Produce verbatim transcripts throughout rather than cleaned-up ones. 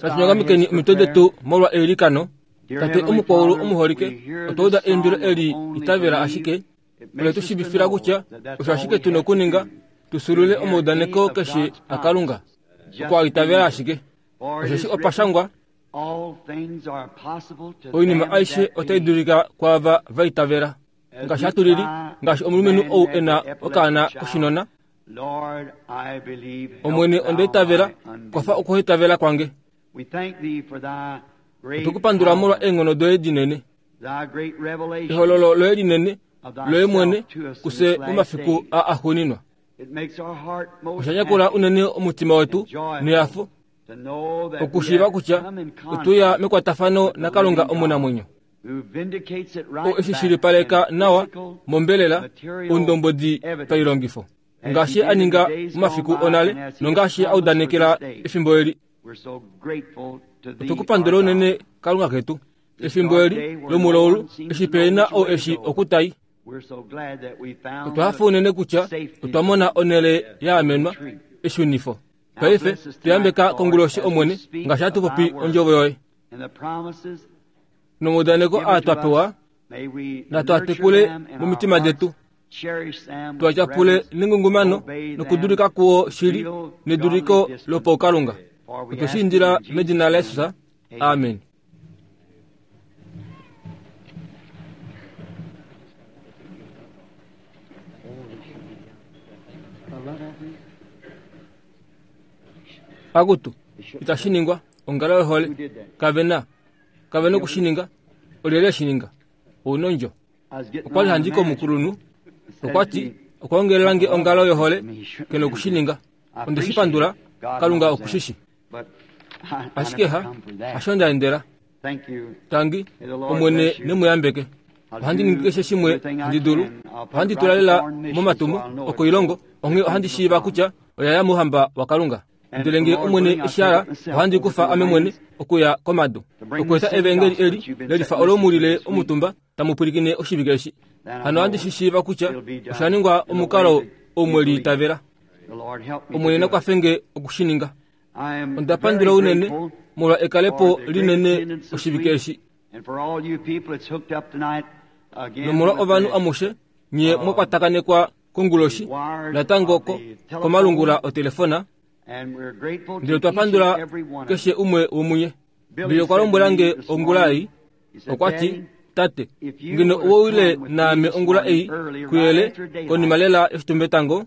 Natu omitwe detu molwa eilikano. Tate omukwaulu omuholike, otwa uda eimbilo eli itavela ashike ole tu shiivifila kutya osho ashike tu na okuninga tu sulule omaudaneko keshe aKalunga okwa itavela ashike. Osheshi opa shangwa, oinima aishe otai dulika kwaava va itavela. Ngaashi hatu lili, ngaashi omulumenhu ou e na okaana koshinona, Omwene onda itavela, kwafa okuhaitavela kwange. Otwe ku pandula molwa eenghono doye dinene, ehololo loye linene loye mwene kufye momafiku aa axuuninwa. Osha nyakula unene omutima wetu nehafo okushiiva kutya otwe uya mekwatafano naKalunga omunamwenyo, oo e shi shilipaleka nawa mombelela oundombwedi pailongifo, ngaashi a ninga momafiku onale nongaashi a udanekela efimbo eli. Otwe ku pandula unene Kalunga ketu, efimbo eli lomulaulu eshi pe na oo eshi okutai. Otwa hafa unene kutya otwa mona onhele ya amenwa, eshunifo. Paife tuyambeka konguloshi Omwene, ngaashi hatu popi ondjovo yoye nomaudaneko aa twa pewa, natu a tekule momitima detu, tu a tyapule nengungumano nokudulika kuo shili neduliko lopaukalunga. Otwe shi indila medina laJesus. Amen. Akutu, itashi ningwa ongalo yohole. Kave na, kave na oku shi ninga. Olyelye e shi ninga? Ounondjo. Okwa li handi komukulunhu, okwa ti, okwa ongelela nge ongalo yohole, ke noku shi ninga. Onde shi pandula, Kalunga oku shi shi. Ashike ha, hasho nda endela. Tangi, Omwene ne mu yambeke. Ohandi ningi keshe shimwe handi dulu. Ohandi tula lela momatumo okoilongo, onghee ohandi shiiva kutya oya ya mouhamba waKalunga. Ndele ngee Omwene eshi hala, ohandi kufa ame mwene okuya komadu, okweeta evangeli eli lelifa olo mu lile omutumba tamu pwilikine oshivike eshi. Hano ohandi shi shiiva kutya osha ningwa omukalo ou mwe liitavela. Omwene na kwafe nge oku shi ninga. Onda pandula unene molwa ekalepo linene oshivike eshi. Nomolwa ovanhu amushe nye mwa kwatakanekwa konguloshi natango komalungula otelefona, ndele otwa pandula keshe umwe womunye. Billy okwa lombwela nge ongula ei, okwa ti, Tate, ngeno owe wile naame ongula ei kuyele konima lela yoshitumbetango,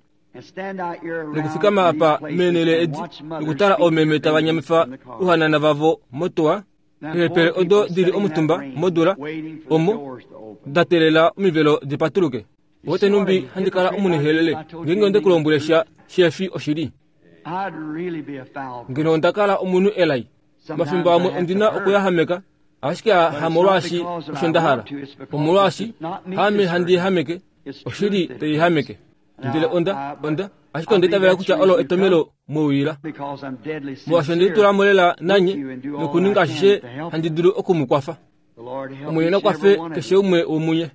nokufikama apa meenhele edi nokutala oomeme tava nyamifa ouhanana vavo motuwa, eepele odo di li omutumba modula omo da teelela omivelo di patuluke. Ote numbi handi kala omunihelele ngeenge onde ku lombwele sha shefi oshili. Ngeno onda kala omunhu elai, mafimbo amwe ondi na okuyahameka, ashike hamolwaashi osho nda hala, omolwaashi haame handi yahameke, oshili tai yahameke. Ndele onda, onda, ashike onda itavela kutya olo etomelo mwe uyila. Molwaashi onde litula mo lela nanye nokuninga ashishe handi dulu oku mu kwafa. Omwene na kwafe keshe umwe womunye.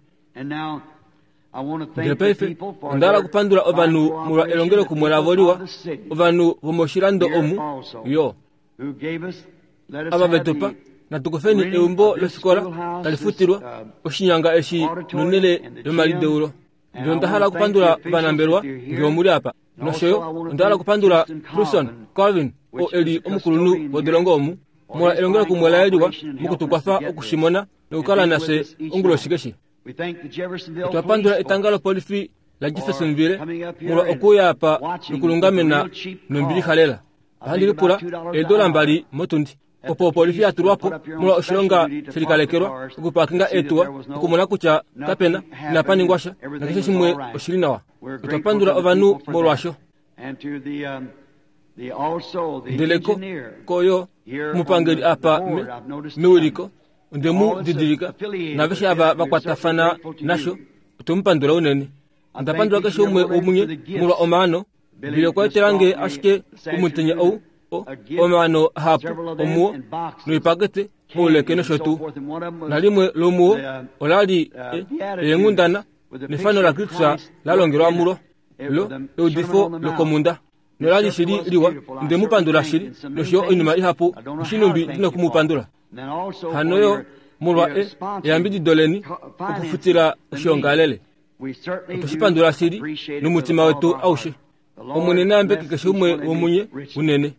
Ndele paife onda hala okupandula ovanhu molwa elongelokumwe lavo liwa, ovanhu vomoshilando omu yo. Ava ve tu pa, natu kufeni eumbo lofikola tali futilwa, oshinyanga eshi nonhele yomalideulo. Ndele onda hala okupandula ovanambelwa nge omu li apa. Nosho yo onda hala okupandula Truson Colvin, oo e li omukulunhu wodolongo omu, molwa elongelokumwe laye liwa moku tu kwafa oku shi mona nokukala nafye onguloshi keshe. Otwa pandula etanga lopolifi laJeffersonville molwa okuuya apa nokulungamena nombilixa lela. Ohandi lipula eedola mbali motundi opo opolifi ya tulwa po molwa oshilonga she likalekelwa okupaakinga eetuwa okumona kutya kapena inapa ningwa sha nakeshe shimwe oshili nawa. Otwa pandula ovanhu molwasho. Ndele ko, ko yo omupangeli apa me, mewiliko onde mu didilika naaveshe ava va kwatafana nasho, otwe mu pandula unene. Onda pandula keshe umwe womunye molwa omaano. Ndele okwa etela nge ashike omutenya ou omaano ahapu omuwo noipakete ouleke nosho tuu. Nalimwe lomuwo ola li eenghundana Nefano la Kristus la longelwa mulo lo eudifo lokomunda nolali shili liwa ndemupandula shili nosho oinima ihapu oshinumbi ndina kumupandula hanoyo molwa e eyambidido leni okufutila oshiongalele otoshipandula shili nomutima wetu aushe Omwene nayambeke keshe umwe womunye unene.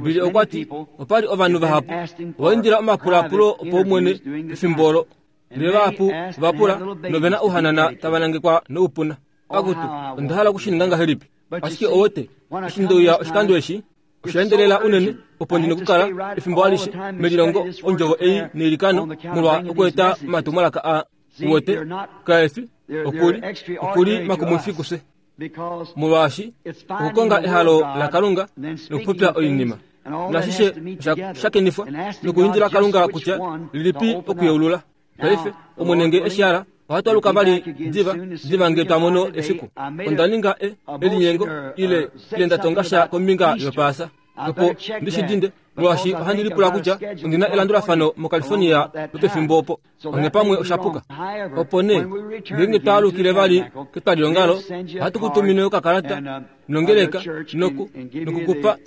Bili okwati opali ovanhu vahapu vaindila omapulapulo opo omwene pefimbo olo ndele vahapu vapula novena ouhanana tava nangekwa noupuna. Akutu onda hala okushininga ngahelipi ashike owote eshi ndeuya oshikando eshi oshaendelela unene opo ndina okukala efimbo alishe melilongo ondjovo ei neilikano molwa okueta omatumwalaka a uwote kaefi okuli okuli makumwifi kufye molwaashi okukonga ehalo laKalunga nokupopya oinima nashishe shakenifwa nokuindila Kalunga kutya lilipi okuyeulula. Paife Omwene nge eshi hala ohatu aluka vali diva diva nge twa mono efiku. Onda ninga e elinyengo ile ile ndatonga sha kombinga yopaasa opo ndishidinde molwaashi ohandi lipula kutya ondina elandulafano moCalifornia lopefimbo opo onge pamwe oshapuka. Opo nee ngeenge twaalukile vali ketwalilongalo ohatu kutumine okakalata nongeleka noku nokukupa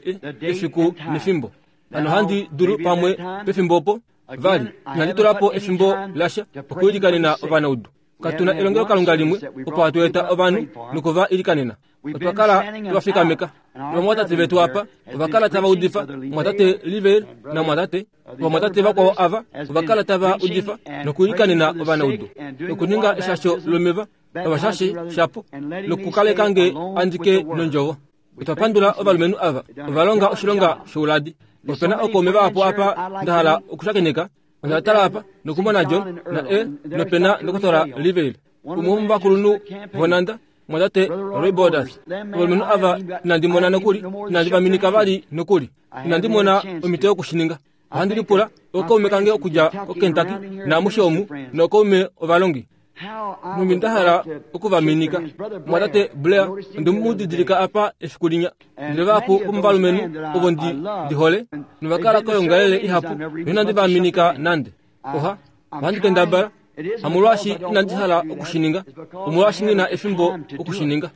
efiku nefimbo. Hano handi dulu pamwe pefimbo opo vali inandi tula po efimbo lasha okuilikanena ovanaudu. Katuna elongelo Kalunga limwe opo hatu eta ovanhu nokuva ilikanena. Otwa kala twafikameka ovamwatate vetu apa ovakala tava udifa mwatate Livel na mwatate ovamwatate vakwao ava ovakala tava udifa nokuilikanena ovanaudu nokuninga eshasho lomeva ovashashe shapo nokukaleka nge andike nondjovo. Otwa pandula ovalumenhu ava ovalonga oshilonga shouladi. Opena okaume vahapu apa ndahala okushakeneka. Onda tala apa nokumona John na e nopena ndokotola Livel umwe womovakulunhu vonanda mwatate Roy Borders. Ovalumenhu ava inandi mona nokuli inandi vaminika vali nokuli inandi mona omhito yokushininga. Ohandi lipula okaume kange okudja koKentucky naamushe omu nookaume ovalongi numbi ndahala okuvaminika. Mwatate Blair ondemudidilika apa efiku linya. Ndele vahapu vomovalumenhu ovo ndi ndihole novakala koyongalele ihapu noinandi vaminika nande. Oha ohandi kendabala hamolwaashi inandi hala okushininga omolwaashi ngina efimbo okushininga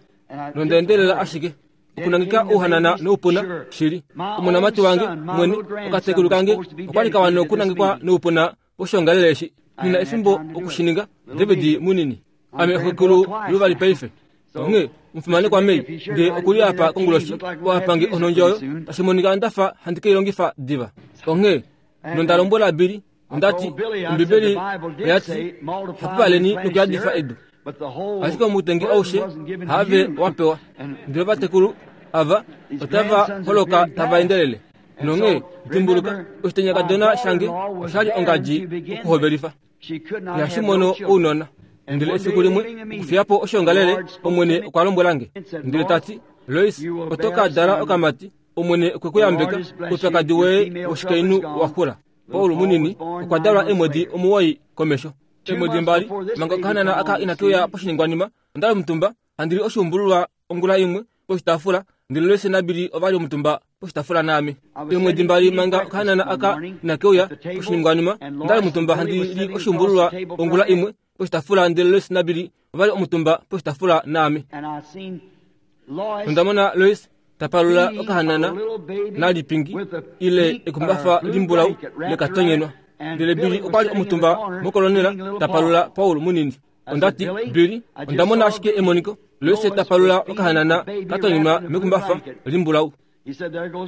nondaendelela ashike okunangika ouhanana noupuna shili. Omonamati wange mwene okatekulu kange okwali kawana okunangikwa noupuna poshiongalele eshi nina efimbo okushininga. David munini ame xekulu luvali paife onge mufumane kwa mei nge okuli apa konguloshi oapange onondjoyo tashi monika ndafa handi keilongifa diva. Onge nondalombwela Bili ondati Ombibeli oyati hapupaleni nokuyadifa edu ashike omutengi aushe have wapewa. Ndele vatekulu ava otava holoka tava endelele. Nonge dimbuluka oshitenyakadona shange oshali ongadji okuhovelifa yashimono ounona. Ndele efiku limwe okufiyapo oshiongalele Omwene okwa lombwela nge ndele tati Lois oto ka dala okamati Omwene okwe ku yambeka oupyakadi woye woshikainhu wa xula. Paul munini okwa dalwa eemwedi omuwoi komesho. Eemwedi mbali manga okahanana aka inake uya poshiningwanima ondali omutumba handi li oshuumbululwa ongula imwe poshitaafula ndele Lois naBili ovali omutumba poshitaafula naame. Eemwedi mbali manga okahanana aka inake uya poshiningwanima ondali omutumba handi li oshuumbululwa ongula imwe poshitaafula ndele Lois naBili ovali omutumba poshitaafula naame. Ondamona Lois tapalula okahanana nalipingi ile ekumbafa limbulau lekatonyenwa. Ndele Bili okwali omutumba mokolonela tapalula Paul munini. Ondati Bili ondamona ashike emoniko Lois tapalula okahanana katonyenwa mekumbafa limbulau.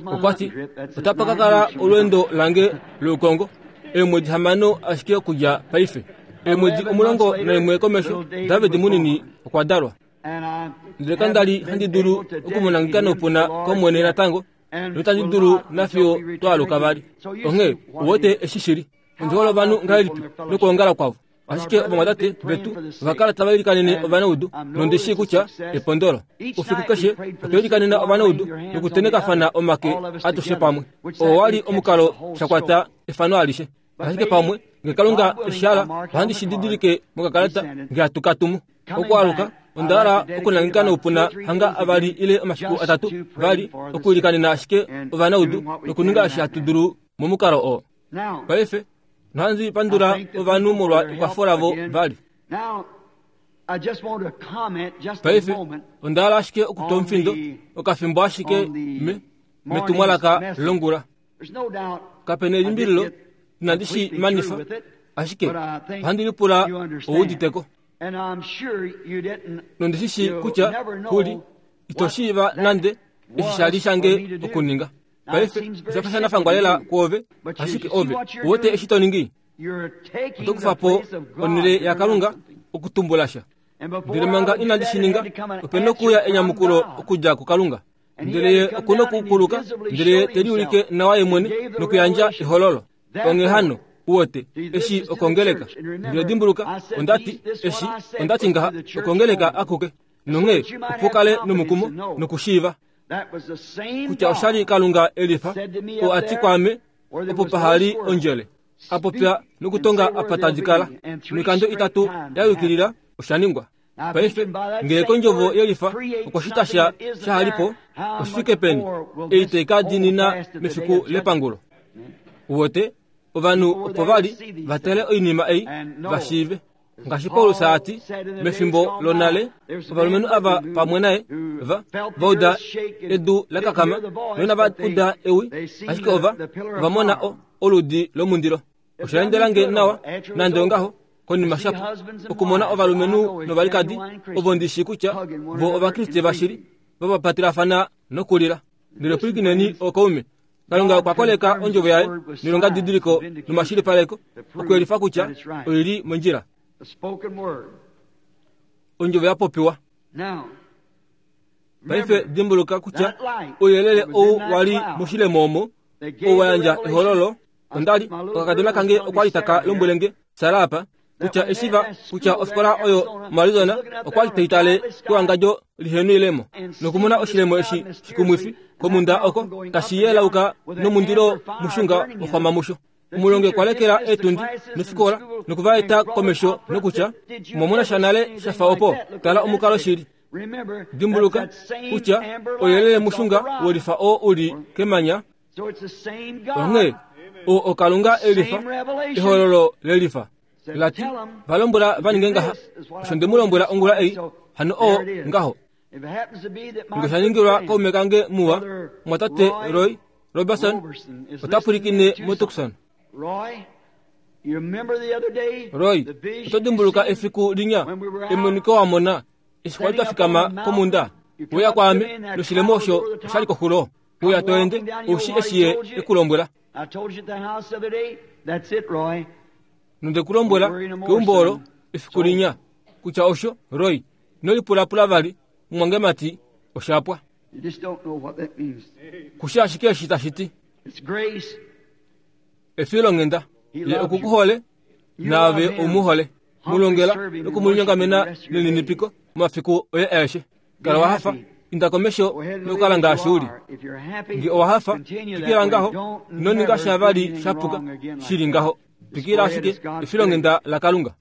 Okwati otapa kakala olweendo lange loukongo eemwedi hamano ashike okudja paife. Eemwedi omulongo naimwe komesho David munini okwa dalwa. Ndele kandali handi dulu okumunangika noupuna kOmwene natango notandi dulu nafiyo twaaluka vali. Onghee uwete eshi shili ondihole ovanhu ngahelipi nokuongala kwavo. Ashike ovamwatate vetu ovakala tava ilikanene ovanaudu nondishi kutya epondolo. Ufiku keshe otwa ilikanena ovanaudu nokutenekafana omake atushe pamwe. Oo wali omukalo shakwata efano alishe. Ashike pamwe nge Kalunga eshala ohandi shididilike mokakalata nge hatu katumu. Okwaluka ondala okunangika noupuna hanga avali ile omafiku atatu vali okuilikanena ashike ovanaudu nokuninga eshi hatu dulu momukalo oo. Paife nohandi pandula ovanhu molwa ekwafo lavo vali. Paife onda hala ashike okutwa omufindo okafimbo ashike me metumwalaka longula. Kapena elimbililo inandi shi manifa, ashike ohandi lipula ouuditeko. Nondishi kutya kuli ito shiiva nande eshi shali shange okuninga. Paife oshafa shanafangwa lela kwoove, ashike ove uwete eshi to ningi. Oto kufa po onhele yaKalunga okutumbula sha. Ndele manga inandi shi ninga, opena okuuya enyamukulo okudja kuKalunga. Ndele ye okuna okukuluka, ndele ye te liulike nawa ye mwene nokuyandja ehololo. Onghee hano uwete eshi okongeleka. Ndele dimbuluka, ondati eshi ondati ngaha okongeleka akuke. Nonghee opo kale nomukumo nokushiiva kutya oshali Kalunga elifa oo ati kwaame opo pahali ondjele. Apopya nokutonga apa tadi kala. Noikando itatu ya yukilila oshaningwa. Paife ngee kondjovo yelifa okwashita sha shahalipo oshifike peni ei taika dinina mefiku lepangulo. Uwete ovanhu opo vali vatale oinima ei vashiive. Ngaashi Paulus ati mefimbo lonale ovalumenhu ava pamwe naye va vauda edu lakakama noinava uda ewi, ashike ova ovamona oludi lomundilo. Oshaendelange nawa nande ongaho konima shapo okumona ovalumenhu novalikadi ovo ndishi kutya vo ovakriste vashili vapapatilafana nokulila. Ndele pwikineni okaume. Kalunga okwa koleka ondjovo yaye nilonga didiliko nomashilipaleko okuyelifa kutya oili mondjila. Ondjovo ya popiwa. Paife dimbuluka kutya ouyelele ou wali moshilemo omo ou wa yandja ehololo. Ondali okakadona kange okwali taka lombwelenge Sara apa kutya eshiva kutya ofikola oyo moArizona okwali taitale kewangadjo lihenwilemo nokumona oshilemo eshi shikumwifi komunda oko tashi yelauka nomundilo mushunga oxwama musho. Omulongi okwa lekela eetundi nofikola nokuvaeta komesho nokutya omwamona sha nale shafa opo tala omukalo shili. Dimbuluka kutya ouyelele mushunga wolifa oo uli kemanya. Onghee o okalunga elifa ehololo lelifa lati valombwela vaninge ngaha osho ndemulombwela ongula ei hano oo ngaho. Nge shaningilwa kaume kange muwa mwatate Roy Robertson ota pwilikine moTucson. Roy, oto dimbuluka efiku linya emoniko wa mona eshi kwali twafikama komunda uya kwaame noshilemo osho oshali koxulo. Uya toende oushi eshi ye ekulombwela. Nondekulombwela keumbo olo efiku linya kutya osho Roy nolipulapula vali mumwangemati oshapwa. Kushi ashike eshi tashi ti. Efilonghenda ye okukuhole naave oumuhole. Mulongela nokumulinyongamena neninipiko momafiku oye aeshe. Kala wahafa inda komesho nokukala ngaashi uli. Nge owahafa twikila ngaho ino sha vali shapuka shili ngaho. Twikila ashike efilonghenda laKalunga.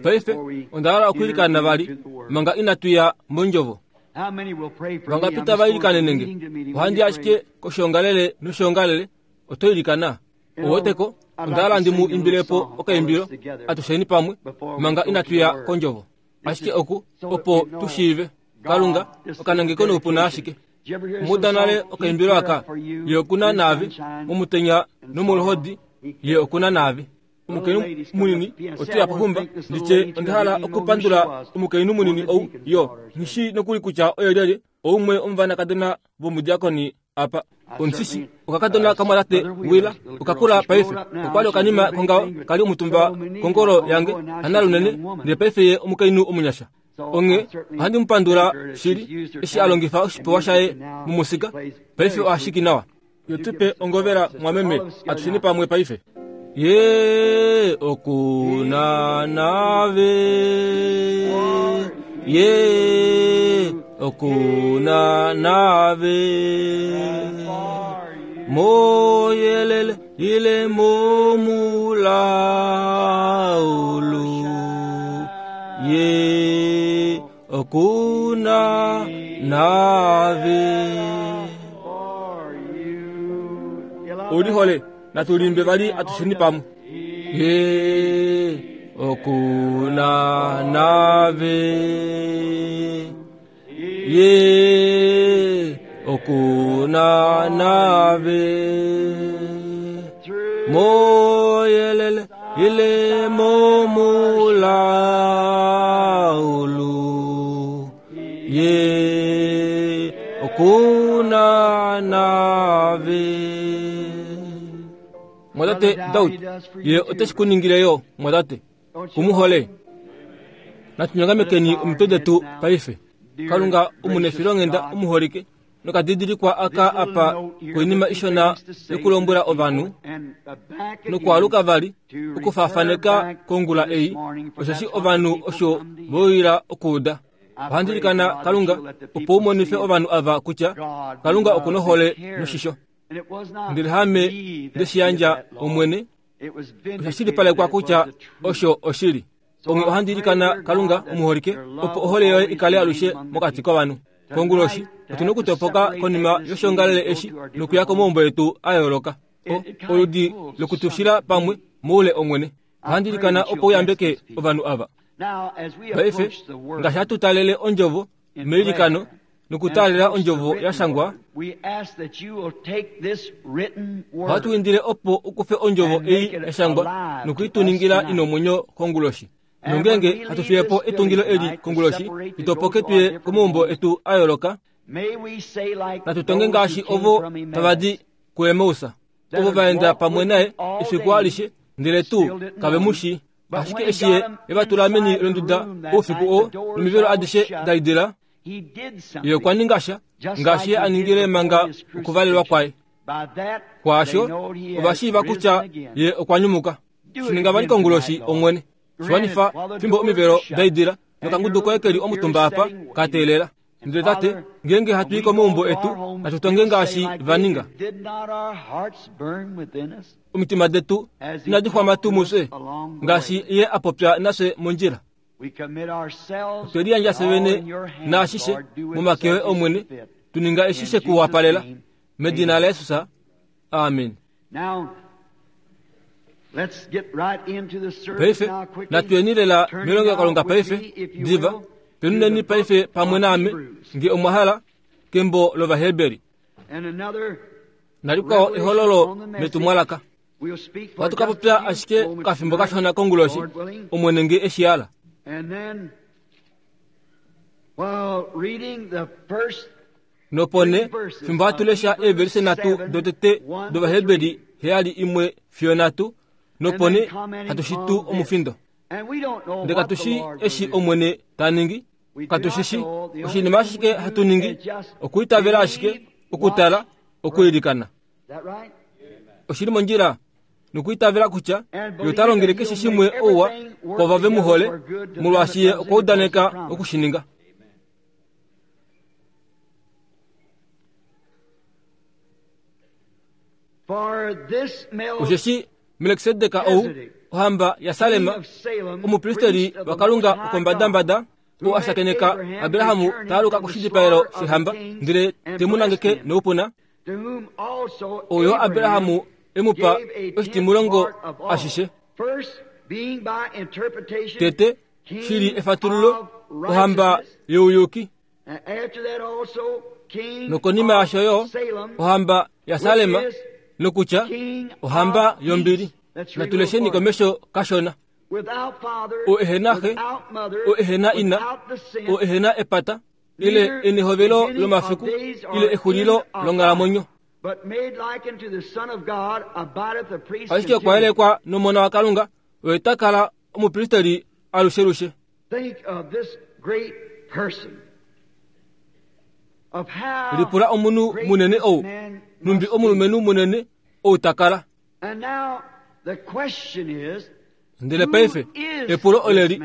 Paife onda hala okwiilikana vali manga inatuya mondjovo. Vangapita vailikanene nge ohandi ashike koshongalele noshongalele oto ilikana. Oweteko onda hala ndi mu imbilepo okaimbilo atusheni pamwe manga inatuya kondjovo. Ashike oku opo tushiive Kalunga okanangeko noupuna ashike. Muda nale okaimbilo aka ye okuna naave momutenya nomoluhodi ye okuna naave. Omukainhu munini otuya pohumba nditye onda hala okupandula omukainhu munini ou yo nghishi nokuli kutya oye lyelye oumwe omuvanakadona vomudiakoni apa. Omusisi okakadona kamwatate Wila okakula paife okwali okanima kongao kali omutumba kongolo yange hana lunene ndele paife ye omukainhu omunyasha. Onge ohandi mupandula shili eshi alongifa oshipewa shaye mumusika paife ohashiki nawa. Yotupe ongovela mwameme atusheni pamwe paife. Ye okuna nave ye okuna nave moyelele ile momulaulu ye okuna nave. Ulihole natulimbe vali atusheni pamwe. Ye Okuna nave ye okuna nave moyelele ile momulaulu ye okuna nave. Mwadate Daud ye oteshi yo mwadate kumuhole natunyongamekeni omitwe detu paife. Kalunga omunefilongenda omuholike nokadidilikwa aka apa koinima ishona yokulombwela ovanhu nokwaluka vali okufafaneka kongula ei osheshi ovanhu osho voila okuuda. Ohandilikana Kalunga opo umonife ovanhu ava kutya Kalunga okunohole noshisho. Ndele hame ndeshiyandja omwene osha shilipalekwa kutya osho oshili. Onge ohandilikana Kalunga omuholike opo ohole yoye ikale alushe mokati kovanhu. Konguloshi otuna okutopoka konima yoshongalele eshi nokuya komaumbo etu a yooloka. Oludi lokutushila pamwe moule omwene. Ohandilikana opo uyambeke ovanhu ava. Paife ngaashi hatu talele ondjovo meilikano nokutalela ondjovo ya shangwa, ohatu indile opo ukufe ondjovo ei ya shangwa nokuituningila inomwenyo konguloshi. Nongenge hatu fiyepo etungilo eli konguloshi itopoke tuye komaumbo etu a yooloka. Natutonge ngaashi ovo tavadi kuEmausa, ovo vaenda pamwe naye efiku alishe ndele tuu kave mushi. Ashike eshi ye evatula meni londuda oufiku oo nomivelo adishe daidila, ye okwa ninga sha ngaashi ye aningile manga okuvalelwa kwaye. Kwaasho ovashiiva kutya ye okwa nyumuka. Shininga vali konguloshi omwene. Shiwanifa fimbo omivelo daidila nokangudu koye keli omutumba apa kateelela. Ndele tate ngenge hatu i komaumbo etu natutonge ngaashi vaninga. Omitima detu inadi xwama tuu mufye ngaashi ye apopya nafye mondjila. Otweliyandja fye vene naashishe momake oye omwene, tuninga eshi shekuwapalela medina laJesus. Amen. Paife natuyeni lela melongo Kalunga paife diva penuneni paife pamwe naame nge omwahala kembo lOvaheberi. Nalikwao ehololo metumwalaka. Ohatu ka popya ashike kafimbo kashona konguloshi omwene nge eshiala. Nopone fimbo hatu lesha eeverise nhatu dotete dOvaheberi heyali imwe fiyo nhatu. Nopone hatushitu omufindo. Ndele katushi eshi omwene ta ningi, katushishi oshinima ashike hatu ningi okuitavela ashike okutala okuilikana. Oshili mondjila nokuitavela kutya ye ota longele keshe shimwe ouwa kwava ve mu hole, molwaashi ye okwa udaneka okushininga. Osheshi Melkisedek ou ohamba yaSalem, omupristeri waKalunga okombadambada, ou a shakeneka Abrahamu taaluka koshidipaelo shehamba, ndele te mu nangeke noupuna, oyo Abrahamu e mu pa oshitimulongo ashishe. Tete shili efatululo ohamba youyuki, nokonima yasho yo ohamba yaSalem, nokutya ohamba yombili. Natulesheni komesho kashona. O ehena xe, o ehena ina, o ehena epata, ile enehovelo lomafiku, ile exulilo longhalamwenyo. Ashike okwa yelekwa nomona waKalunga, oye ta kala omupristeri alushelushe. Lipula omunhu munene ou, numbi omulumenhu munene ou ta kala. Ndele paife epulo oleli,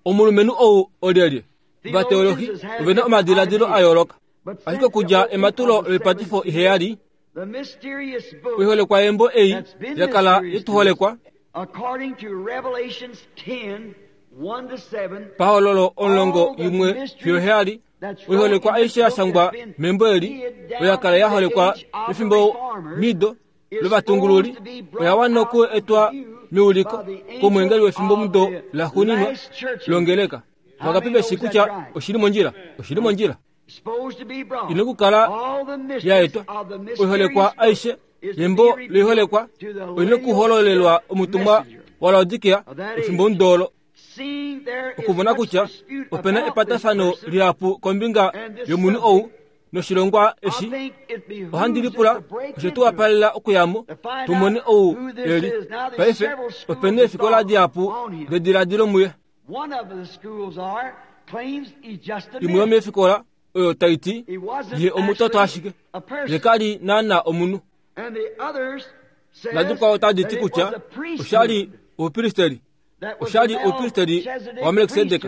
omulumenhu ou olyelye? Ovateologi ovena omadiladilo a yooloka. Ashike okudja ematulo loipatifo iheyali, oiholekwa yembo ei yakala yetuholekwa pahololo omulongo imwe fiyo heyali, oiholekwa aishe ya shangwa membo eli oyakala yaholekwa pefimbo mido lovatungululi, oya wana oku etwa meuliko komwengeli wefimbo mudo laxuuninwa longeleka. Vangapi veshi kutya oshili mondjila? Oshili mondjila. Ina okukala yaetwa oiholekwa aishe yembo loiholekwa oina okuhololelwa omutumwa waLaodikea efimbo mudolo. Okumona kutya opena epatafano lihapu kombinga yomunhu ou noshilongwa eshi, ohandi lipula osho tuwapalela okuyamo tumone ou eli. Paife opena efikola dihapu dediladilo muye. Imwe yomeefikola oyo taiti ye omutoto ashike, ye kali naana omunhu. Nadikwao otadi ti kutya oshali oupristeri, oshali oupristeri waMelkisedek.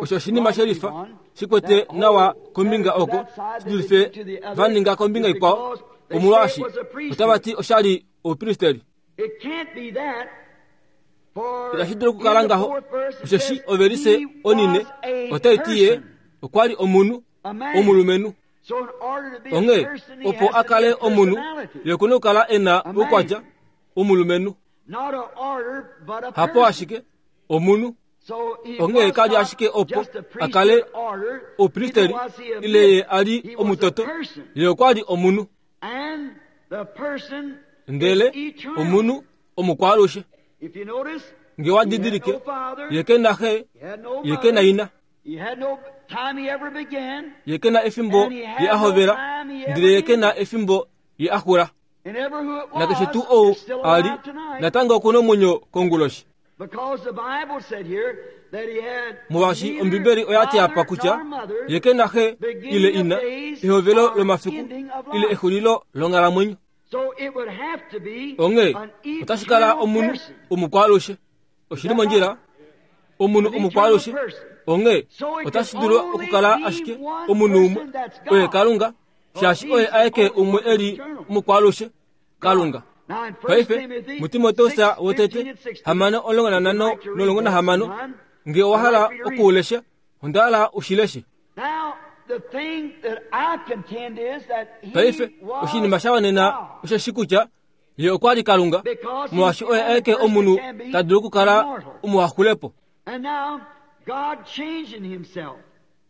Osho oshinima shelifa shikwete nawa kombinga oko shidulife vaninga kombinga ikwao, omolwaashi otava ti oshali oupristeri. Itashi dulu okukala ngaho, osheshi ovelise onine otai ti ye okwa li omunhu, omulumenhu. Onghee opo a kale omunhu, ye okuna okukala e na oukwatya omulumenhu. Hapo ashike omunhu. Onghee kali ashike opo a kale oupristeri ile ye a li omutoto, ye okwa li omunhu. Ndele omunhu omukwaalushe. Nge wa didilike, ye ke na xe, ye ke na ina, ye ke na efimbo ye a hovela, ndele ye ke na efimbo ye a xula. Nakeshe tuu ou a li natango okuna omwenyo konguloshi. Molwaashi Ombibeli oya ti apa kutya ye ke na xe ile ina, ehovelo lomafiku ile exulilo longhalamwenyo. Onghee otashi kala omunhu omukwaalushe. Oshili mondjila, omunhu omukwaalushe. Onghee otashi dulu okukala ashike omunhu umwe, oye Kalunga, shaashi oye aeke umwe eli omukwaalushe, Kalunga. Paife muTimoteus wotete hamano omulongo nanhano nolongo nahamano, nge owa hala okuulesha, onda hala ushileshe. Paife oshinima sha wanena osheshi kutya ye okwa li Kalunga, molwaashi oye aeke omunhu ta dulu okukala omuhaxulepo.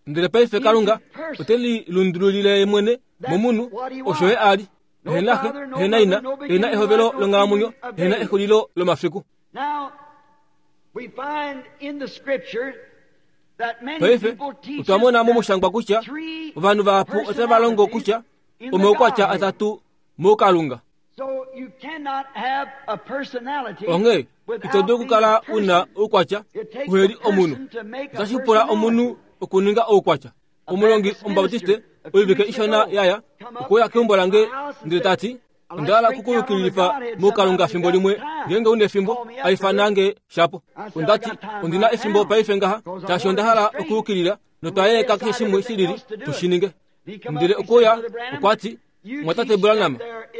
Ndele paife Kalunga ote lilundululile ye mwene momunhu, osho ye a li. Ehena xe, ehena ina, ehena ehovelo longhalamwenyo, ehena exulilo lomafiku. Paife otwa mona momushangwa kutya ovanhu vahapu otava longo kutya omaukwatya atatu moukalunga. Onghee ito dulu okukala una oukwatya uheli omunhu. Otashi pula omunhu okuninga oukwatya. Omulongi Omubaptiste oivike ishona yaya okuya keumbo lange ndele tati onda hala okukuyukililifa moukalunga fimbo limwe, ngeenge una efimbo aifanange shapo. Ondati ondina efimbo paife ngaha, shaashi onda hala okuyukilila notwayeleka keshe shimwe shilili tushininge. Ndele okuya okwati mwatate Branham,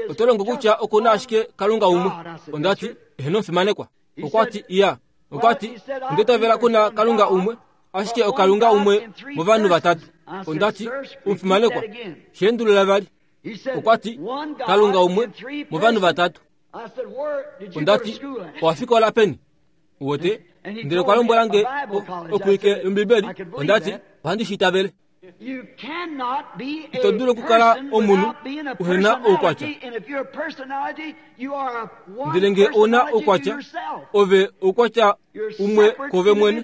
oto longo kutya okuna ashike Kalunga umwe. Ondati eheno omufimanekwa. Okwati iya. Okwati ondetavela kuna Kalunga umwe, ashike okalunga umwe movanhu vatatu. Ondati omufimanekwa, shendulula vali. Okwati Kalunga umwe movanhu vatatu. Ondati owafikola peni? Wote ndele okwa lombwela nge okuike yOmbibeli. Ondati ohandi shi itavele. Ito dulu okukala omunhu uhena oukwatya. Ndele nge ouna oukwatya, ove oukwatya umwe kove mwene,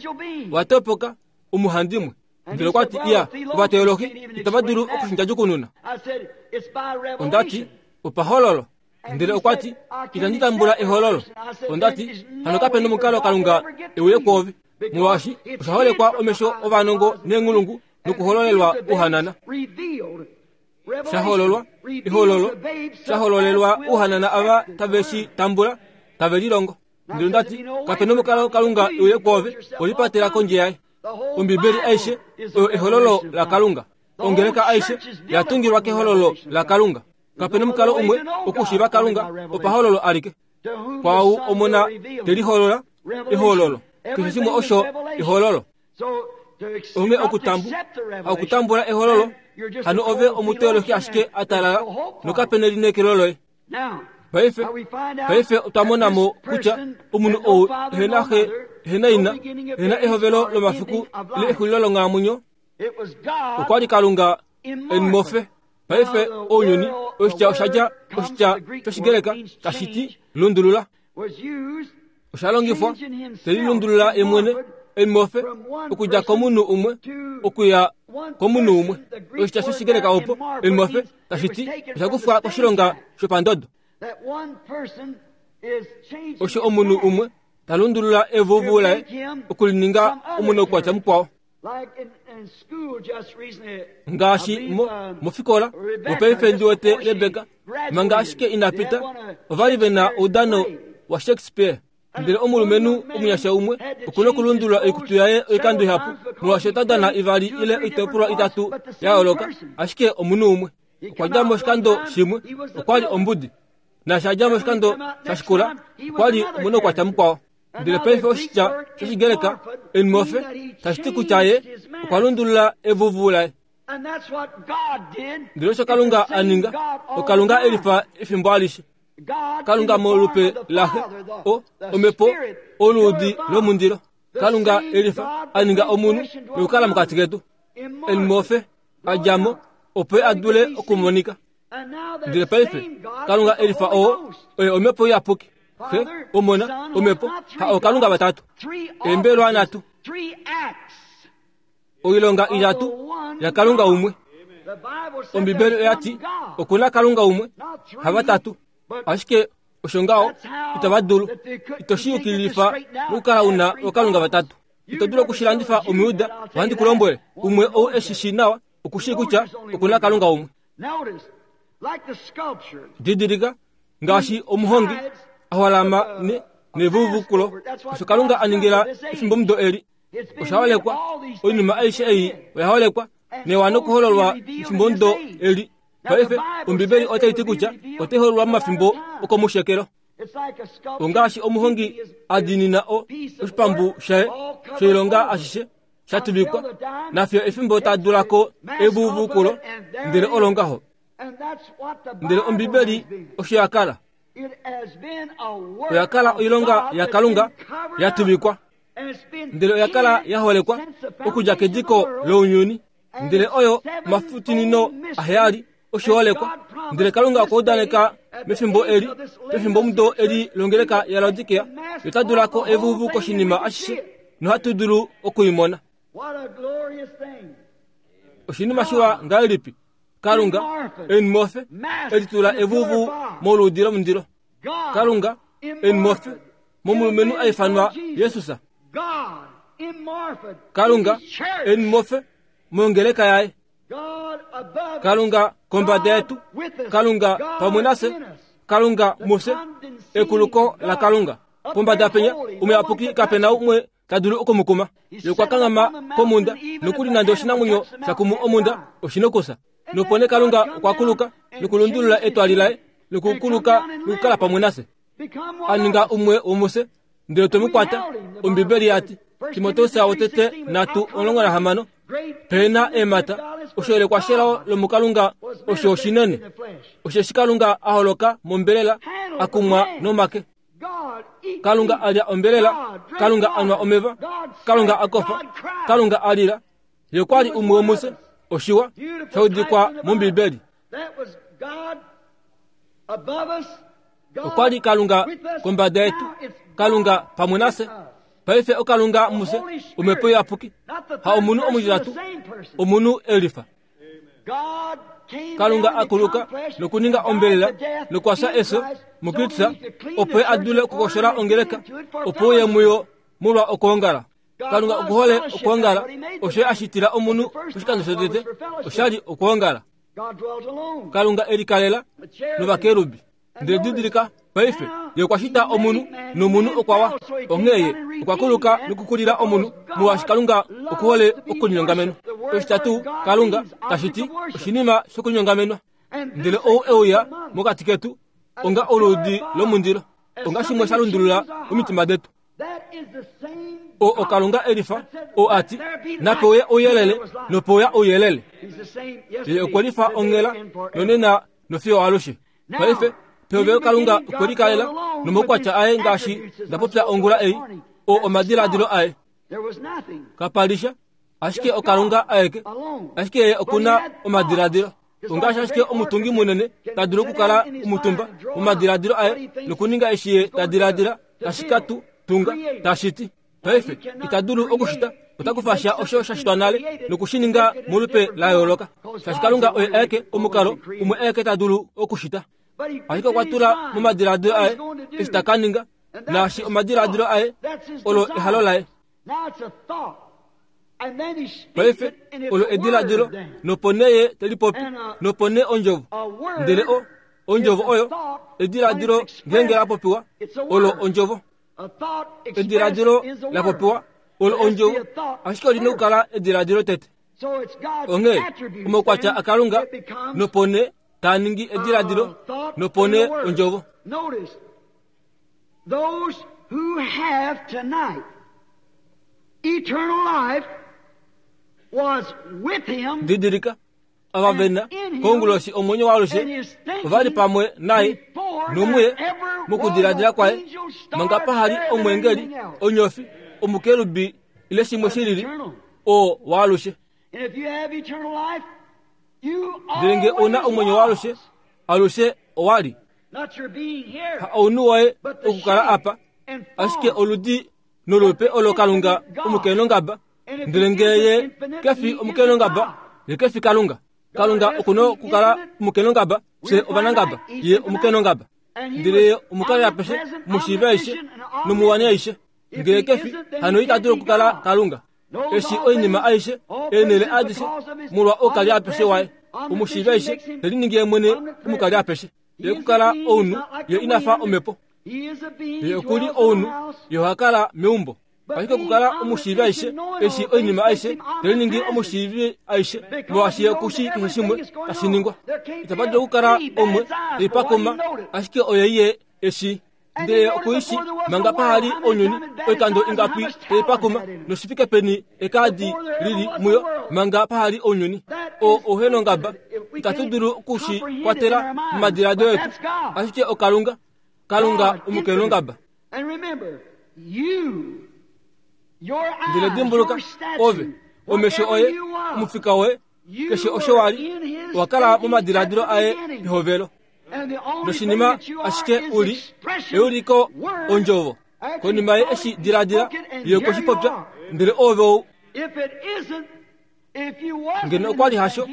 watopoka omuhandimwe. Ndele okwati iya, ovateologi itava dulu okushindjajukununa. Ondati opahololo. Ndele okwati itandi tambula ehololo. Ondati hano kape nomukalo Kalunga euye kwoove, molwaashi osha holekwa omesho ovanongo neenghulungu nokuhololelwa uhanana. Shahololwa ehololo, shahololelwa uhanana ava tave shi tambula, tave lilongo. Ndele ondati kape nomukalo Kalunga euye kwoove, olipatela kondje yaye. Ombibeli aishe oyo ehololo laKalunga. Ongeleka aishe yatungilwa kehololo laKalunga. Kape nomukalo umwe okushiiva Kalunga opahololo alike. Kwau omona teliholola ehololo. Keshe shimwe osho ehololo. Onge okutambu, okutambula ehololo, hano ove omuteolohi ashike atalala nokapene lineekelo loye. Paife paife otwa mona mo kutya omunhu ou ehena xe, ehena ina, ehena ehovelo lomafiku ile exulilo longhalamwenyo. Okwa li Kalunga enmofe. Paife ounyuni oshitya oshadja oshitya shOshigreka tashi ti lundulula. Osha longifwa telilundulula ye mwene enmofe okudja komunhu umwe okuya komunhu umwe. Oshitya shOshigreka opo enmofe tashi ti osha kufwa koshilonga shopandodo. Osho omunhu umwe ta lundulula evuvu laye okulininga omunhu okwatya mukwao. Ngaashi mo mofikola mopaife ndi wete Rebecca manga ashike inapita ova li ve na oudano wa Shakespeare. Ndele omulumenhu omunyasha umwe okuna okulundulula oikutu yaye oikando ihapu molwaashi ota dana ivali ile oitopolwa itatu ya yooloka, ashike omunhu umwe okwa dja moshikando shimwe okwa li ombudi, naashi a dja moshikando sha shikula okwa li omunhu okwatya mukwao. Ndele paife oshitya shOshigreka enmofe tashi ti kutya ye okwa lundulula evuvu laye. Ndele osho Kalunga a ninga, oKalunga e lifa efimbo alishe. Kalunga molupe laxe, o omhepo oluudi lomundilo. Kalunga e lifa a ninga omunhu nokukala mokati ketu. Enmofe a dja mo opo a dule okumonika. Ndele paife Kalunga e lifa oo oye omhepo iyapuki. Xe, Omona, Omhepo, ha oKalunga vatatu. Eembelwa nhatu. Oilonga itatu yaKalunga umwe. Ombibeli oya ti okuna Kalunga umwe, havatatu. Ashike osho ngaho itava dulu. Ito shi yukililifa nokukala una oKalunga vatatu. Ito dulu okushilandifa Omuyuda, ohandi ku lombwele, umwe ou eshi shi nawa okushii kutya okuna Kalunga umwe. Didilika ngaashi omuhongi a holama ne nevuvukulo osho Kalunga a ningila efimbomudo eli. Osha holekwa, oinima aishe ei oya holekwa newa nokuhololwa efimbomudo eli. Paife Ombibeli otai ti kutya otai hololwa momafimbo okomushekelo. Ongaashi omuhongi a diinina o oshipambu shaye shoilonga ashishe sha tuvikwa, nafyo efimbo ta dulako evuvukulo, ndele olongaho. Ndele Ombibeli osho ya kala. Oya kala oilonga yaKalunga ya tuvikwa, ndele oya kala ya holekwa okudja kediko lounyuni. Ndele oyo mafutinino aheyali osho holekwa. Ndele Kalunga okwa udaneka mefimbo eli, pefimbo mudo eli longeleka ya Laodikea, yota dulako evuvu koshinima ashishe nohatu dulu okuimona. Oshinima shiwa ngahelipi Kalunga enmofe elitula evuvu moluudi lomundilo. Kalunga enmofe momulumenhu a ifanwa Jesus. Kalunga enmofe mongeleka yaye. Kalunga kombada yetu, Kalunga pamwe nafye, Kalunga mufye, ekuluko la Kalunga pombada penya omuyapuki kapena umwe ta dulu okumukuma. Ye okwa kanghama komunda nokuli nande oshinamwenyo sha kumu omunda oshinokusa. Nopo nee Kalunga okwa kuluka nokulundulula etwali laye nokukuluka nokukala pamwe nafye. A ninga umwe womufye ndele twe mu kwata. Ombibeli ya ti Timoteus wotete nhatu omulongo nahamano pena eemhata osho shelao lomukalunga osho oshinene, osheshi Kalunga a holoka mombelela a kumwa nomake. Kalunga a lya ombelela, Kalunga a nwa omeva, Kalunga a kofa, Kalunga a lila. Ye okwa li umwe womufye, oshiwa sha udikwa mOmbibeli. Okwa li Kalunga kombada yetu, Kalunga pamwe nafye. Paife oKalunga mufye, Omhepo Iyapuki, ha omunhu omutitatu, omunhu elifa. Kalunga a kuluka nokuninga ombelela nokwafya efyo muKristus, opo ye a dule okukoshola ongeleka, opo uye muyo molwa okwoongala. Kalunga okuhole okwoongala, osho ye a shitila omunhu poshikando shotete, osha li okwoongala. Kalunga e likalela novakerubi. Ndele didilika paife ye okwa shita omunhu nomunhu okwa wa. Onghee ye okwa kuluka nokukulila omunhu, molwaashi Kalunga okuhole okulinyongamenwa. Oshitatu Kalunga tashi ti oshinima shokulinyongamenwa. Ndele ou e uya mokati ketu onga oluudi lomundilo, onga shimwe sha lundulula omitima detu. O oKalunga elifa oo a ti nape uye ouyelele, nope uya ouyelele. Ye okwe lifa onghela nonena nofiyo alushe. Paife Pehovelo Kalunga okwe likalela nomaukwatya aye ngaashi nda popya ongula ei, oo omadiladilo aye. Kapalisha ashike oKalunga aeke, ashike ye okuna omadiladilo. Ongaashi ashike omutungi munene ta dulu okukala omutumba momadiladilo aye nokuninga eshi ye ta diladila tashi ka tu tunga tashiti. Paife ita dulu okushita, ota kufa sha osho sha shitwa nale nokushininga molupe la yooloka. Shaashi Kalunga oye aeke omukalo umwe aeke ta dulu okushita. Ashike okwa tula momadiladilo aye eshi ta ka ninga, naashi omadiladilo aye olo ehalo laye. Paife olo ediladilo, nopo nee ye te lipopi, nopo nee ondjovo. Ndele o ondjovo oyo ediladilo ngeenge la popiwa, olo ondjovo. Ediladilo la popiwa olo ondjovo, ashike oli na okukala ediladilo tete. Onghee omaukwatya aKalunga, nopo nee taa ningi ediladilo, nopo nee ondjovo. Those who have tonight eternal life was with him. Didilika, ava vena konguloshi omwenyo waalushe ova li pamwe naye nomuye mokudiladila kwaye, manga pahali omwengeli, onyofi, omukerubi ile shimwe shilili, oo waalushe. Ndele nge una omwenyo waalushe, alushe owali. Ha ounhu woye okukala apa, ashike oludi nolupe olo Kalunga omukenongaba. Ndele nge ye kefi omukenongaba, ye kefi Kalunga. Kalunga okuna okukala omukenongaba, fye ovanangaba, ye omukenongaba. Ndele ye omukali apeshe, omushiivi aishe, nomuwani aishe. Ngele kefi, hano ita dulu okukala Kalunga. Eshi oinima aishe, eenhele adishe, molwa oukali apeshe waye. Omushiivi aishe, te liningi ye mwene omukali apeshe. Ye okukala ounhu, ye inafa omhepo. Ye okuli ounhu, ye oha kala meumbo. Ashike okukala omushiivi aishe, eshi oinima aishe, te liningi omushiivi aishe, molwaashi ye okushi keshe shimwe tashi ningwa. Itapa dulu okukala omwe teipakoma, ashike oye ye eshi. Ndele okuishi manga pahali ounyuni, oikando ingapi teipakoma, noshifike peni ekaadi lili muyo manga pahali ounyuni. O ouhenongaba, itatu dulu okushi kwatela momadiladilo etu, ashike oKalunga, Kalunga omukenongaba. Ndele dimbuluka, ove, omesho oye, omufika woye, keshe osho wali, owa kala momadiladilo aye pehovelo. Noshinima ashike uli, euliko ondjovo. Konima ye eshi diladila, ye okwe shi popya, ndele ove ou. Ngeno okwa li hasho,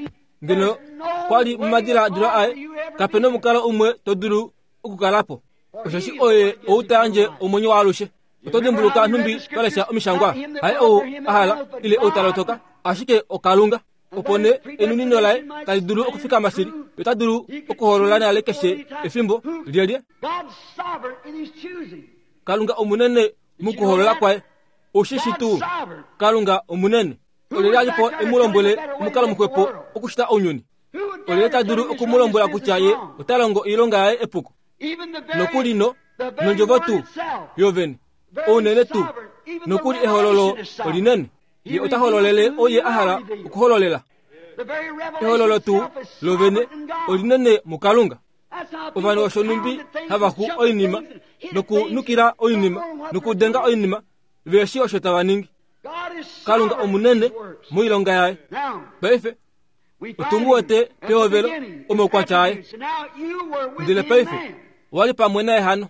ngeno kwa li momadiladilo aye, kape nomukalo umwe to dulu okukala po. Osheshi oye ou ta yandje omwenyo waalushe. Oto dimbuluka nhumbi twa lesha omishangwa, haye ou a hala ile ou ta lotoka, ashike oKalunga. Opo nee enunino laye tali dulu okufikama shili, ye ota dulu okuholola nale keshe efimbo lyelye. Kalunga omunene mokuholola kwaye. Oushi tuu Kalunga omunene. Olyelye a li po e mu lombwele omukalo muxwepo okushita ounyuni? Olyelye ta dulu oku mu lombwela kutya ye ota longo oilonga yaye epuko? Nokuli no nondjovo tuu yovene, ounene tuu, nokuli ehololo olinene. Ye ota hololele oye a hala okuhololela. Ehololo tuu lovene olinene muKalunga. Ovanhu osho numbi hava xu oinima nokunukila oinima nokudenga oinima, veshi osho tava ningi. Kalunga omunene moilonga yaye. Paife otu mu wete pehovelo omaukwatya aye. Ndele paife owa li pamwe naye hano.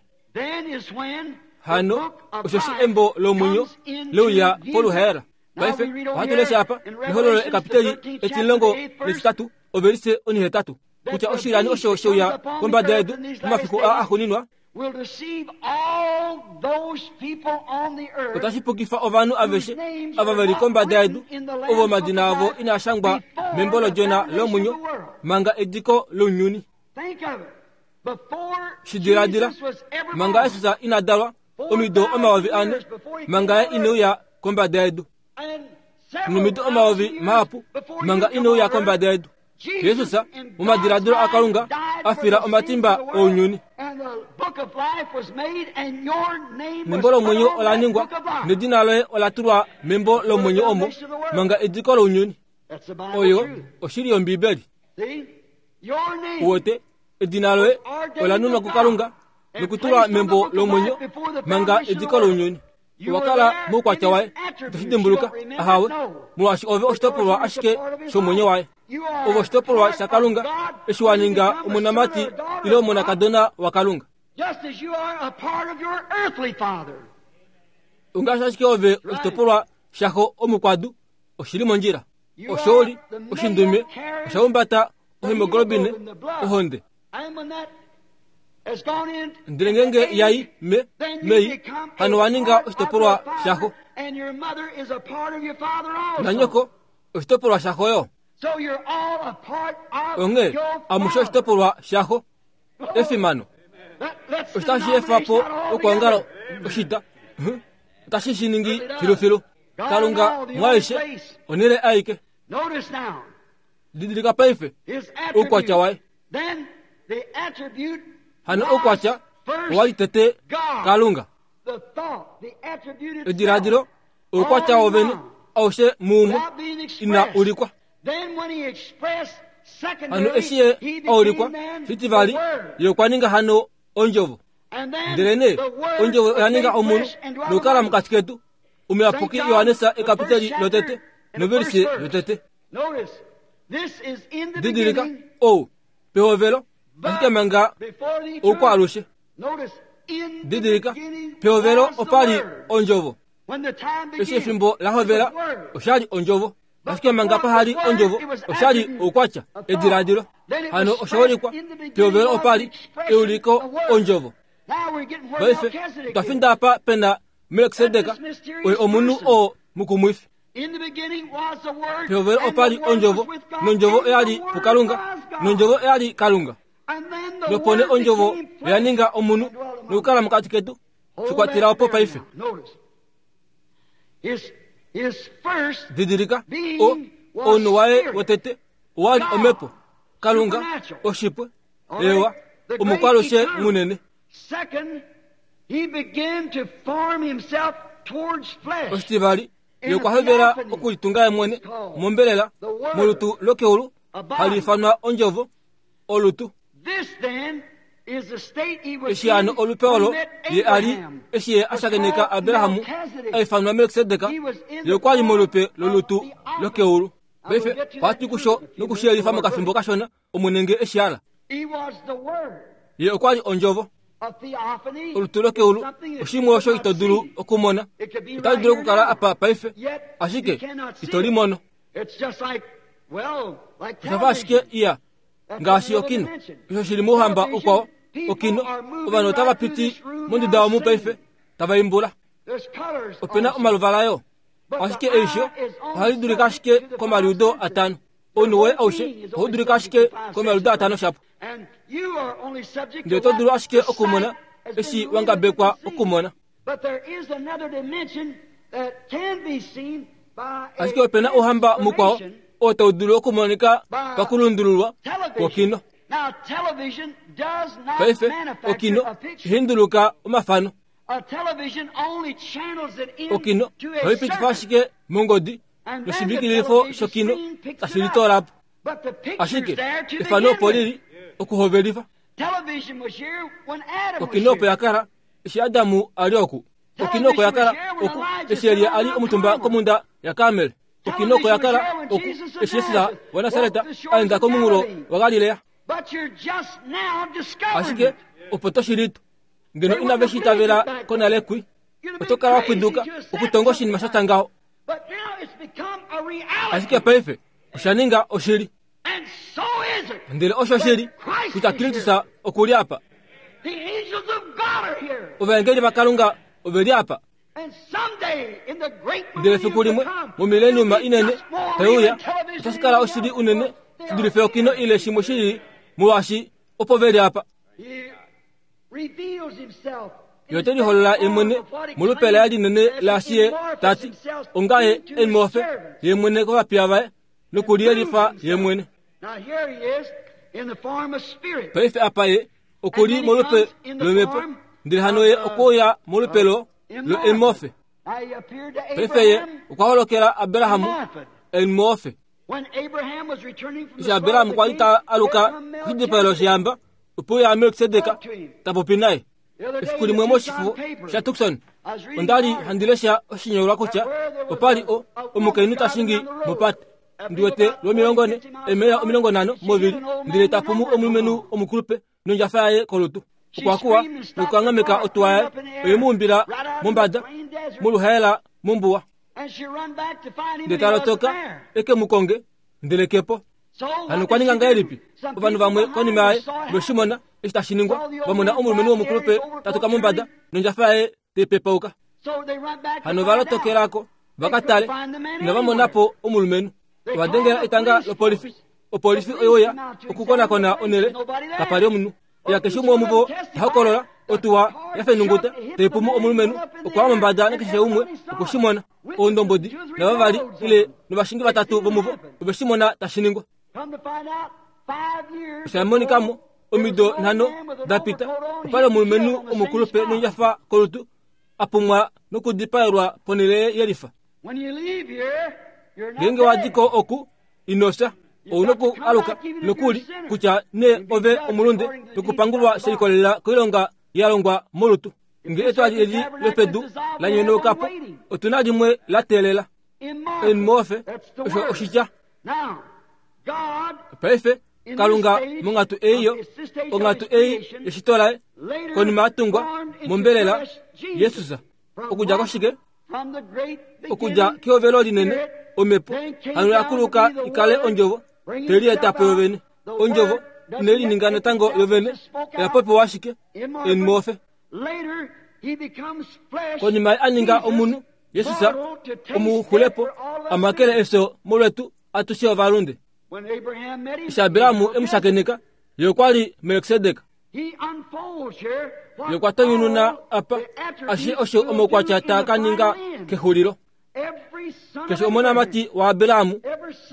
Hano osheshi embo lomwenyo leuya poluhaela. Paife ohatu lesha apa mehololo ekapiteli etimulongo netitatu ovelise onihetatu kutya oshilani osho sheuya kombada yedu momafiku aa axuuninwa otashi pukifa ovanhu aveshe ava veli kombada yedu ovo omadina avo inaa shangwa membo lodjona lomwenyo manga ediko lounyuni. Shi diladila, manga Jesus ina dalwa omido omayovi ane, manga ye ineuya kombada yedu, nomido omayovi mahapu manga ineuya kombada yedu, Jesus momadiladilo aKalunga a fila omatimba ounyuni. Nembo lomwenyo ola ningwa, nedina loye ola tulwa membo lomwenyo omo manga ediko lounyuni. Oyo oshili yOmbibeli. Uwete, Edina loye ola nunwa kuKalunga nokutulwa membo lomwenyo manga ediko lounyuni. Owa kala moukwatya waye, itoshi dimbuluka, ahawe, molwaashi ove oshitopolwa ashike shomwenyo waye. Ove oshitopolwa shaKalunga eshi wa ninga omonamati ile omonakadona waKalunga. Ongaashi ashike ove oshitopolwa shaxo omukwadu, oshili mondjila. Oshooli, oshindume, oshahumbata ohemoglobine, ohonde. Ndele ngenge yai me mei hano wa ninga oshitopolwa shaxo. Nanyoko oshitopolwa shaxo yo. Onge amushe oshitopolwa shaxo. Efimano. Oshitashi efapo okwoongala oshita. Otashi shi ningi filufilu. Kalunga mwaishe onele aike. Didilika paife oukwatya waye. Hano oukwatya owali tete Kalunga. Ediladilo oukwatya wovene aushe muumwe ina ulikwa. Hano eshi ye aulikwa shitivali ye okwa ninga hano ondjovo. Ndele nee ondjovo oya ninga omunhu nokukala mokati ketu. Omuyapuki Johannes ekapiteli lotete novelisi yotete. Didilika ou pehovelo ashike manga oukwaalushe. Didilika pehovelo opali ondjovo. Eshi efimbo la hovela oshali ondjovo. Ashike manga pahali ondjovo oshali oukwatya ediladilo. Hano oshaulikwa pehovelo opali euliko ondjovo. Paife otwa finda apa pena Melkisedek oye omunhu oo mukumwifi. Pehovelo opali ondjovo, nondjovo oyali puKalunga, nondjovo oyali Kalunga. Nopo nee ondjovo oya ninga omunhu nokukala mokati ketu. Shikwatela opo paife. Didilika o ounhu waye wotete owali omhepo Kalunga oshipwe ewa omukwalushe munene. Oshitivali ye okwa hovela okulitunga ye mwene mombelela molutu lokeulu hali ifanwa ondjovo olutu. Eshi hano olupe olo ye ali eshi ye ashakeneka Abrahamu aifanwa Melkisedek, ye okwali molupe lolutu lokeulu. Paife ohatu kusho nokushiyelifa mokafimbo kashona omunenge eshi ala. Ye okwali ondjovo. Olutu lokeulu oshimwe osho ito dulu okumona. Otali dulu okukala apa paife, ashike ito limono. Oshafa ashike iya ngaashi okino. Osho shili mouhamba ukwao okino. Ovanhu otava piti monduda omu paife tava imbula. Opena omaluvala yo, ashike eisho ohali dulika ashike komaliudo atano. Ounhu woye aushe ohau dulika ashike komaliudo atano shapo. Ndele oto dulu ashike okumona eshi wangabekwa okumona. Ashike opena ouhamba mukwao oo tau dulu okumonika pakulundululwa kwokino. Paife okino ihinduluka omafano. Okino ohaipitifa ashike mongodi noshivikilifo shokino tashi litoolapo. Ashike efano opo lili okuhovelifa. Okino opo yakala eshi Adamu ali oku. Okino oko yakala oku eshi Elia ali omutumba komunda yaKarmel. Okino oko yakala oku eshi Jesus waNasareta aenda komunghulo waGalilea. Ashike opo toshilito ngeno inave shi itavela konale kwi, oto kala wapwiduka okutonga oshinima sha tya ngaho. Ashike paife osha ninga oshili. Ndele osho shili kutya Kristus oku li apa. Ovaengeli vaKalunga ove li apa. Ndele fiku limwe momileniuma inene taiuya otashi kala oshili unene shi dulife okino ile shimwe shili, molwaashi opo ve li apa. Ye ote liholola ye mwene molupe laye linene laashi ye tati ongaye enmofe ye mwene kovapiya vaye nokuliyelifa ye mwene. Paife apa ye okuli molupe lomhepo, ndele hano ye okuuya molupe lo lo enmofe. Paife ye okwa holokela Abrahamu enmofe. Eshi Abrahamu kwali ta aluka koshidipayelo shehamba, Opo ya Melkisedek ta popi naye. Efiku limwe moshifo sha Tucson, onda li handi lesha oshinyolwa kutya opa li omukainhu ta shingi mopate. Ndi wete lwomilongo ne, emeya omilongo nhano movili, ndele ta pumu omulumenhu omukulupe nondjafa yaye kolutu. Okwa kuwa nokukankameka otuwa yaye, oye mu umbila mombada moluhaela mombuwa. Ndele ta lotoka eke mu konge, ndele kepo. Hano okwa ninga ngahelipi? Ovanhu vamwe konima yaye veshimona eshi tashi ningwa, vamona omulumenhu womukulupe tatuka mombada nondjafa yaye taipepauka. Hano va lotokelako va tale, inava monapo omulumenhu. Ovadengela etanga lopolifi. Opolifi oyoya okukonakona onele, kapali omunhu. Ya keshe umwe womuvo ta hokolola otuwa yafenunguta taipumu omulumenhu okwa mombada nakeshe umwe okushimona. Oondombodi navavali ile novashingi vatatu vomuvo oveshimona tashi ningwa. Osha monikamo omido nhano da pita, opali omulumenhu omukulupe nondjafa kolutu a pumwa nokudipaelwa ponhele yelifa. Ngeenge wadiko oku inosha, ouna oku aluka nokuli kutya ne ove omulunde nokupangulwa she likolelela koilonga ya longwa molutu. Nge etwali eli lopedu la nyonaukapo, otuna limwe la teelela. Enmofe osho oshitya. Paife Kalunga monghatu eiyo, onghatu ei yeshito laye, konima ya tungwa mombelela Jesus. Okudja koshike? Okudja kehovelo linene omhepo hano yakuluka ikale ondjovo telietapo yovene. Ondjovo inelininga natango yovene, oya popiwa ashike enmofe. Konima a ninga omunhu Jesus omuxulepo amakele efyo molwetu atushe ovalunde. Eshi Abrahamu emushakeneka, ye okwa li Melkisedek. Ye okwa tonyununa apa ashishe osho omaukwatya taa ka ninga kexulilo. Keshe omonamati waAbrahamu,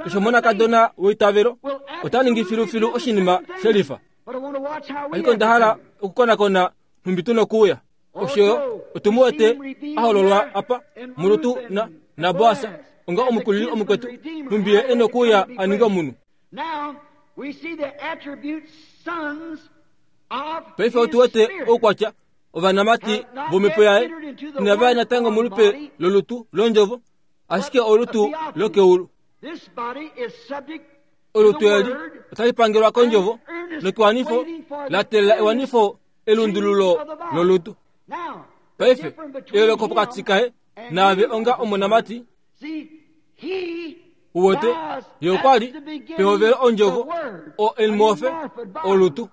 keshe omonakadona weitavelo ota ningi filufilu oshinima shelifa. Ashike onda hala okukonakona nhumbi tu nokuuya. Osho otu mu wete a hololwa apa molutu na naBoas onga omukulili omukwetu, nhumbi ye e nokuuya a ninge omunhu. Paife otu wete oukwatya ovanamati vomhepo yaye inava ya natango molupe lolutu londjovo, ashike olutu lokeulu. Olutu eli otali pangelwa kondjovo nokewanifo la teelela ewanifo elundululo lolutu. Paife eyooloko pokati kaye naave onga omonamati uwete, ye okwa li pehovelo ondjovo o enmofe olutu.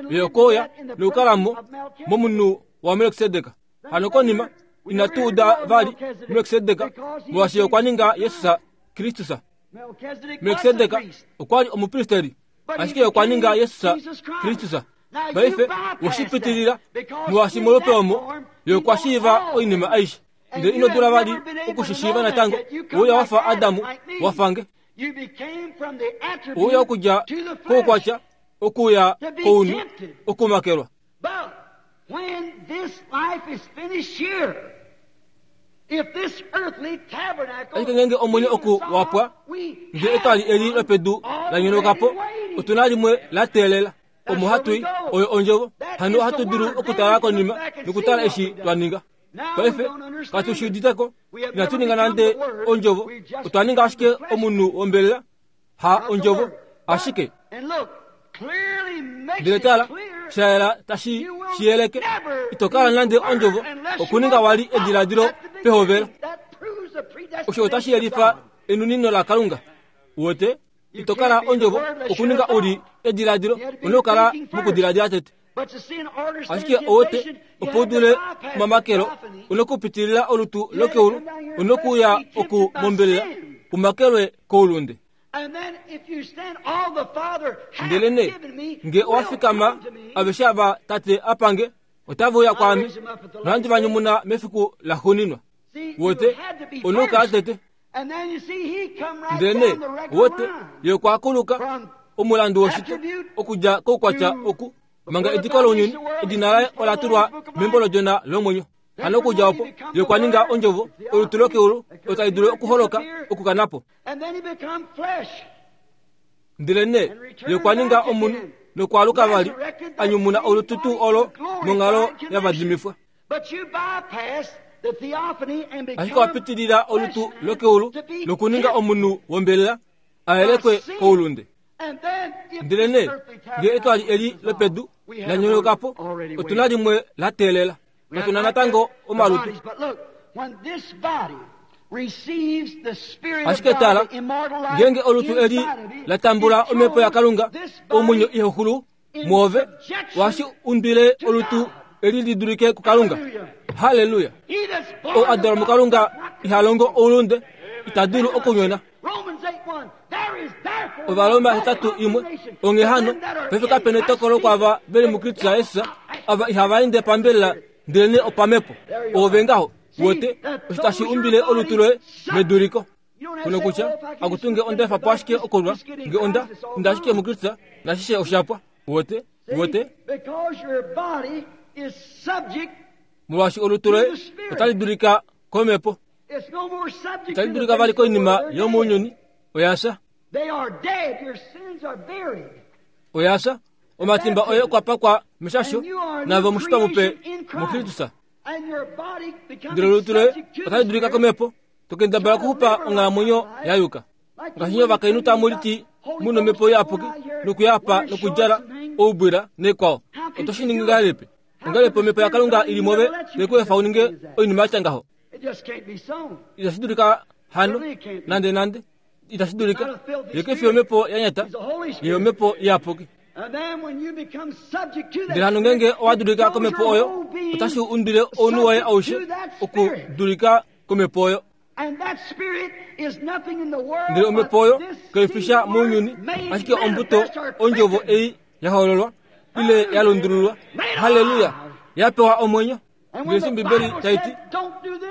Ye okouya nokukalamo momunhu waMelkisedek. Hano konima inatu uda vali Melkisedek, molwaashi okwa ninga Jesus Kristus. Melkisedek okwa li omupristeri, ashike okwa ninga Jesus Kristus. Paife woshipitilila, molwaashi molupe omo ye okwa shiiva oinima aishe. Ndele ino dula vali okushishiiva natango. Ouya wafa Adamu wafange. Ouya okudja koukwatya okuya kounhu okumakelwa. Ashike ngeenge omwenyo oku wapwa, nge etwali eli lopedu la nyonaukapo, otuna limwe la teelela. Omo hatu i oyo ondjovo. Hano ohatu dulu okutala konima nokutala eshi twa ninga. Paife katu shi uditeko, inatu ninga nande ondjovo, otwa ninga ashike omunhu wombelela, ha ondjovo ashike. Ndele tala, shayela tashi shiyeleke, ito kala nande ondjovo okuninga wali ediladilo pehovelo. Osho otashi yelifa enunino laKalunga. Uwete, ito kala ondjovo okuninga uli ediladilo, una okukala mokudiladila tete. Ashike owete, opo u dule omamakelo, una okupitilila olutu lokeulu, una okuuya oku mombelela umakelwe koulunde. Ndele ne nge owa fikama aveshe ava tate apange, otava uya kwaame, nohandi va nyumuna mefiku la xuuninwa. Wote, una okukala tete. Ndele ne wote, ye okwa kuluka omulandu woshito okudja koukwatya oku manga ediko lounyuni, edina laye ola tulwa membo lodjona lomwenyo. Hano okudja opo ye okwa ninga ondjovo olutu lokeulu otali dulu okuholoka okukanapo. Ndele ne ye okwa ninga omunhu Nokwaaluka vali a nyumuna olutu tuu olo monghalo yavadimifwa. Ashike wapitilila olutu lokeulu nokuninga omunhu wombelela a yelekwe koulunde. Ndele nee ngee etwali eli lopedu la nyonauka po, otu na limwe la teelela. Katu na natango omalutu. Ashike tala, ngeenge olutu eli la tambula omhepo yaKalunga, omwenyo ihaxulu mwoove, ohashi undwile olutu eli li dulike kuKalunga. Halleluya! Ou a dalwa muKalunga iha longo oulunde, ita dulu okunyona. Ovaroma hetatu imwe onghee hano paife kapena etokolo kwaava veli muKristus Jesus, ava ihava ende pambelela ndelenee opamhepo. Oove ngaho wote osho tashi umbile olutu loye meduliko. Kuno kutya akutunge onda efa po ashike okulwa, nge onda inda ashike muKristus nashishe oshapwa. Wote wote molwaashi olutu loye otali dulika komhepo, itali dulika vali koinima yomounyuni. Oya fya, oya fya. Omatimba oye okwa pakwa meshasho, nave omushitwa mupe muKristus. Ndele olutu loye otali dulika komhepo, tokendabala okuxupa onghalamwenyo ya yuka. Ngaashi nye ovakainhu tamu liti mu nomhepo iyapuki nokuyapa nokudjala oubwila nekwao, oto shi ningi ngahelipi? Ongahelipi omhepo yaKalunga ili move te ku efa u ninge oinima ya tya ngaho? Itashi dulika hano nande nande, itashi dulika. Ye ke fi omhepo ya nyata, ye omhepo iyapuki. Ndele hano ngeenge owa dulika komhepo oyo, otashi undwile ounhu woye aushe okudulika komhepo oyo. Ndele omhepo oyo kai fi sha mounyuni, ashike ombuto ondjovo ei ya hololwa ile ya lundululwa. Halleluya! Ya pewa omwenyo. Ndele eshi Ombibeli tai ti,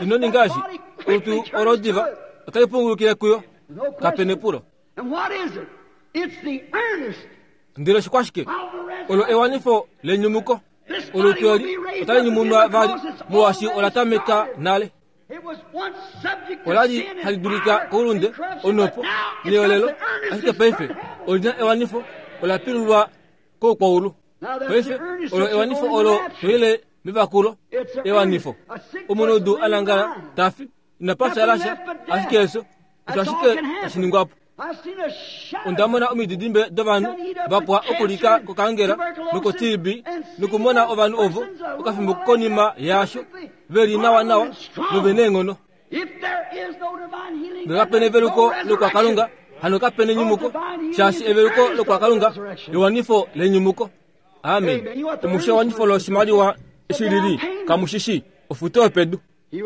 ino ninga eshi, olutu olo diva otali pungulukile kuyo. Kape nepulo. Ndele oshikwashike? Olo ewanifo lenyumuko. Olutu eli otali nyumunwa vali molwaashi ola tameka nale. Ola li hali dulika koulunde, onhopo neolelo, ashike paife oli na ewanifo, ola pilulwa koukwaulu. Paife olo ewanifo olo toile mevakulo, ewanifo. Omunhu a nangala ta fi, ina pafya lasha, ashike efyo osho ashike tashi ningwa po. Onda mona omididimbe dovanhu va pwa okulika kokangela noko-T B nokumona ovanhu ovo okafimbo konima yaasho ve li nawa nawa nove neenghono. Ngee kapena eveluko lokwaKalunga, hano kapena enyumuko, shaashi eveluko lokwaKalunga ewanifo lenyumuko. Amen. Omushe ewanifo loshimaliwa eshi lili kamushishi ofuto yopedu. Ye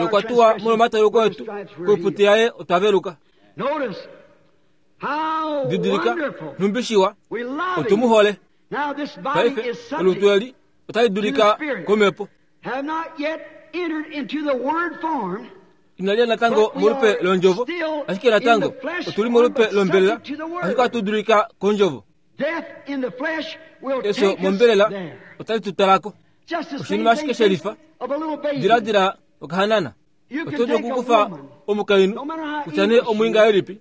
okwa tuwa molwomatauluko etu, koiputi yaye otwa veluka. Didilika, nhumbi shiwa, otu mu hole. Paife olutu eli otali dulika komhepo. Inali ya natango molupe londjovo, ashike natango otuli molupe lombelela, ashike ohatu dulika kondjovo. Efyo mombelela otali tu talako. Oshinima ashike shelifa. Diladila okahanana. Oto dulu okukufa omukainhu kutya nee omwiingahelipi,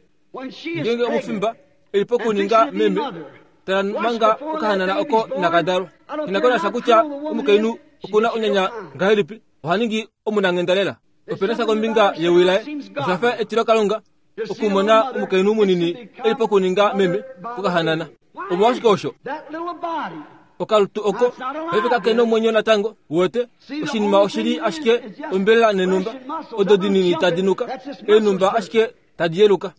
ngeenge omufimba e li pokuninga meme, tala manga okahanana oko inaka dalwa. Inaka nasha kutya omukainhu oku na onyanya ngahelipi, oha ningi omunanghenda lela. Ope na sha kombinga yewi laye, osha fa etilokalunga okumona omukainhu munini e li pokuninga meme kokahanana. Omolwashike osho? Okalutu oko paife kake nomwenyo natango, uwete. Oshinima oshi li ashike ombelela nenhumba odo dinini tadi nuka, eenhumba ashike tadi yeluka.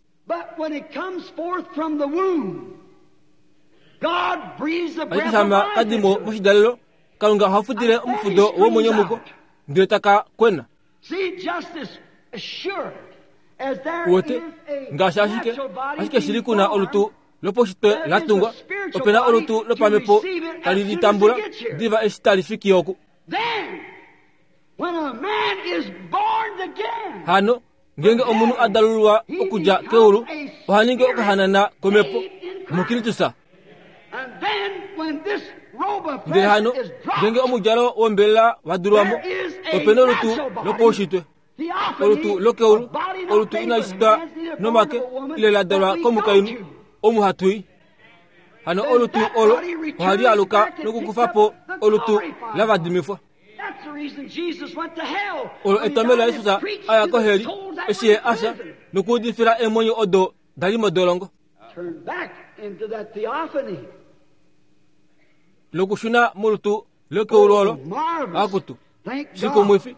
Ashike shama kadi mo moshidalelo, Kalunga oha fudile omufudo womwenyo muko, ndele taka kwena. Uwete, ngaashi ashike, ashike shili ku na olutu lopaushitwe la tungwa, ope na olutu lopamhepo tali li tambula diva eshi tali fiki oku. Hano, ngeenge omunhu a dalululwa okudja keulu, oha ningi okahanana komhepo muKristus. Ndele hano, ngeenge omudjalo wombelela wa dulwa mo, ope na olutu lopaushitwe. Olutu lokeulu, olutu inali shitwa nomake ile la dalwa komukainhu omu hatu i. Hano olutu olo ohali aluka nokukufa po olutu lavadimifwa. Olo etomelo laYesus aya koheli eshi ye afya nokuudifila eemwenyo odo dali modolongo. Nokushuna molutu lokeulu olo akutu shikumwifi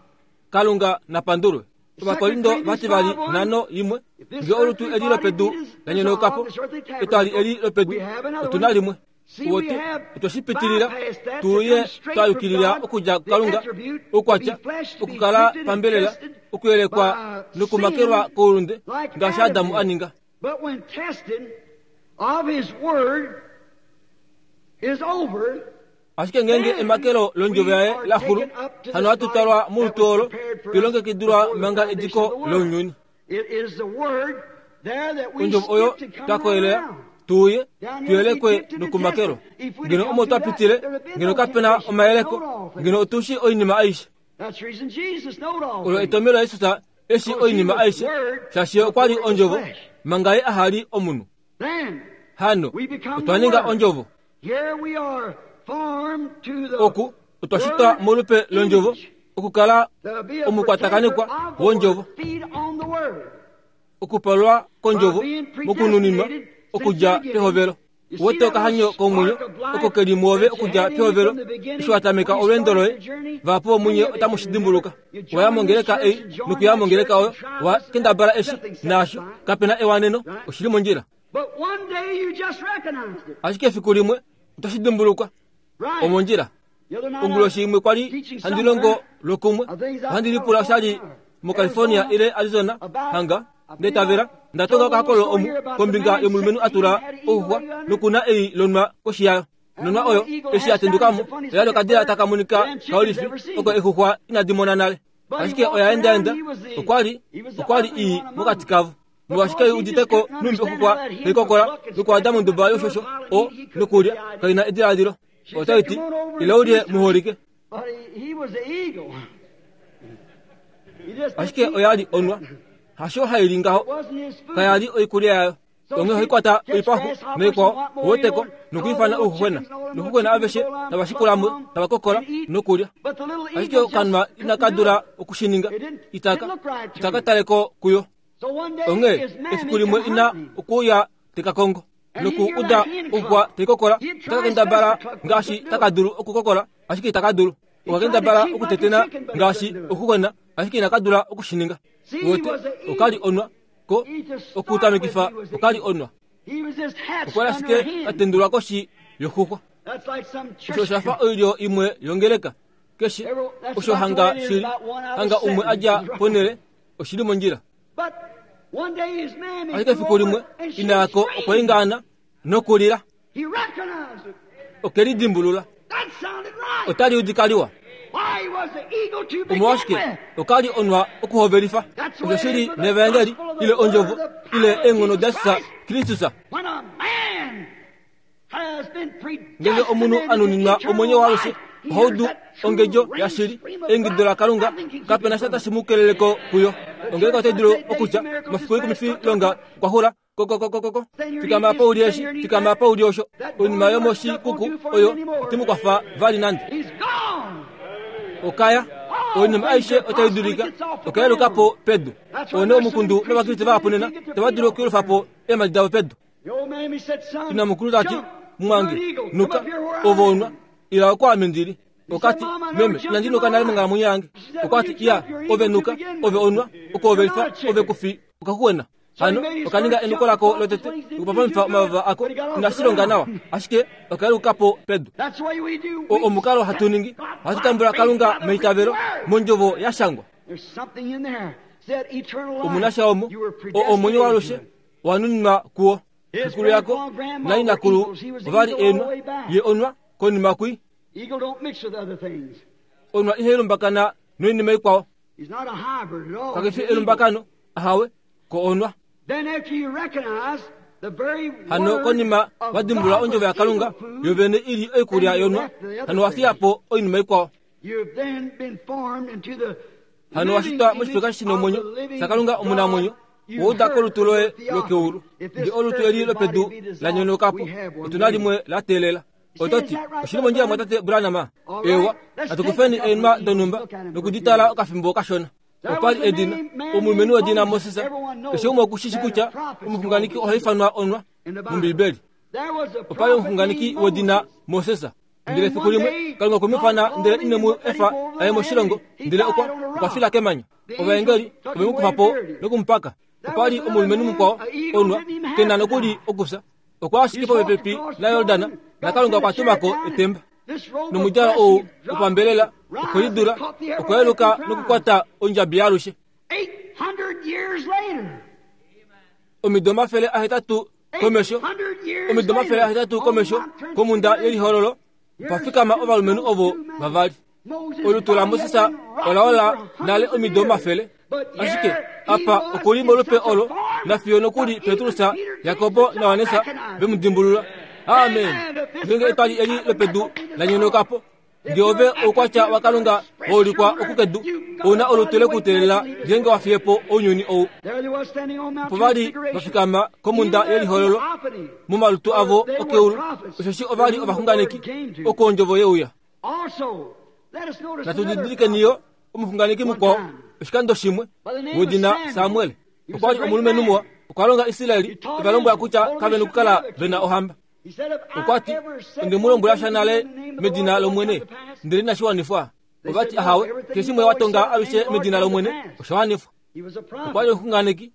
Kalunga napandulwe. Ovakorindo vativali nhano imwe nge olutu eli lopedu lanyonaukapo etwali eli lopedu otuna limwe. Wote otwashipitilila tuye twayukilila okudja kuKalunga oukwatya okukala pambelela okuyelekwa nokumakelwa koulunde ngaashi Adamu a ninga. Ashike ngenge emakelo londjovo yaye laxulu hano hatu twalwa molutu olo twilongekidilwa manga ediko lounyuni. Ondjovo oyo twakoyelela tuye tuyelekwe nokumakelwa. Ngeno omo twapitile ngeno kapena omayeleko ngeno otushi oinima aishe. Olo etomelo laYesus eshi oinima aishe shaashi okwa li ondjovo manga ye ahali omunhu. Hano otwa ninga ondjovo. Oku otwashitwa molupe londjovo okukala omukwatakanikwa wondjovo okupalwa kondjovo mokununinwa okudja pehovelo. Wote okahanyo komwenyo oko keli muove okudja pehovelo eshi watameka olweendo loye vahapu vomunye otamu shi dimbuluka. Waya mongeleka ei nokuya mongeleka oyo wa kendabala eshi naasho kapena ewaneno oshili mondjila. Ashike efiku limwe otashi dimbulukwa omondjila. Onguloshi imwe kwali handi longo lokumwe ohandi lipula oshali moCalifornia ile Arizona hanga ndetavela ndatonga okahakololo omu kombinga yomulumenhu atula ouxwa nokuna ei lonwa koshi yayo. Nonwa oyo eshi yatendukamo oyali okadila taka monika kaolifi oko exuxwa inadi mona nale. Ashike oya endaenda okwali okwali ii mokati kavo. Molwaashi uditeko numbi okuxwa haikokola nokuada monduba yoshosho o nokulya kaina ediladilo. Otaiti ila ulye muholike. Ashike oyali onwa hasho haili ngaho kayali oikulya yayo. Onge hoikwata oipaxu noikwao woteko nokuifana ouxuxwena nokuxuxwena aveshe tavashikulamo tavakokola nokulya. Ashike okanwa inaka dula okushininga itaka itaka taleko kuyo. Onge efiku limwe ina okuuya tekakongo noku uda okuxwa taikokola takakendabala ngaashi takadulu okukokola ashike itakadulu. Okakendabala okutetena ngaashi okuxuxwena ashike inakadula okushininga. Wote okali onwa ko okutamikifa okali onwa. Okwali ashike katendulwa koshi yoxuxwa. Osho oshafa oilyo imwe yongeleka keshe osho hanga shili hanga umwe adja ponele oshili mondjila. Ashike efiku limwe inako okwaingaana nokulila. Okelidimbulula. Otali udika liwa. Omolwashike okali onwa okuhovelifa. Osho shili nevangeli ile ondjovo ile eenghono daJesus Kristus. Ngenge omunhu anuninwa omwenyo waalushe ohaudu ongedjo yashili eingido laKalunga kapena sha tashi mu keleleko kuyo. Ongeleka otai dulu okutya omafiku ikumifi longa okwaxula kokokokoko fikama apa uli eshi fikama apa uli osho. Oinima yomoshikuku oyo itimukwafa vali nande. Okaya oinima aishe otai dulika okayelukapo pedu. One omukundu novakriste vahapu nena tava dulu okuyelufapo eemhadi davo pedu. Ina mukulu tati mwange nuka ove onwa ila oko ame ndili. Okati meme inandi nuka nale monghalamwenyo yange. Okwati iya ove nuka ove onwa okoovelifa ove kufi okaxuxwena. Hano okaninga enuko lako lotete okupapamifa omavava ako inashilonga nawa ashike okayelukapo pedu. O omukalo hatu ningi ohatu tambula Kalunga meitavelo mondjovo yashangwa. Omunasha omo o omwenyo waalushe owanuninwa kuwo. Xekulu yako nainakulu ovali eenwa ye onwa konima kwi. Onwa ihai lumbakana noinima ikwao. Kakefi elumbakano ahawe ko onwa. Hano konima wadimbulula ondjovo yaKalunga yovene ili oikulya yonwa hano wafiyapo oinima ikwao. Hano washitwa moshifeka shinomwenyo shaKalunga omunamwenyo Ouda kolutu loye lokeulu. Nge olutu eli lopedu la nyonokapo, otuna limwe la teelela. Ototi, oshili mondjila mwatate Branham. Ewa, natukufeni eenwa donhumba nokuditala okafimbo kashona. Okwali edina, omulumenhu wedina Moses. Keshe umwe okushishi kutya omuxunganeki oha ifanwa onwa mOmbiibeli. Okwali omuxunganeki wedina Moses. Ndele efiku limwe Kalunga okwe mu ifana ndele ine mu efa aye moshilongo, ndele okwa okwa fila kemanya. Ovaengeli ove mu kufa po nokumupaka. Okwali omulumenhu mukwao onwa kena nokuli okufya. Okwa ashike popepi naYordan, naKalunga okwa tumako etemba. Nomudjalo ou wopambelela okwelidula, okwa yeluka nokukwata ondjabi yaalushe. Omido omafele ahetatu komesho, omido omafele ahetatu komesho komunda yelihololo, okwa fikama ovalumenhu ovo vavali. Olutu laMoses ola ola nale omido omafele, ashike apa okuli molupe olo nafiyo nokuli Petrus, Jakobo naJohannes ve mu dimbulula. Amen. Ngeenge etwali eli lopedu la nyonokapo, nge ove oukwatya waKalunga wa ulikwa okukedu, ouna olutu lekuteelela ngeenge wa fiye po ounyuni ou. Opo vali va fikama komunda yelihololo momalutu avo okeulu, osheshi ovali ovaxunganeki oko ondjovo yeuya. Natu didilikeni yo omuxunganeki mukwao oshikando shimwe wedina Samuel. Okwali omulumenhu muwa, okwa longa Israeli eva lombwela kutya kave nokukala vena ohamba. Okwati onde mu lombwela sha nale medina lOmwene, ndele inashi wanifwa. Ovati ahawe, keshe shimwe wa tonga alushe medina lOmwene osha wanifwa. Okwali omuxunganeki,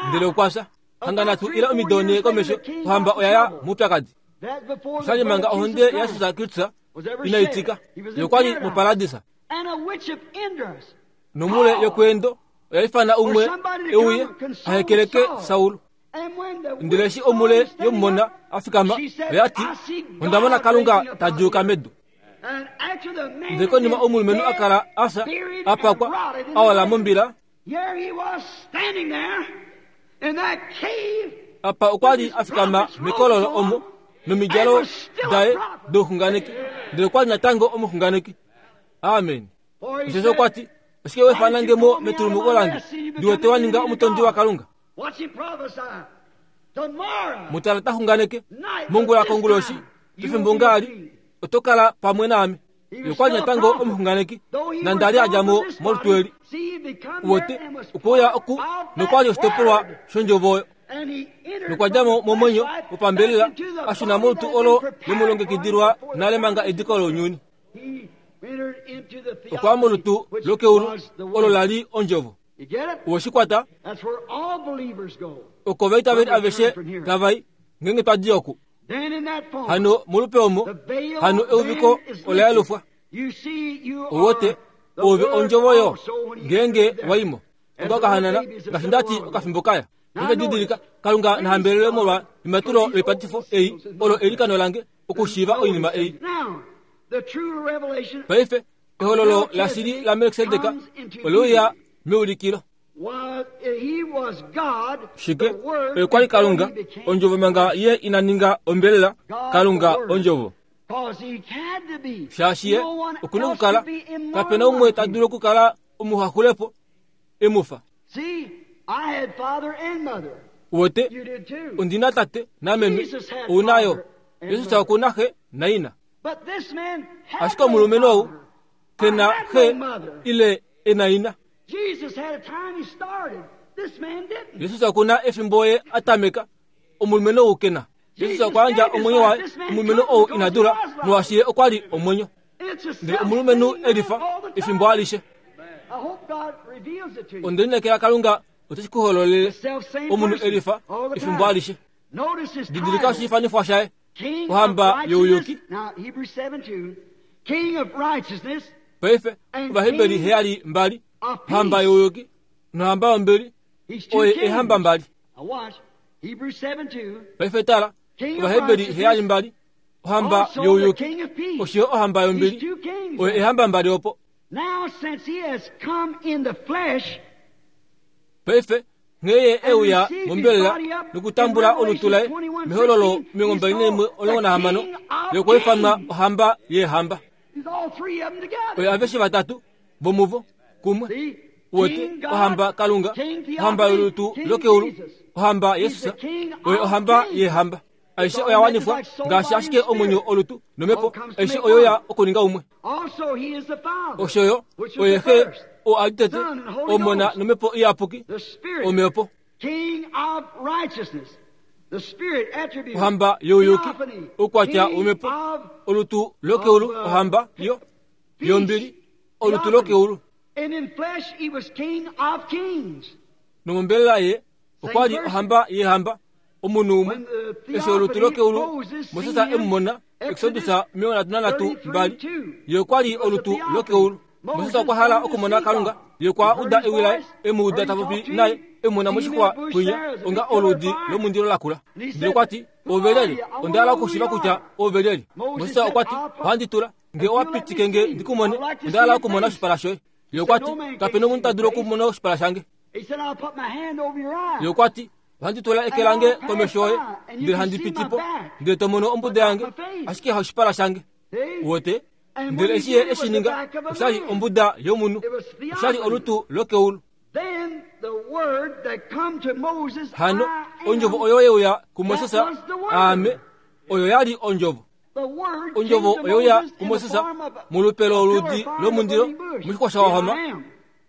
ndele okwa fya. Hanga nhatu ile omido nhee komesho, ohamba oya ya moupyakadi. Oshali manga ohonde yaJesus Kristus inai tika. Ye okwali moparadisa. Nomule yokweendo oya ifana umwe euye ahekeleke Saul. Ndele eshi omule yomumona a fikama, oya ti, onda mona Kalunga ta djuuka medu. Ndele konima omulumenhu a kala a fya, a pakwa, a ola mombila, apa okwa li a fikama mekololo omo nomidjalo daye douxunganeki, ndele okwa li natango omuxunganeki. Amen. Osheshi okwa ti, oshike we fanange mo metulumuko lange, ndi wete wa ninga omutondi waKalunga. Mutala ta xunganeke, mongula konguloshi, pefimbo ngaali, oto kala pamwe naame. Ye okwa li natango omuxunganeki, nande a li a dja mo molutu eli. Uwete, okwe uya oku nokwa li oshitopolwa shondjovo oyo. Nokwa dja mo momwenyo wopambelela, a shuna molutu olo lemulongekidilwa nale manga ediko lounyuni. Okwa ya molutu lokeulu olo la li ondjovo. Owe shi kwata? Oko ovaitaveli aveshe tava i ngeenge twa di oku. Hano molupe omo, hano euviko ola yelufwa. Owote, ove ondjovo yo ngeenge wa imo. Onga okahanana, ngaashi ndati okafimbo kaya. Nge didilika, Kalunga nahambelelwe molwa ematulo loipatifo ei, olo eilikano lange okushiiva oinima ei. Paife, ehololo lashili laMelkisedek ole uya meulikilo. Shike? Oye kwali Kalunga, ondjovo manga ye ina ninga ombelela, Kalunga ondjovo. Shaashi ye okuna okukala, kapena umwe ta dulu okukala omuhaxulepo emufa. Uwete, ondina tate nameme, ouna yo. Jesus okuna xe naina. Ashike omulumenhu ou kena xe ile ena ina. Jesus okuna efimbo ye a tameka, omulumenhu ou kena. Jesus okwa yandja omwenyo waye, omulumenhu ou ina dula, molwaashi ye okwa li omwenyo. Ndele omulumenhu elifa efimbo alishe. Onde lineekela Kalunga ote ku hololele omunhu elifa efimbo alishe. Didilika oshiifanifwa shaye, ohamba youyuki. Paife Ovaheberi heyali mbali, ohamba youyuki nohamba yombili, oye eehamba mbali. Paife tala, Ovaheberi heyali mbali, ohamba youyuki osho ohamba yombili, oye eehamba mbali opo. Paife nghee ye euya mombelela nokutambula olutu laye mehololo omilongo mbali naimwe omulongo nahamano, ye okwa ifanwa ohamba yeehamba. Oye aveshe vatatu vomuvo kumwe. Wote ohamba Kalunga, ohamba yolutu lokeulu, ohamba Yesus, oye ohamba yehamba. Aishe oya wanifwa ngaashi ashike omwenyo olutu nomhepo, aishe oyo ya okuninga umwe. Osho yo oye xe oo a li tete, Omona nomhepo iyapuki, omhepo. Ohamba youyuki, oukwatya womhepo, olutu lokeulu, ohamba yo yombili, olutu lokeulu. Nomombelela ye okwa li ohamba yehamba, omunhu umwe. Eshi olutu lokeulu Moses e mu mona, Exodus omilongo nhatu nanhatu mbali, ye okwa li olutu lokeulu. Moses okwa hala okumona Kalunga, ye okwa uda ewi laye, e mu uda ta popi naye, e mu mona moshixwa kwinya, onga oludi lomundilo lakula. Ndele okwa ti, Ove lyelye? Onda hala okushiiva kutya ove lyelye. Moses okwa ti, Ohandi tula, nge owa pitike nge ndi ku mone, onda hala okumona oshipala shoye. Ye okwa ti, Kape nomunhu ta dulu okumona oshipala shange. Ye okwa ti, Ohandi tula eke lange komesho yoye, ndele handi piti po, ndele to mono ombuda yange, ashike haoshipala shange. Wote? Ndele eshi ye eshi ninga, osha li ombuda yomunhu, osha li olutu lokeulu. Hano ondjovo oyo ye uya kuMoses, Aame, oyo ya li ondjovo. Ondjovo oyo ya kuMoses molupe loludi lomundilo moshixwa sha wahoma,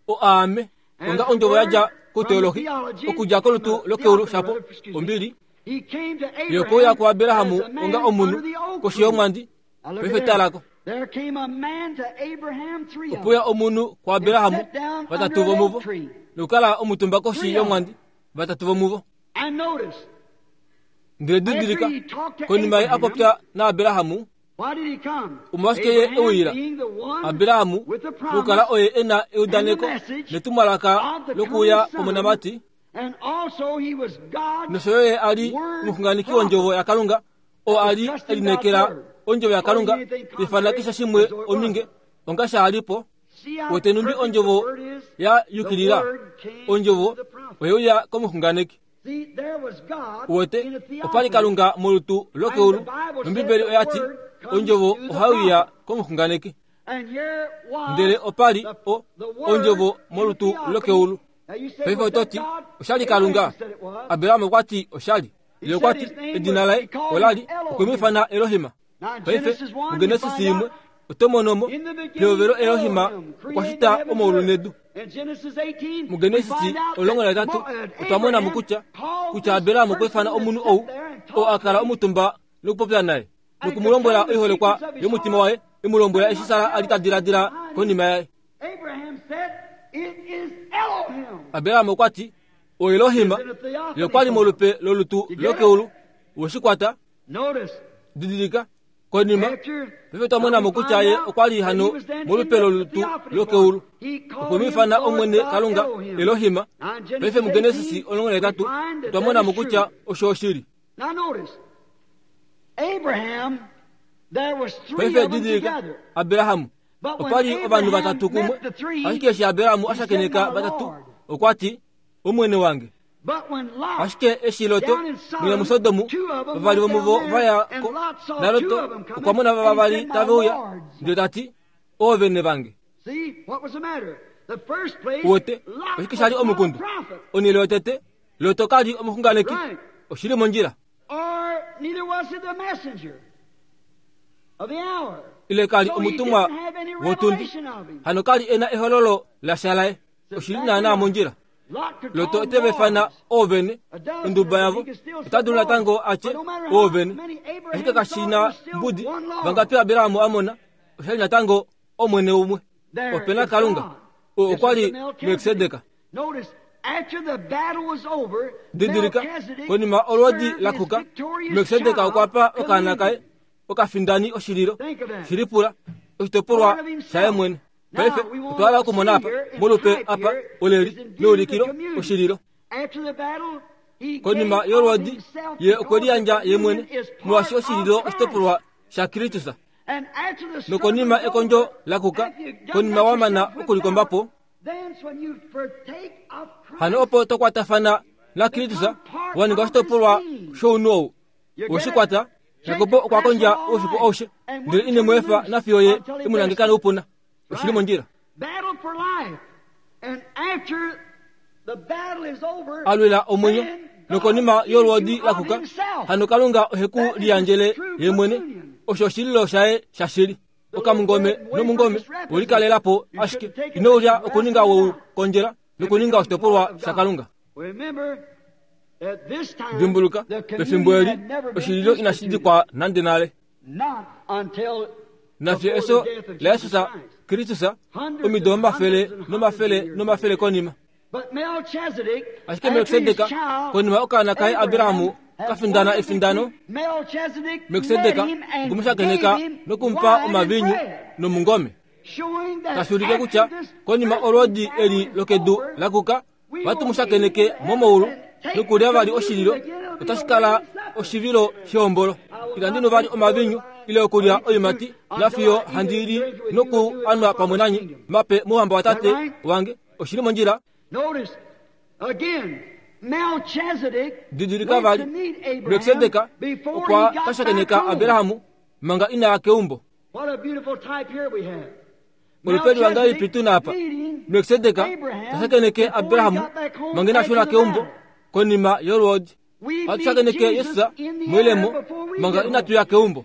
o Aame, onga ondjovo ya dja kuteolohi, okudja kolutu lokeulu shapo, ombili. Ye okwe uya kuAbraham onga omunhu koshi yomwandi, paife talako. Okwe uya omunhu kuAbraham, vatatu vomuvo, nokukala omutumba koshi yomwandi, vatatu vomuvo. Ndele didilika, konima ye a popya naAbraham, omolwashike ye e uyila? Abraham okukala oye e na eudaneko netumwalaka lokuuya kwomonamati, nosho yo ye a li omuxunganeki wondjovo yaKalunga, oo a li e lineekela ondjovo yaKalunga, ifana keshe shimwe ominge, onga sha li po. Wote numbi ondjovo ya yukilila, ondjovo oye uya komuxunganeki. Wote opa li Kalunga molutu lokeulu, nOmbibeli oya ti ondjovo ohai uya komuxunganeki. Ndele opa li o ondjovo molutu lokeulu. Paife oto ti, osha li Kalunga. Abraham okwa ti osha li. Ye okwa ti edina laye ola li, okwe mu ifana Elohim. Paife muGenesis imwe oto mono mo pehovelo Elohim okwa shita omaulu nedu. MuGenesis omulongo nahetatu otwa mona mo kutya kutya Abraham okwa ifana omunhu ou oo a kala omutumba nokupopya naye, noku mu lombwela oiholekwa yomutima waye, e mu lombwela eshi Sara a li ta diladila konima yaye. Abraham okwa ti, O Elohim, ye okwa li molupe lolutu lokeulu, we shi kwata. Didilika, konima paife twa mona mo kutya ye okwa li hano molupe lolutu lokeulu, okwe mu ifana Omwene Kalunga Elohim. Paife muGenesis omulongo nahetatu otwa mona mo kutya osho oshili. Paife didilika, Abraham, opa li ovanhu vatatu kumwe, ashike eshi Abraham a shakeneka vatatu, okwa ti, Omwene wange. Ashike eshi Loto mwiya muSodom, vavali vomuvo va ya ko, naLoto okwa mona vavali tave uya, ndele ta ti, Oovene vange. Wote, oshike sha li omukundu? Onhele yotete, Loto ka li omuxunganeki, oshi li mondjila. Ile ka li omutumwa wotundi, hano ka li e na ehololo lasha laye, oshi li naanaa mondjila. Loto ote va ifana oovene, onduba yavo, ota dulu natango a tye oovene, ashike kashi na mbudi vangapi Abraham a mona, osha li natango Omwene umwe. Ope na Kalunga, oo okwa li Melkisedek. Didilika, konima olwoodi la kuka, Melkisedek okwa pa okaana kaye okafindani oshililo, shilipula, oshitopolwa shaye mwene. Paife otwa hala okumona apa, molupe apa, oleli, meulikilo, oshililo. Konima yolwoodi, ye okwe liyandja ye mwene, molwaashi oshililo oshitopolwa shaKristus. Nokonima ekondjo la kuka, konima wa mana okulikomba po, hano opo to kwatafana naKristus, wa ninga oshitopolwa shounhu ou. We shi kwata, Jakob okwa kondja oufiku aushe, ndele ine mu efa nafiyo ye e mu nangeka noupuna. Oshi li mondjila. Alwila omwenyo nokonima yolwoodi lakuka hano Kalunga oheku liyandjele ye mwene osho oshililo shaye shashili. Okamungome nomungome welikalelapo ashike ino ulya okuninga wou kondjela nokuninga oshitopolwa shaKalunga. Dimbuluka pefimbo eli oshililo inashi dikwa nande nale. Nafye eso laJesus Kristus omido omafele nomafele nomafele konima. Ashike Melkisedek konima okaana kaye Abrahamu kafindana efindano, Melkisedek okumushakeneka nokumupa omavinyu nomungome. Tashi kutya konima olwoodi eli lokedu lakuka vatumushakeneke momoulu nokulya vali oshililo otashi kala oshivilo shehombolo. Itandi nu vali omavinyu ile okulya oimati nafiyo handi li noku anwa pamwe nanyi mape mouhamba watate wange. Oshili mondjila. Didilika vali Melkisedek okwa kashakeneka Abrahamu manga inaya keumbo. Olupeli wangalipi tuna apa? Melkisedek tashakeneke Abrahamu manga inashuna keumbo konima yolwoodi. Atushakeneke Yesus mwilemo manga inatuya keumbo.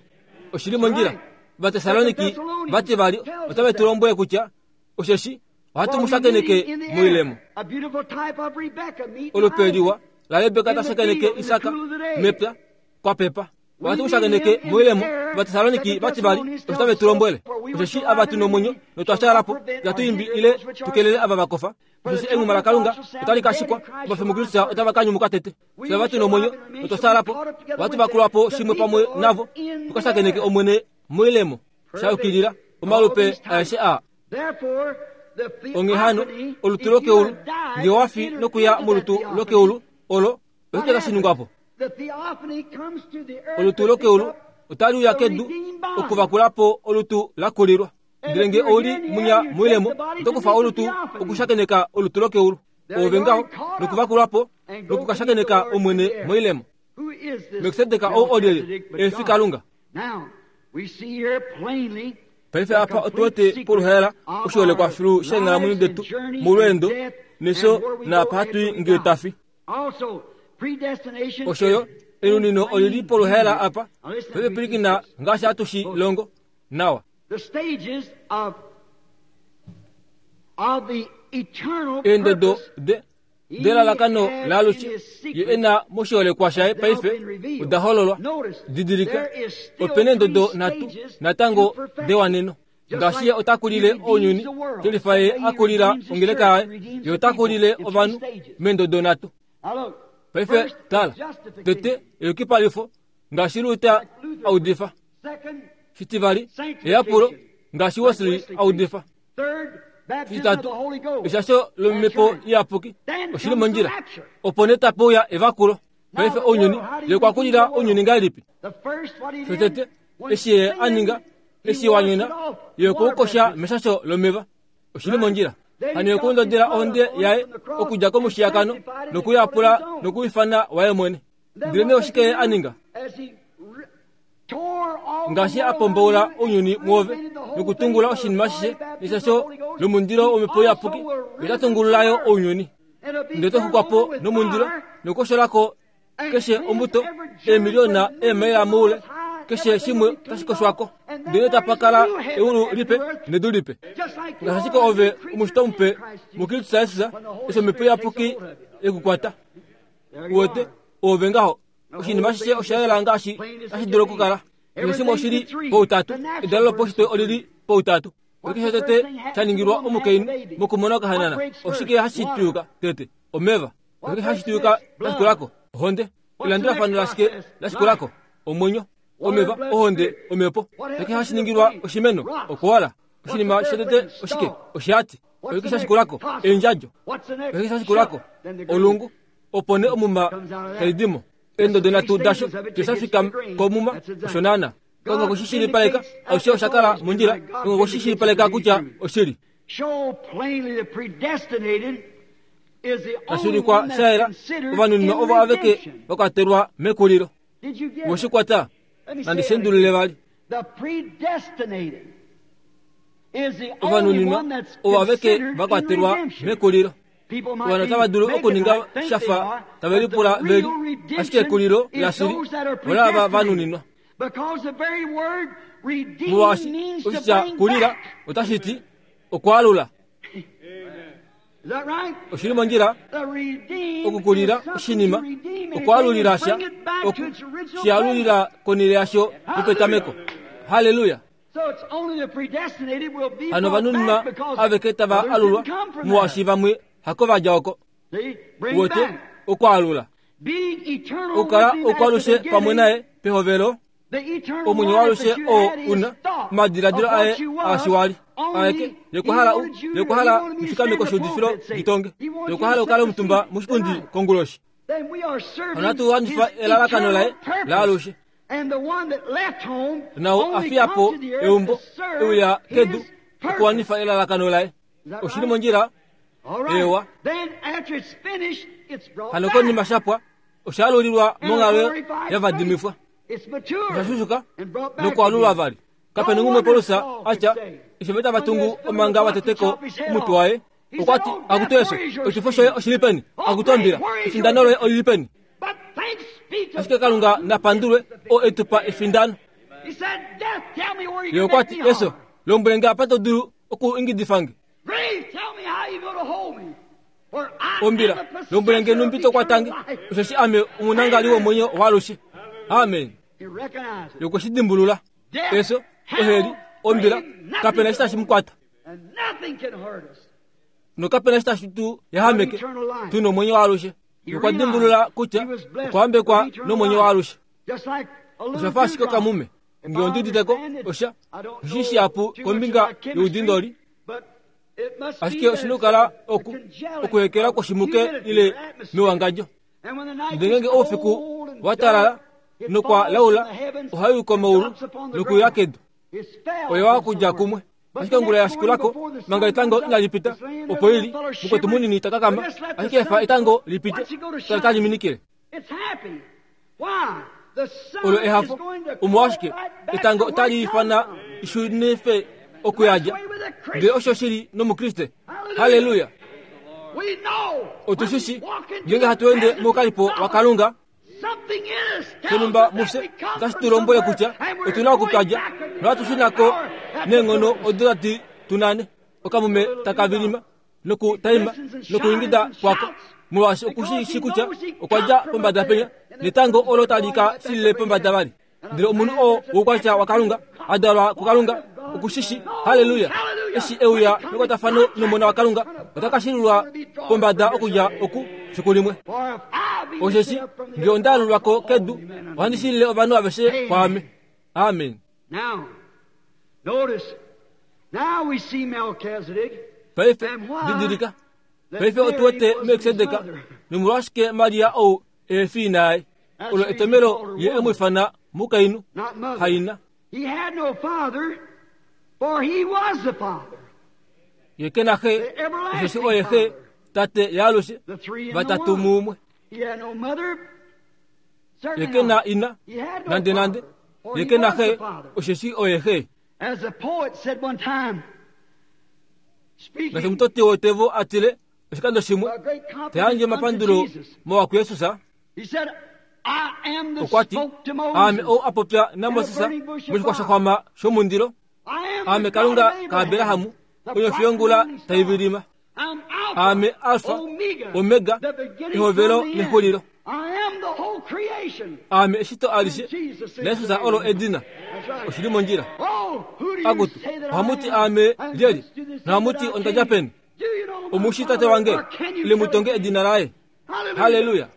Oshili mondjila. Vatesaloniki vati vali otave tulombwele kutya osheshi ohatu mushakeneke mwilemo. Olupeliwa la Rebeka tashakeneke Isaka mepya kwa pepa. Ohatu mushakeneke mwilemo. Vatesaloniki vati vali otave tulombwele osheshi ava tuna omwenyo notwashaalapo itatu imbi ile tukelele ava vakofa. Osheshi enguma laKalunga otali kashikwa ovafi muKristus otava kanyumuka tete. Fye ava tuna omwenyo notwashaalapo ohatu vakulwapo shimwe pamwe navo tukashakeneke Omwene mwilemo. Shayukilila omalupe aeshe aa. Onghee hano olutu lokeulu nge wafi nokuya molutu lokeulu olo oshike tashi ningwapo? Olutu lokeulu otali uya kedu okuvakulapo olutu lakulilwa. Ndele nge ouli munya mwilemo otokufa olutu okushakeneka olutu lokeulu ove ngaho nokuvakulwapo nokukashakeneka Omwene mwilemo. Melkisedek ou olyelye? Efi Kalunga. Paife apa otuwete poluhaela oshiholekwa filu sheenghalamwenyo detu molweendo nefyo naapa hatui ngee tafi. Oshoyo elunino olili poluhaela apa. Paife pilikina ngaashi hatu shi longo nawa. Eendodo de delalakano laalushe ye ena moshiholekwa shaye paife oda hololwa. Didilika opena eendodo nhatu natango dewaneno. Ngaashi ye otakulile ounyuni telifa ye akulila ongeleka yaye, ye otakulile ovanhu meendodo nhatu. Paife tala tete eyukipalifo ngaashi Luther audifa. Shitivali eyapulo ngaashi Wesley audifa. Shitatu eshasho lomhepo iyapuki oshili mondjila. Opo nee tapeuya evakulo. Paife ounyuni ye okwakulila ounyuni ngahelipi? Shotete eshi ye aninga eshi wanyona ye okuukosha meshasho lomeva. Oshili mondjila. Hano ye okundodela ohonde yaye okudja komushiyakano nokuyapula nokuifana waye mwene. Ndele nee oshike ye aninga? Ngaashi a pomboula ounyuni mwoove nokutungula oshinima ashishe neshasho lomundilo womhepo iyapuki, ota tungululayo ounyuni. Ndele toxukwapo nomundilo nokukosholako keshe ombuto eemiliona eemaila moule, keshe shimwe otashi koshwako. Ndele tapa kala eulu lipe nedu lipe. Ngaashi ashike ove omushitwa mupe muKristus Jesus eshi omhepo iyapuki yekukwata. Uwete ove ngaho oshinima ashishe osha yela ngaashi tashi dulu okukala. Keshe shimwe oshili poutatu. Edalo lopaushitwe olili poutatu. Keshe tete sha ningilwa omukainhu mokumona okahanana, oshike hashi tuyuka tete? Omeva. Oshike hashi tuyuka lashikulako? Ohonde. Elandulafano lashike lashikulako? Omwenyo. Omeva, ohonde, omhepo. Oshike hashi ningilwa oshimeno? Okoala. Oshinima shatete oshike? Oshihati. Oshike shashikulako? Eendjadjo. Oshike shashikulako? Olungu. Opo nee omuma taidimo. Eendodo nhatu dasho teshafika komuma osho naana. Kalunga okwe shi shilipaleka alushe osha kala mondjila. Kalunga okwe shi shilipaleka kutya oshili. Tashuulikwa shayela ovanunima ovo aveke vakwatelwa mekulilo. Woshikwata nandi shendulule vali. Ovanuninwa ovo aveke vakwatelwa mekulilo. Ovanhu otava dulu okuninga shafa tave lipula veli, ashike ekulilo lashili olava vanuninwa. Molwaashi oshitya kulila otashi ti okwaalula. Oshili mondjila okukulila oshinima, okwaalulila sha, oku shialulila konile yasho yopetameko. Haleluya! Hano ovanuninwa aveke tava alulwa, molwaashi vamwe hako vadja oko. Wote okwaalula okukala okwalushe pamwe naye pehovelo, omwenyo walushe oo una omadiladilo aye aashiwali aeke yokwahala yokwahala mufikameko shuudifilo litonge, yokwahala okukala omutumba moshipundi konguloshi. Hano hatu wanifa elalakano laye laalushe. Nao afiyapo eumbo euya kedu okuwanifa elalakano laye. Oshili mondjila ewa. Hano konima shapwa oshalulilwa monghalo yavadimifwa, oshashushuka nokwaalulwa vali. Kapena ngumwe Paulus atya eshi tava tungu omanga vateteko omutwe waye, okwati akutu eso oshifo shoye oshili peni, akutu ombila efindano loye olili peni. Ashike Kalunga napandulwe o etupa efindano. Ye okwati eso lombwele nge apa to dulu oku ingidifange. Ombila lombwele nge numbi to kwatange, osheshi ame omunangali womwenyo waalushe. Amen. Yokweshidimbulula eso oheli ombila kapena eshi tashi mukwata, nokapena eshi tashi tu yahameke. Tuna omwenyo waalushe. Yokwadimbulula kutya okwahambekwa nomwenyo waalushe. Oshafa ashike okamume nge onduditeko osha oshishihapu kombinga youdindoli, ashike oshina okukala oku okuhekela kwoshimuke ile mewangadjo. Ndele ngenge oufiku watalala nokwa laula, ohai komaulu nokuya kedu. Oyo wakudja kumwe. Ashike ongula yashikulako manga etango inali pita, opo ili mukwetu munini takakama, ashike efa etango lipite tali minikile. Olo ehafo omolwashike etango otali ifana ishunife okuyadja. Ndele osho shili nomukriste. Haleluya! Otushishi ngenge hatu ende moukalipo waKalunga, shonumba mufye otashi tu lombwele kutya otuna okutwadja nohatu neenghono odo tati tunane. Okamume takavilima nokutaima nokuingida kwako, molwaashi okushishi kutya okwa dja pombada penya, netango olo tali ka shilile pombada vali. Ndele omunhu oo woukwatya waKalunga adalwa kuKalunga okushishi. Haleluya! Eshi euya mekwatafano nomona waKalunga, ota ka shilulwa pombada okudja oku fiku limwe. Osheshi nge onda alulwako kedu, ohandi shilile ovanhu aveshe kwaame. Amen. Paife didilika, paife otu wete Melkisedek nomolwashike Maria ou efi naye. Olo etomelo ye emwifana mukainhu haina. Ye kena xe, osheshi oye xe tate yaalushe vatatu mumwe. Ye kena ina nande nande, ye kena xe, osheshi oye xe. Ngaashi omutoti wotevo atile oshikando shimwe tayandje omapandulo mowakuYesus, okwati aame ou apopya naMoses moshixwa shaxwama shomundilo, aame Kalunga kaAberahamu onyofiyongula taivilima, aame Alfa Omega, ehovelo nexulilo, aame eshito alishe, naYesus olo edina. Oshili mondjila. Akutu ohamuti aame lyeli, nohamuti ondadja peni? Omushi tate wange ile mutonge edina laye. Haleluya!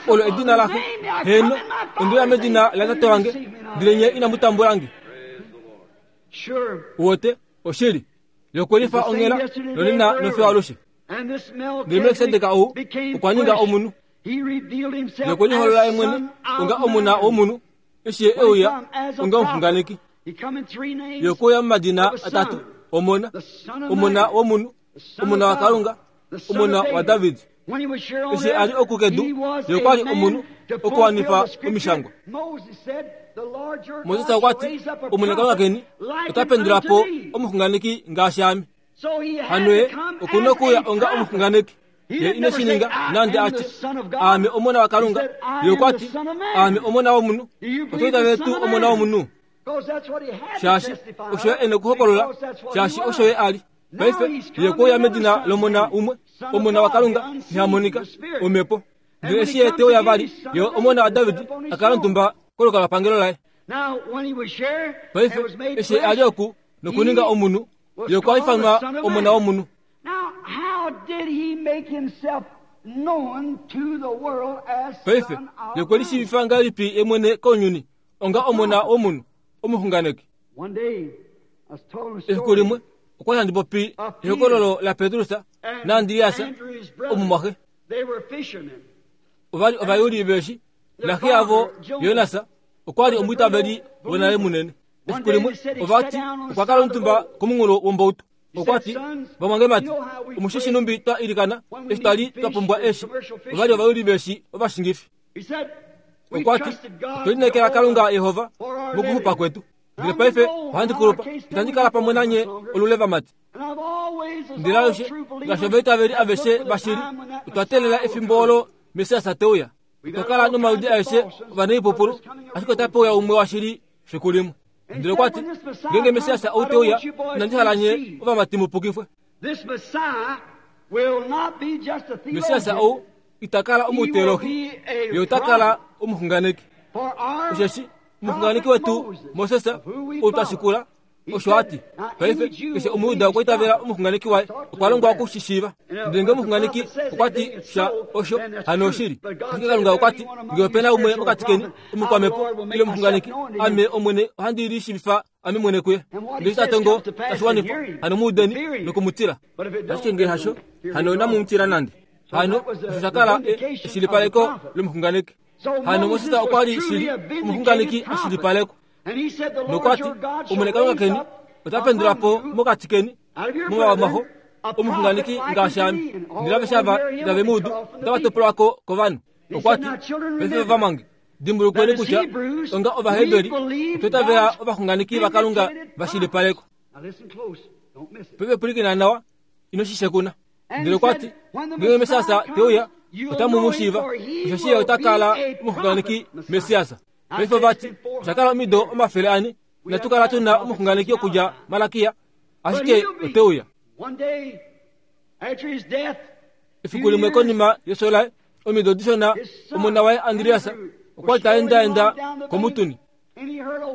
Olo edina laxe. Heno ondiya medina la tate wange, ndele nye inamutambulange. Wote oshili yokulifa onghela nonena nofiyo alushe. Ndele Melkisedek ou okwa ninga omunhu, nokweliholola yemwene onga omuna womunhu, eshi ye euya onga omuxunganeki. Yokuuya momadina atatu omona, omona womunhu, omona waKalunga, omona waDavid. Eshi ali oku kedu, ye okwali omunhu okuwanifa omishangwa. Moses okwa ti Omwene Kalunga keni ota pendula po omuxunganeki ngaashi ame. Hano ye okuna okuuya onga omuxunganeki. Ye ine shi ninga nande a tye aame omona waKalunga. Ye okwa ti aame omona womunhu. Oto itavele tuu omona womunhu? Shaashi osho ye e nokuhokolola, shaashi osho ye a li. Paife ye okwe uya medina lomona umwe, omona waKalunga iha monika, omhepo. Ndele eshi ye te uya vali, ye omona waDavid a kala omutumba kolukalwapangelo laye. Paife eshi ye a li oku nokuninga omunhu, ye okwa ifanwa omona womunhu. Paife ye okwe lishiivifa ngahelipi ye mwene kounyuni onga omona womunhu, omuxunganeki? Efiku limwe okwa li handi popi ehokololo laPetrus naAndreas omumwaxe. Ova li ovayuli veeshi, naxe yavo Jonas okwa li omwiitaveli wonale munene. Efiku limwe ova ti okwa kala omutumba komunghulo wombautu. Okwa ti, vamwangemati, omushishi numbi twa ilikana eshi twa li twa pumbwa eeshi. Ova li ovayuli veeshi ovashingifi. Okwa ti, otwe lineekela Kalunga Yehova mokuxupa kwetu. Ndele paife ohandi kulupa, itandi kala pamwe nanye olule vamati. Ndele alushe ngaashi ovaitaveli aveshe vashili, otwa teelela efimbo olo Messias te uya. Otwa kala nomaludi aeshe ovanaipupulu, ashike otape uya umwe washili fiku limwe. Ndele okwa ti, ngeenge Messias ou te uya, inandi hala nye ovamati mu pukifwe. Messias ou ita kala omuteolohi, ye ota kala omuxunganeki. Osheshi omuxunganeki wetu Moses ou twa shikula, osho a ti. Paife keshe Omujuda okwa itavela omuxunganeki waye, okwa longwa oku shi shiiva. Ndele ngee omuxunganeki okwa ti sha osho, hano oshili. Ashike Kalunga okwa ti, ngee ope na umwe mokati keni omukwamhepo ile omuxunganeki, ame Omwene ohandi lishiivifa ame mwene kuye. Ndele eshi ta tongo tashi wanifwa, hano mu udeni nokumutila. Ashike ngee hasho, hano inamu mu tila nande. Hano osho sha kala eshilipaleko lomuxunganeki. Hano Moses okwa li shili omuxunganeki a shilipalekwa. Nokwa ti, Omwene Kalunga keni ota pendula po mokati keni momavamaxo omuxunganeki ngaashi ame. Ndele aveshe ava itave mu udu, otava topolwa ko kovanhu. Okwa ti, paife vamwange, dimbulukweni kutya onga Ovaheberi otwa itavela ovaxunganeki vaKalunga va shilipalekwa. Paife pwilikina nawa, ino shi shekuna. Ndele okwa ti, ngeenge Messias te uya, otamu mu shiiva, osheshi ye ota kala omuxunganeki Messias. Paife ova ti, osha kala omido omafele ane, inatu kala tu na omuxunganeki okudja Malakia, ashike ote uya. Efiku limwe konima yefyo laye, omido dishona, omona waye Andreas okwa li ta endaenda komutuni.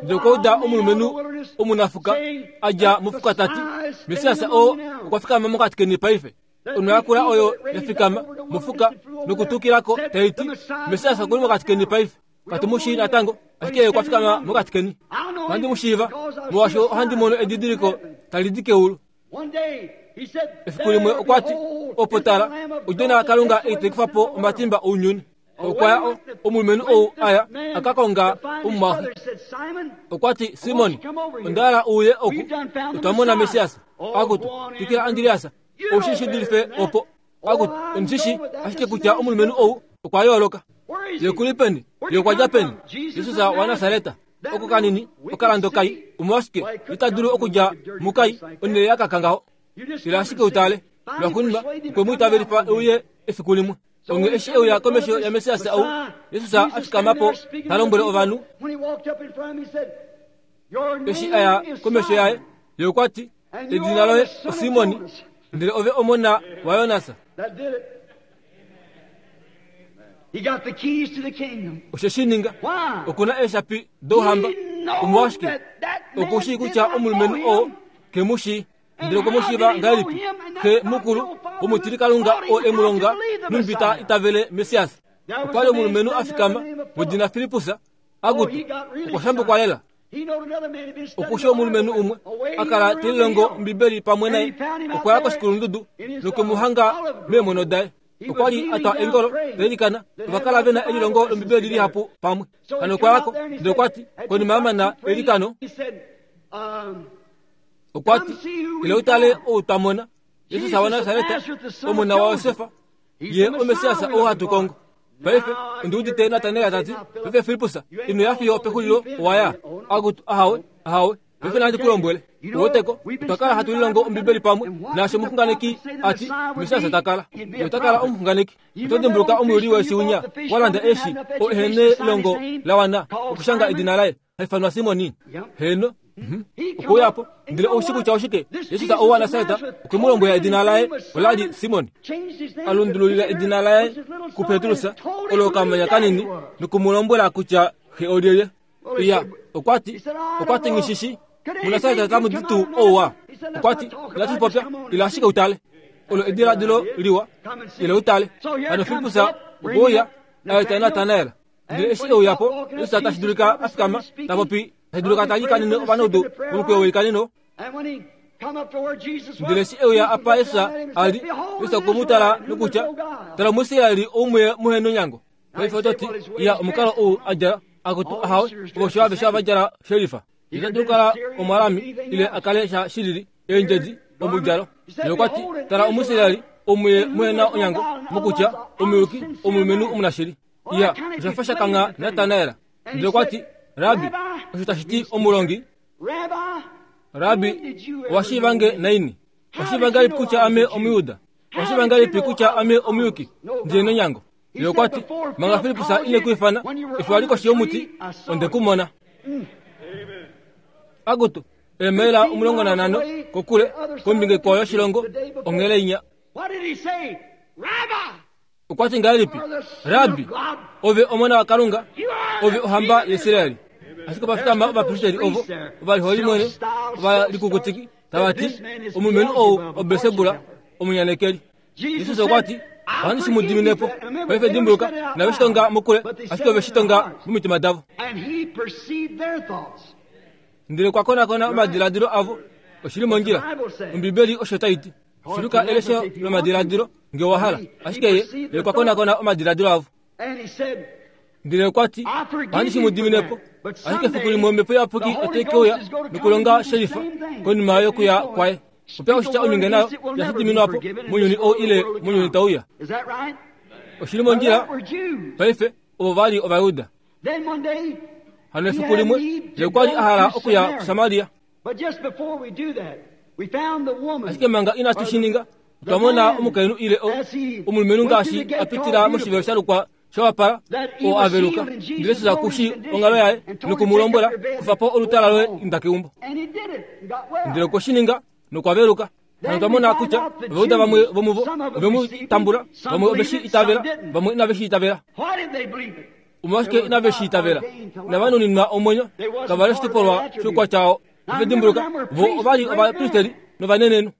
Ndele okwa uda omulumenhu omunafuka a dja mofuka ta ti, Messias oo okwa fikama mokati keni paife. Onho yakula oyo ya fikama mofuka nokutukilako tai ti, Messias okuli mokati keni paife. Katu mu shii natango, ashike ye okwa fikama mokati keni. Ohandi mu shiiva, molwaashi ohandi mono edidiliko tali di keulu. Efiku limwe okwa ti, opo tala, odjona yaKalunga ei tai kufa po omatimba ounyuni. Okwa ya omulumenhu ou aya a ka konga omumwaxe. Okwa ti, Simon, onda hala uye oku, otwa mona Messias. Akutu, twikila Andreas, ou shi shi dulife opo. Akutu, ondi shi ashike kutya omulumenhu ou okwa yooloka. Ye kuli peni? Ye okwa dja peni? Jesus waNasaret, oko kanini, okalando kai, omolwashike ita dulu okudja mukai onhele ya kaka ngaho? Ila ashike utale. Lwaxuuninwa okwe mu itavelifa euye efiku limwe. Onghee eshi euya komesho yaMessias ou, Jesus a fikama po ta lombwele ovanhu. Eshi a ya komesho yaye, ye okwa ti, edina loye oSimon, ndele ove omona waJonas. Osho shi ninga, okuna eeshapi douhamba. Omolwashike? Oku shii kutya omulumenhu oo ke mu shii. Ndele okwe mu shiiva ngahelipi? Xe mukulu womutilikalunga oo e mu longa numbi ta itavele Messias. Okwa li omulumenhu a fikama wedina Filippus, akutu, okwa shambukwa lela. Oku shi omulumenhu umwe a kala te lilongo Ombibeli pamwe naye, okwa ya koshikulundudu nokwe mu hanga meemono daye. Okwa li a twa eengolo ta ilikana, ova kala ve na elilongo lOmbibeli lihapu pamwe. Hano okwa ya ko, ndele okwa ti, konima ya mana eilikano, okwa ti, ila utale ou twa mona, Jesus waNasaret, omona waJosef, ye oMessias ou hatu kongo. Paife ondiudite Natanael tati paife Filippus ino ya fiyo pexulilo owaya akutu ahawe ahawe paife nandi kulombwele uweteko otwa kala hatu lilongo Ombibeli pamwe naasho omuxunganeki ati Mesiasa takala otakala omuxunganeki. Oto dimbuluka omuyuli weeshi winya walanda eeshi oo ehene elongo lawana okushanga edina laye haifanwa Simoni. Heno okuuyapo ndele oushi kutya oshike Jesus ou waNasareta okwe mu lombwela edina laye olali Simoni. Alundululila edina laye kuPetrus olo okamanya kanini nokumulombwela kutya xe olyelye. Iya okwati okwati ngishishi muNasareta tamu di tuu ouwa. Okwati inatu popya ila ashike utale olo ediladilo liwa ile utale. Hano Filippus okuuya aeta Natanael. Ndele eshi euyapo Jesus tashi dulika a fikama ta popi tashi dulika ta ikanene ovanaudu momukweyo weikaneno. Ndele eshi euya apa Jesus ali Jesus okwemutala nokutya tala Omuisraeli oumwe muhe nonyango. Paife ototi iya omukalo ou a djala akutu ahawe ovosho aveshe ava djala shelifa. Ita dulu kala omwalami ile akale sha shilili eendjedi omudjalo. Ndele okwati tala Omuisraeli oumwe muhe na onyango mokutya omuyuki omulumenhu omunashili. Iya oshafa shakanga Natanael. Ndele okwati Rabi osho tashi ti omulongi. Rabi owashiivange naini? Washiiva ngahelipi kutya ame Omuyuda? Washiiva ngahelipi kutya ame omuyuki ndile nonyango? Ndele okwati manga Filippus ine ku ifana eshi wali koshi yomuti onde ku mona. Akutu eemaila omulongo nanhano kokule kombinga ikwao yoshilongo onghele inya. Okwati ngahelipi Rabi ove omona waKalunga ove ohamba yaIsraeli. Ashike ovafikama ovapristeri ovo ovaliholi mwene ovalikukutiki tavati omulumenhu ou oBelsebula omunyanekeli. Jesus okwati ohandi shi mu diminepo. Paife dimbuluka inave shi tonga mokule ashike ove shi tonga momitima davo. Ndele okwa konakona omadiladilo avo. Oshili mondjila Ombibeli osho tai ti. Shiluka elesho lomadiladilo nge owa hala. Ashike ye ye okwa konakona omadiladilo avo. Ndele okwati ohandi shi mu diminepo. Ashike efiku limwe Omhepo Iyapuki otai ke uya nokulonga shelifa konima yokuya kwaye. Opya oshitya ominge nayo inashi diminwapo mounyuni ou ile mounyuni tauya. Oshili mondjila paife ovo vali Ovajuda. Hano efiku limwe ye okwali a hala okuya kuSamaria. Ashike manga inatu shi ninga otwa mona omukainhu ile omulumenhu ngaashi a pitila moshivelo sha lukwa shawapala oo a veluka. Ndele Jesus kushi onghalo yaye nokumulombwela kufa po olutala loye inda keumbo. Ndele okwe shi ninga nokwa veluka. Hano otwa mona kutya Ovajuda vamwe vomuvo ove mu tambula, vamwe ove shi itavela, vamwe inave shi itavela. Omolwashike inave shi itavela? Inava nuninwa omwenyo, kava li oshitopolwa shoukwatya oo. Paife dimbuluka vo ovali ovapristeri novanenenhu.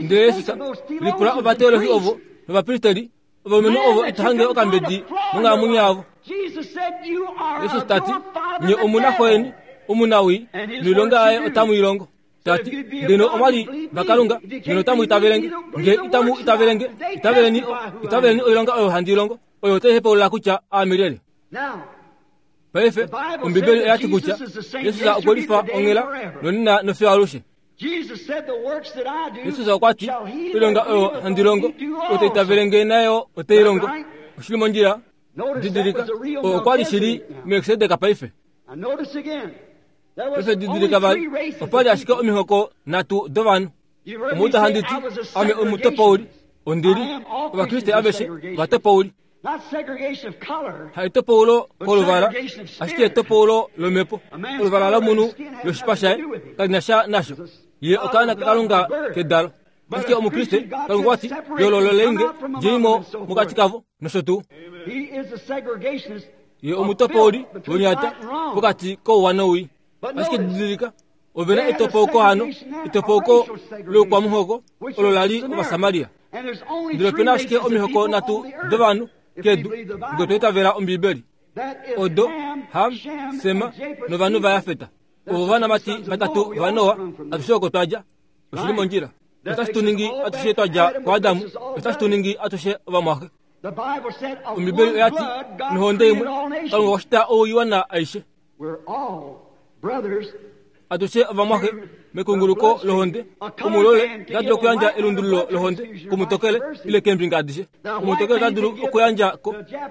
Ndele Jesus lipula ovateolohi ovo novapristeri ovalumenhu ovo ito hange okambedi monghalamwenyo yavo. Jesus tati nye omuna xoyeni omunawii noilonga yaye otamu i longo. Tati ngeno omwali vaKalunga ngeno otamu itavelenge. Nge itamu itavelenge itaveleni itaveleni oilonga oyo handi longo oyo otai hepaulula kutya aame lyelye. Paife Ombibeli oya ti kutya Jesus okwe lifa onghela nonena nofiyo alushe. Jesus okwati oilonga oyo handi longo otai itavelenge nayo otai longo. Oshili mondjila didilika oo okwali shili Melkisedek paife. Paife didilika vali opali ashike omihoko nhatu dovanhu. Omuuda handi ti ame omutopauli ondili Ovakriste aveshe ovatopauli. Haitopaulo koluvala ashike etopaulo lomhepo. Oluvala lomunhu loshipa shaye kali na sha nasho. Ye okaana kaKalunga kedalo. Ashike Omukriste Kalunga okwati yoolololenge djeimo mokati kavo nosho tuu. Ye omutopauli wonyata pokati kouwa nowii. Ashike didilika ovena etopauko hano etopauko loukwamuhoko olo lali Ovasamaria. Ndele opena ashike omihoko nhatu dovanhu kedu nge otwa itavela Ombibeli. Odo Ham, Sema novanhu vaJafet. Ovo ovanamati vatatu vaNoa atushe oko twadja. Oshili mondjila. Otashi tu ningi atushe twadja kuAdamu. Otashi tu ningi atushe ovamwaxe. Ombibeli oya ti nohonde imwe Kalunga okwa shita oiwana aishe. Atushe ovamwaxe mekunguluko lohonde omulole ota dulu okuyandja elundululo lohonde kumutokele ile keembinga adishe. Omutokele ota dulu okuyandja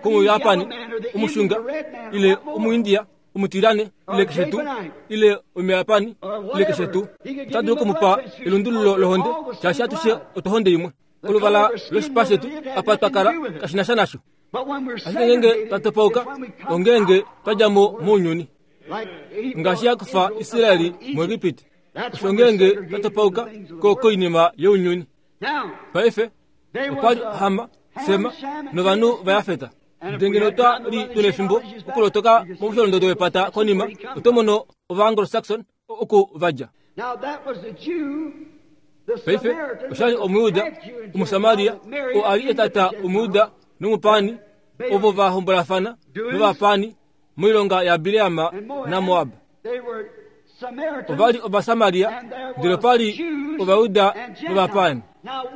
komuyapani omushunga ile omuindia omutirane ile keshe tuu ile omuyapani ile keshe tuu. Ota dulu okumupa elundululo lohonde shaashi atushe otohonde imwe. Oluvala loshipa shetu apa twakala kashina sha nasho. Ashike ngenge twatopauka ongenge twadja mo mounyuni. Ngaashi yakufa Israeli muEgipiti. Osho ngenge twatopauka ko koinima younyuni. Paife okwali Hama, Sema novanhu vaYafeta. Ndele ngeno twa li tuna efimbo okulotoka momusholondodo wepata konima, oto mono Ova-Anglo-Saxon oku vadja. Paife oshali Omuyuda Omusamaria oo ali etata Omuyuda nomupani ovo va hombolafana novapani moilonga yaBileam naMoab. Ovali Ovasamaria ndele opali Ovayuda novapani.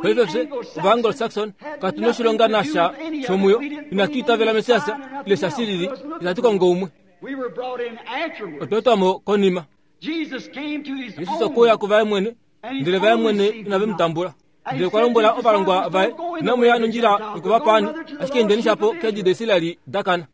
Paife fye Ova-Anglo-Saxon katu noshilonga nasha shomuyo, inatu itavela Messias ile sha shilili, itatu kongo umwe. Otwa etwamo konima. Jesus okwe uya kuvaye mwene, ndele vaye mwene inave mu tambula. Ndele okwa lombwela ovalongwa vaye, inamuya nondjila yokuvapani, ashike endeni shapo keedi daIsraeli dakana.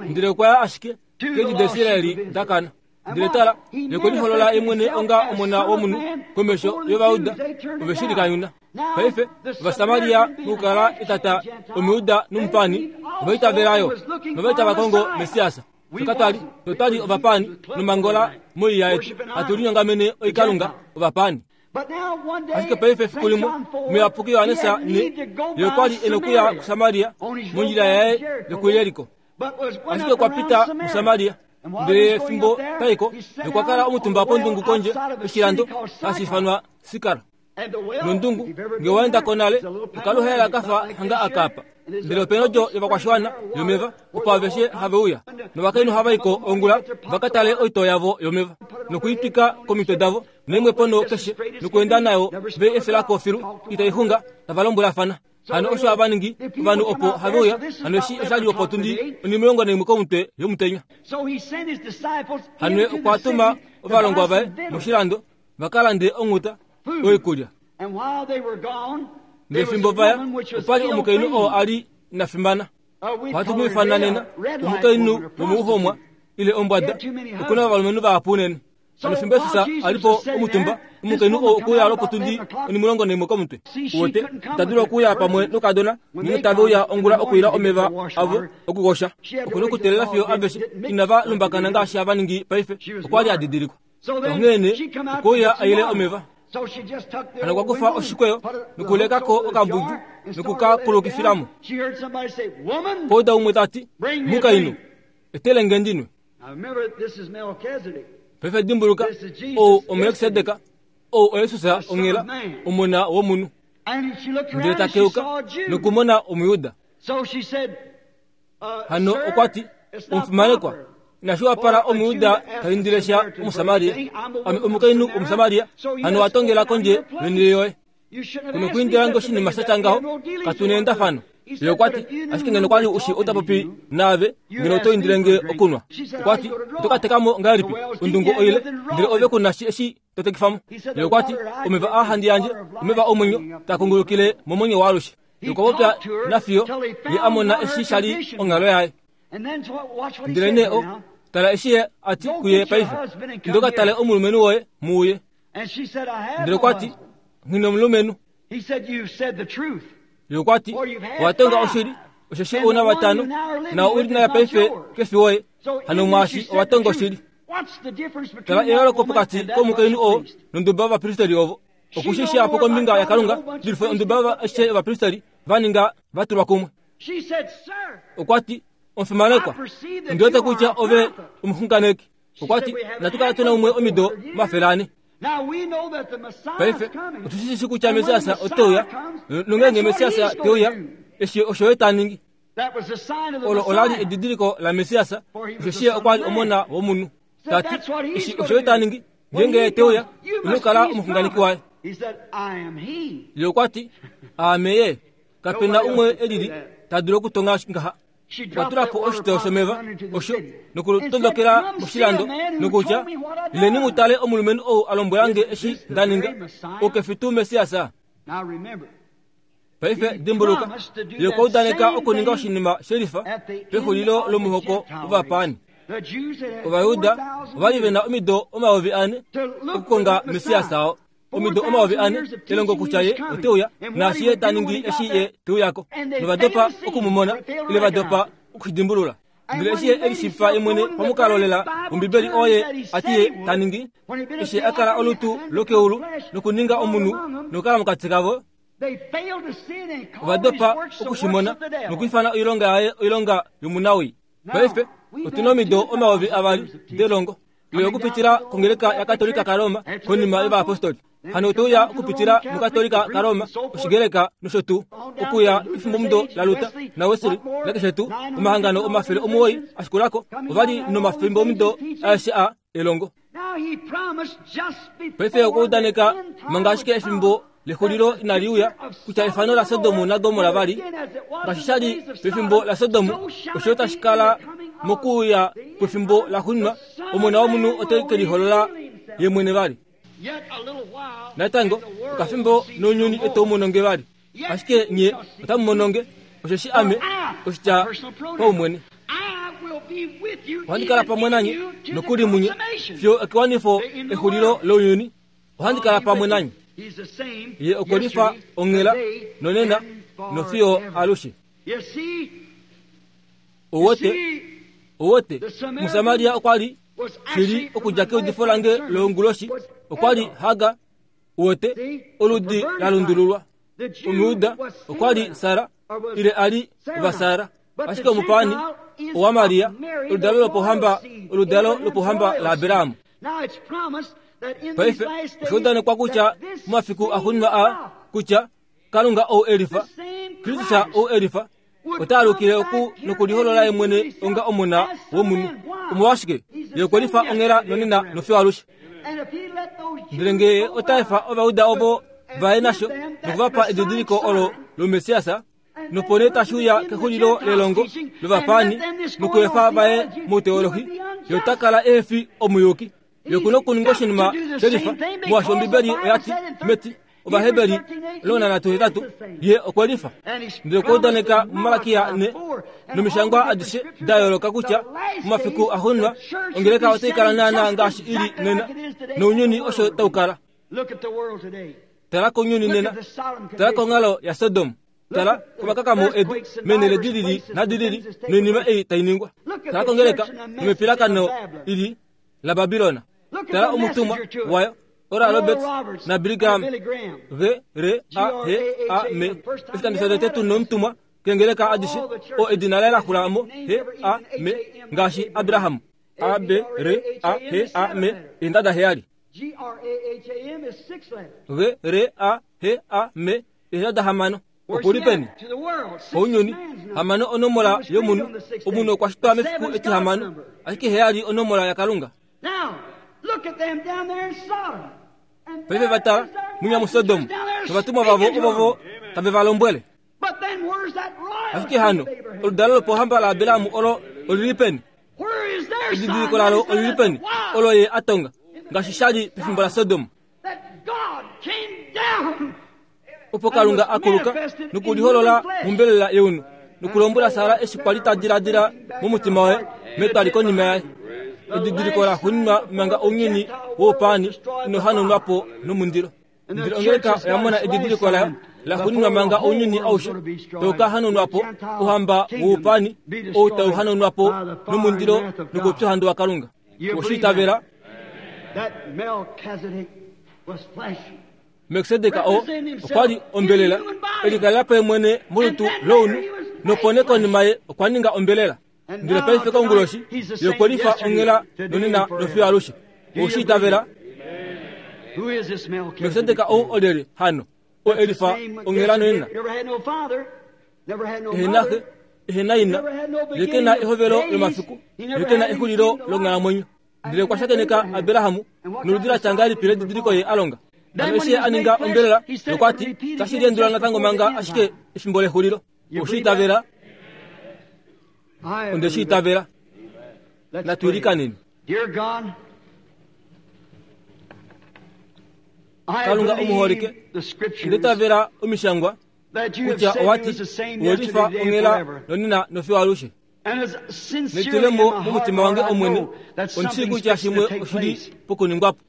Ndele okwa ya ashike keedi daIsraeli dakana. Ndele tala, ye okwe liholola ye mwene onga omona womunhu komesho yOvayuda ove shi likanyuna. Paife Ovasamaria mokukala etata Omuyuda nomupani ova itavelayo nova itava kongo Messias. Shoka twali totwali ovapani nomangola moiya yetu hatu linyongamene oikalunga ovapani. Ashike paife efiku limwe muyapuki Johannes ne ye okwali e nokuya kuSamaria mondjila yaye yokuYeriko. Ashike okwa pita muSamaria ndele fimbo taiko okwa kala omutumba pondungu kondje yoshilando hashi ifanwa Sikar. Nondungu nge waenda konale okaluhela kafa hanga akapa. Ndele opena odjo yovakwashiwana yomeva opo aveshe have uya. Novakainhu hava iko ongula vakatale oitoo yavo yomeva nokuitwika komitwe davo neimwe pono keshe nokuenda nayo ve efelako filu itaixunga tava lombwelafana. Hano osho hava ningi ovanhu opo have uya. Hano eshi oshali opo tundi onimulongo naimwe komutwe yomutenya. Hano okwa tuma ovalongwa vaye moshilando vakalande onghuta oikulya. Ndele fimbo vaya opali omukainhu oo ali nafimana. Ohatu mu ifana nena omukainhu womuhomwa ile ombwada. Okuna ovalumenhu vahapu unene. Hano fimbo Jesus alipo omutumba omukainhu oo okuya lopotundi onimulongo naimwe komutwe. Uwete ita dulu okuya pamwe nokadona ngeenge tave uya ongula okuila omeva avo okukosha. Okuna okuteelela fiyo aveshe inava lumbakana ngaashi hava ningi paife. Okwali adidilikwa. Onghee okwe uya aile omeva. Hano okwa kufa oshikweyo nokulekako okambudu nokukakulukifilamo. Kouda umwe tati, mukainhu, etele nge ndinwe. Paife dimbuluka, ou oMelkisedek, ou oYesus onghela, omona womunhu. Ndele ta keuka nokumona Omuyuda. Hano okwa ti, omufimanekwa, inashi wapala Omuyuda ta indile sha Omusamaria. Ame omukainhu Omusamaria, hano wa tongela kondje yonhele yoye. Kuno kuindila nge oshinima sha tya ngaho, katu neendafano. Ye okwa ti, ashike ngeno kwali ushi ota popi naave, ngeno oto indile nge okunwa. Okwa ti, oto ka teka mo ngahelipi ondungu oile, ndele ove ku na shi eshi to tekifamo. Ye okwa ti, omeva aa handi yandje, omeva omwenyo, taa kungulukile momwenyo waalushe. Ye okwa popya nafiyo ye a mona eshi sha li onghalo yaye. Ndele nee o, tala eshi ye a ti kuye paife, inda ka tale omulumenhu woye muuye. Ndele okwa ti, nghi nomulumenhu. Ye okwa ti, owa tonga oshili, osheshi ouna vatano, nao uli naye paife kefi woye. Hano mwaashi owa tonga oshili. Tala eyooloko pokati komukainhu oo nonduba yovapristeli ovo. Okushi shihapu kombinga yaKalunga dulife onduba aishe yovapristeli va ninga va tulwa kumwe. Okwa ti, omufimanekwa, ondi wete kutya ove omuxunganeki. Okwa ti, inatu kala tuna umwe omido omafele ane. Paife otu shi shi kutya Messias ote uya, nongeenge Messias te uya, eshi osho ye ta ningi. Olo ola li edidiliko laMessias, osheshi ye okwa li omona womunhu. Ta ti, eshi osho ye ta ningi, ngeenge ye te uya, ino kala omuxunganeki waye. Ye okwa ti, aame ye. Kape na umwe e lili ta dulu okutonga ngaha. Okwa tula po oshitoo shomeva osho nokutondokela moshilando nokutya, ileni mu tale omulumenhu ou a lombwela nge eshi nda ninga, oukefi tuu Messias. Paife dimbuluka, ye okwa udaneka okuninga oshinima shelifa pexulilo lomuhoko wovapaani. Ovayuda ovali ve na omido omayovi ane okukonga Messias oo. Omido omayovi ane elongo kutya ye ote uya, naashi ye ta ningi eshi ye te uyako. Novadopa okumumona, ile vadopa okushidimbulula. Ndele eshi ye elishiivifa ye mwene pamukalo lela wOmbibeli oo ye ati ye ta ningi, eshi a kala olutu lokeulu nokuninga omunhu nokukala mokati kavo, ovadopa okushimona nokwiifana oilonga yaye oilonga yomunawii. Paife otuna omido omayovi avali delongo ile okupitila kongeleka yaKatolika kaRoma konima yovayapostoli. Hano otouya okupitila muKatolika kaRoma, Oshigreka nosho tuu, okuya kefimbomudo laLuther naWesley nakeshe tuu omahangano omafele omuwoi ashikulako ovali nomafimbomudo aeshe a elongo. Paife okwa udaneka manga ashike efimbo lexulilo inali uya kutya efano laSodom naGomorra vali ngaashi sha li pefimbo laSodom, osho tashi kala mokuuya kwefimbo laxuuninwa. Omona womunhu ote ke liholola ye mwene vali. Natango okafimbo nounyuni ito mononge vali, ashike nye otamu mononge, osheshi ame oshitya paumwene. Ohandi kala pamwe nanye nokuli munye fiyo ekewanifo exulilo lounyuni. Ohandi kala pamwe nanye. Ye okwe lifa onghela nonena nofiyo alushe. Owote, owote, Musamaria okwa li shili okudja keudifo lange loonguloshi, okwa li Hagar, wote, oludi la lundululwa. Omuyuda okwa li Sara, ile a li Vasara, ashike omupaani owa Maria, oludalo lopohamba, oludalo lopohamba laAbraham. Paife osha udanekwa kutya momafiku axuuninwa aa kutya Kalunga ou elifa, Kristus ou elifa, ota alukile oku nokuliholola ye mwene onga omona womunhu. Omolwashike? Ye okwe lifa onghela nonena nofiyo alushe. Ndele ngee ota efa Ovayuda ovo vaye nasho nokuvapa edidiliko olo lOmessias, nopo nee tashi uya kexulilo lelongo lovapaani nokuefa vaye mouteolohi, ye ota kala ehefi omuyuki. Ye okuna okuninga oshinima shelifa, molwaashi Ombibeli oya ti meti Ovaheberi omulongo nanhatu hetatu, ye okwe lifa. Ndele okwa udaneka muMalakia ne nomishangwa adishe da yooloka kutya momafiku axuuninwa ongeleka otai kala naanaa ngaashi i li nena, nounyuni osho tau kala. Tala kounyuni nena, tala konghalo yaSodom, tala komakakamo edu meenhele di lili nadi lili noinima ei tai ningwa. Tala kongeleka nomepilakano ili laBabilona. Tala omutumwa wayo Oral Roberts na Billy Graham, G R A H A M, oshikando shotete tu nomutumwa kengeleka adishe oo edina laye la xula mo H A M ngaashi Abraham, A B R A H A M eendada heyali. G R A H A M eendada hamano. Oku li peni? Ounyuni. Hamano onomola yomunhu. Omunhu okwa shitwa mefiku etihamano, ashike heyali onomola yaKalunga. Paife va tala munya muSodom novatumwa vavo ovovo tave va lombwele. Ashike hano oludalo lopohamba laAbraham olo olili peni? Edidiliko lalo olili peni olo ye a tonga ngaashi sha li pefimbo laSodom? Opo Kalunga a kuluka nokuliholola mombelela yeunu nokulombwela Sara eshi kwa li ta diladila momutima waye metwali konima yaye. Edidiliko la xuuninwa manga ounyuni woupaani ino hanaunwa po nomundilo. Ndele ongeleka oya mona edidiliko layo la xuuninwa manga ounyuni aushe tau ka hanaunwa po, ouhamba woupaani ou tau hanaunwa po nomundilo nokoupyuhandu waKalunga. Oshi itavela? Melkisedek oo okwa li ombelela, e likalela po ye mwene molutu lounhu, nopo nee konima ye okwa ninga ombelela. Ndele paife konguloshi, ye okwe lifa onghela nonena nofiyo alushe. Oshi itavela? Melkisedek ou olyelye hano? Oo e lifa onghela nonena. Ehe na xe, ehe na ina, ye ke na ehovelo lomafiku, ye ke na exulilo longhalamwenyo. Ndele okwa shakeneka Abraham noludi la tya ngahelipi ledidiliko ye a longa? Hano eshi ye a ninga ombelela, nokwa ti, Tashi liendula natango manga ashike efimbo lexulilo. Oshi itavela? Onde shi itavela. Natu ilikaneni. Kalunga omuholike, onde itavela omishangwa kutya owati welifa onghela nonena nofiyo alushe. Netulemo momutima wange omwene, ondishi kutya shimwe oshili pokuningwapo.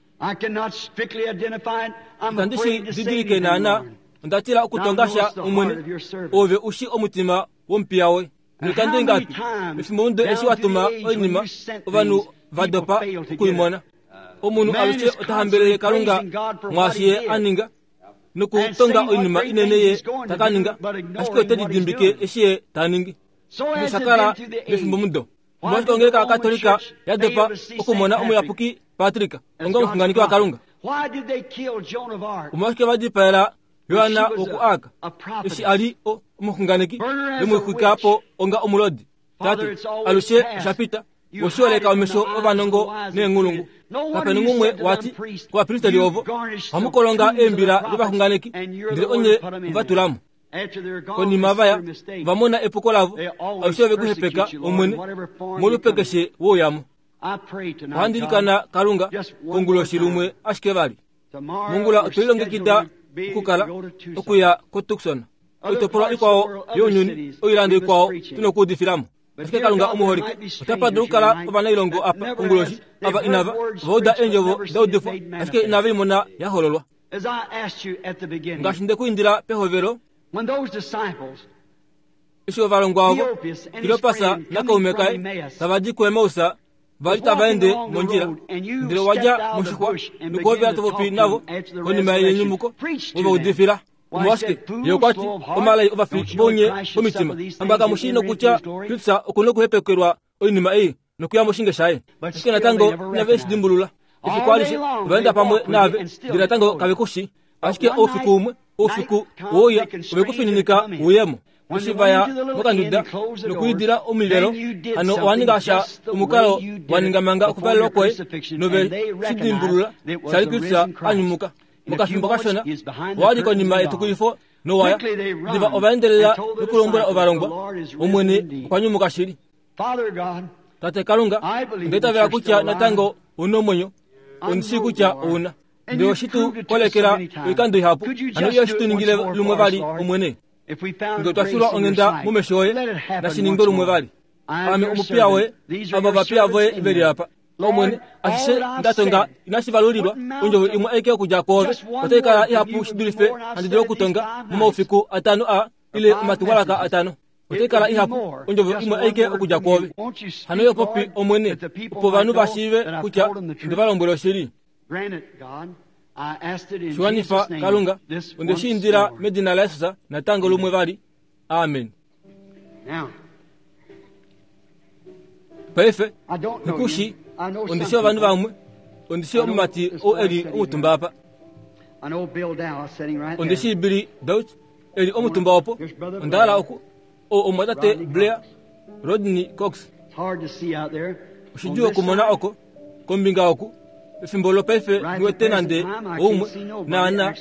Itandi shi didilike naana, onda tila okutonga sha omwene, ove ushi omutima womupiya woye. Notandi ngapi efimbo mudo eshi watuma oinima ovanhu va dopa okuimona. Omunhu alushe ota hambelele Kalunga mwaashi ye a ninga nokutonga oinima inene ye taka ninga, ashike ote lidimbike eshi ye ta ningi. Noshakala mefimbo mudo. Omolwashike ongeleka yaKatolika ya dopa okumona omuyapuki Patrick onga omuxunganeki waKalunga? Omolwashike va dipaela Yohana wokuAka eshi a li omuxunganeki vemuxwika po onga omulodi? Tate, alushe osha pita oshioleka omesho ovanongo neenghulungu. Kapena umwe wati kovapristeli ovo ohamukolonga eembila dovaxunganeki, ndele onye ovatulamo. Konima vaya vamona epuko lavo, alushe ove kuhepeka omwene molupe keshe wouyamo. Ohandi ilikana Kalunga konguloshi lumwe ashike vali. Mongula otwe lilongekida okukala okuya koTucson, oitopolwa ikwao younyuni, oilando ikwao tuna okuudifilamo. Ashike Kalunga omuholike, otapa dulu okukala ovanailongo apa konguloshi ava inava vauda eendjovo daudifwa, ashike inava imona ya hololwa. Ngaashi nde ku indila pehovelo, eshi ovalongwa ovo Kleopas nakaume kaye tava di kuEmaus va li tava ende mondjila, ndele wa dja moshixwa nokuhovela to popi navo konima yenyumuko, ove udifila. Omolwashike ye okwa ti omalai ovafi vounye vomitima, hamba kamu shii nokutya Kristus oku na okuhepekelwa oinima ei nokuya moshinge shaye. Ashike natango inave shi dimbulula. Efiku alishe ova enda pamwe naave, ndele natango kave ku shi. Ashike oufiku umwe, oufiku wouya, ove ku fininika uyemo. Eshi vaya mokanduda nokuidila omivelo, hano owa ninga sha omukalo wa ninga manga okuvalelwa kwoye, nove shi dimbulula shali Kristus a nyumuka. Mokafimbo kashona owa li konima yetukulifo nowaya. Diva ova endelela nokulombwela ovalongwa, Omwene okwa nyumuka shili. Tate Kalunga, onde itavela kutya natango ouna omwenyo, ondi shii kutya ouna. Ndele oshi tu kolekela oikando ihapu, hano iyo shi tu ningile lumwe vali Omwene. Ngele otwa filwa onghenda momesho oye, nashi ningwe lumwe vali. Ame omupiya woye, ava ovapiya voye veli apa. Omwene, ashishe ndatonga inashi valulilwa, ondjovo imwe aike okudja kwoove otai kala ihapu shi dulife handi dulu okutonga momaufiku atano a ile omatumwalaka atano. Otai kala ihapu ondjovo imwe aike okudja kwoove. Hano yo popi Omwene, opo ovanhu va shiive kutya nde va lombwela oshili. Shiwanifa Kalunga, onde shi indila medina laJesus natango lumwe vali. Amen. Paife, nikushi, ondi shii ovanhu vamwe, ondi shii omumati ou eli omutumba apa. Ondi shii Billy Dauch eli omutumba opo. Onda hala oku o omwatate Blair Rodney Cox. Oshidjuu okumona oko kombinga oku efimbo lopaife niwete nande oumwe naana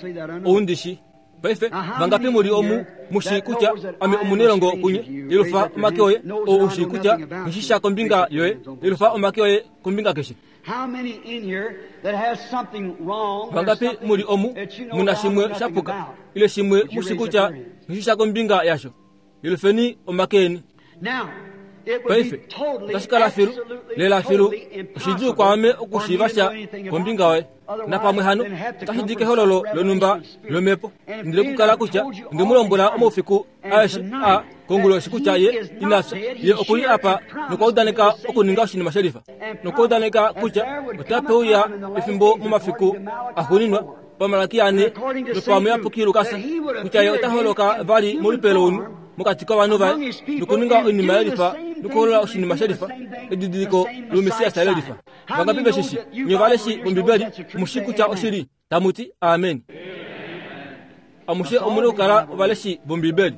oundishi. Paife vangapi muli omu mushi kutya ame omunelongo kunye, yelufa omake oye, ou ushi kutya nishisha kombinga yoye, yelufa omake oye kombinga keshe. Vangapi muli omu muna shimwe shapuka ile shimwe mushi kutya nishisha kombinga yasho, yelufeni omake eni. Paife otashi kala filu lela filu oshidjuu kwaame okushiiva sha kombinga yoye. Napamwe hano otashi di kehololo lonhumba lomhepo, ndele kukala kutya onde mu lombwela omaufiku aeshe a konguloshi kutya ye ina fya, ye okuli apa nokwa udaneka okuninga oshinima shelifa, nokwa udaneka kutya otape uya efimbo momafiku axuuninwa pamalaki ane nopamuyapuki Lukas kutya ye ota holoka vali molupe lounhu mokati kovanhu vaye nokuninga oinima yelifa nokuholola oshinima shelifa, edidiliko lOmessias lelifa. Vangapi veshishi nye ovaleshi vOmbibeli mushi kutya oshili? Tamuti amen. Amushe omuna okukala ovaleshi vOmbibeli.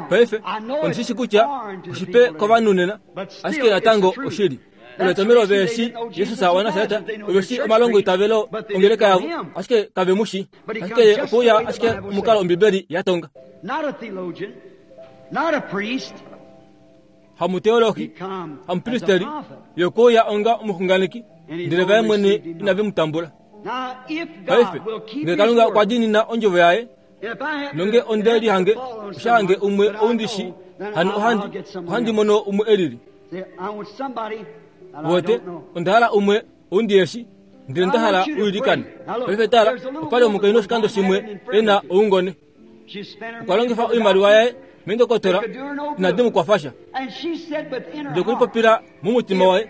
Paife ondishishi kutya oshipe kovanhu nena, ashike natango oshili. Oletomelo veshi Jesus waNasaret, oveshi omalongo itavelo ongeleka yavo, ashike kave mushi. Ashike ye okuuya ashike omukalo Ombibeli ya tonga. Not a theologian, not a priest, Hamuteolohi, hamupristeri, yokuuya onga omuxunganeki, ndele vaye mwene inave mu tambula. Paife, ngele Kalunga okwa diinina ondjovo yaye, nonge onde lihange oshahange umwe oundishi, hano ohandi, ohandi mono umwe elili. Wote, onda hala umwe oundieshi, ndele nda hala uilikane. Paife tala, opali omukainhu oshikando shimwe ena oungone. Okwa longifa oimaliwa yaye mendokotola inadi mu kwafasha. Ndele okulipopila momutima waye,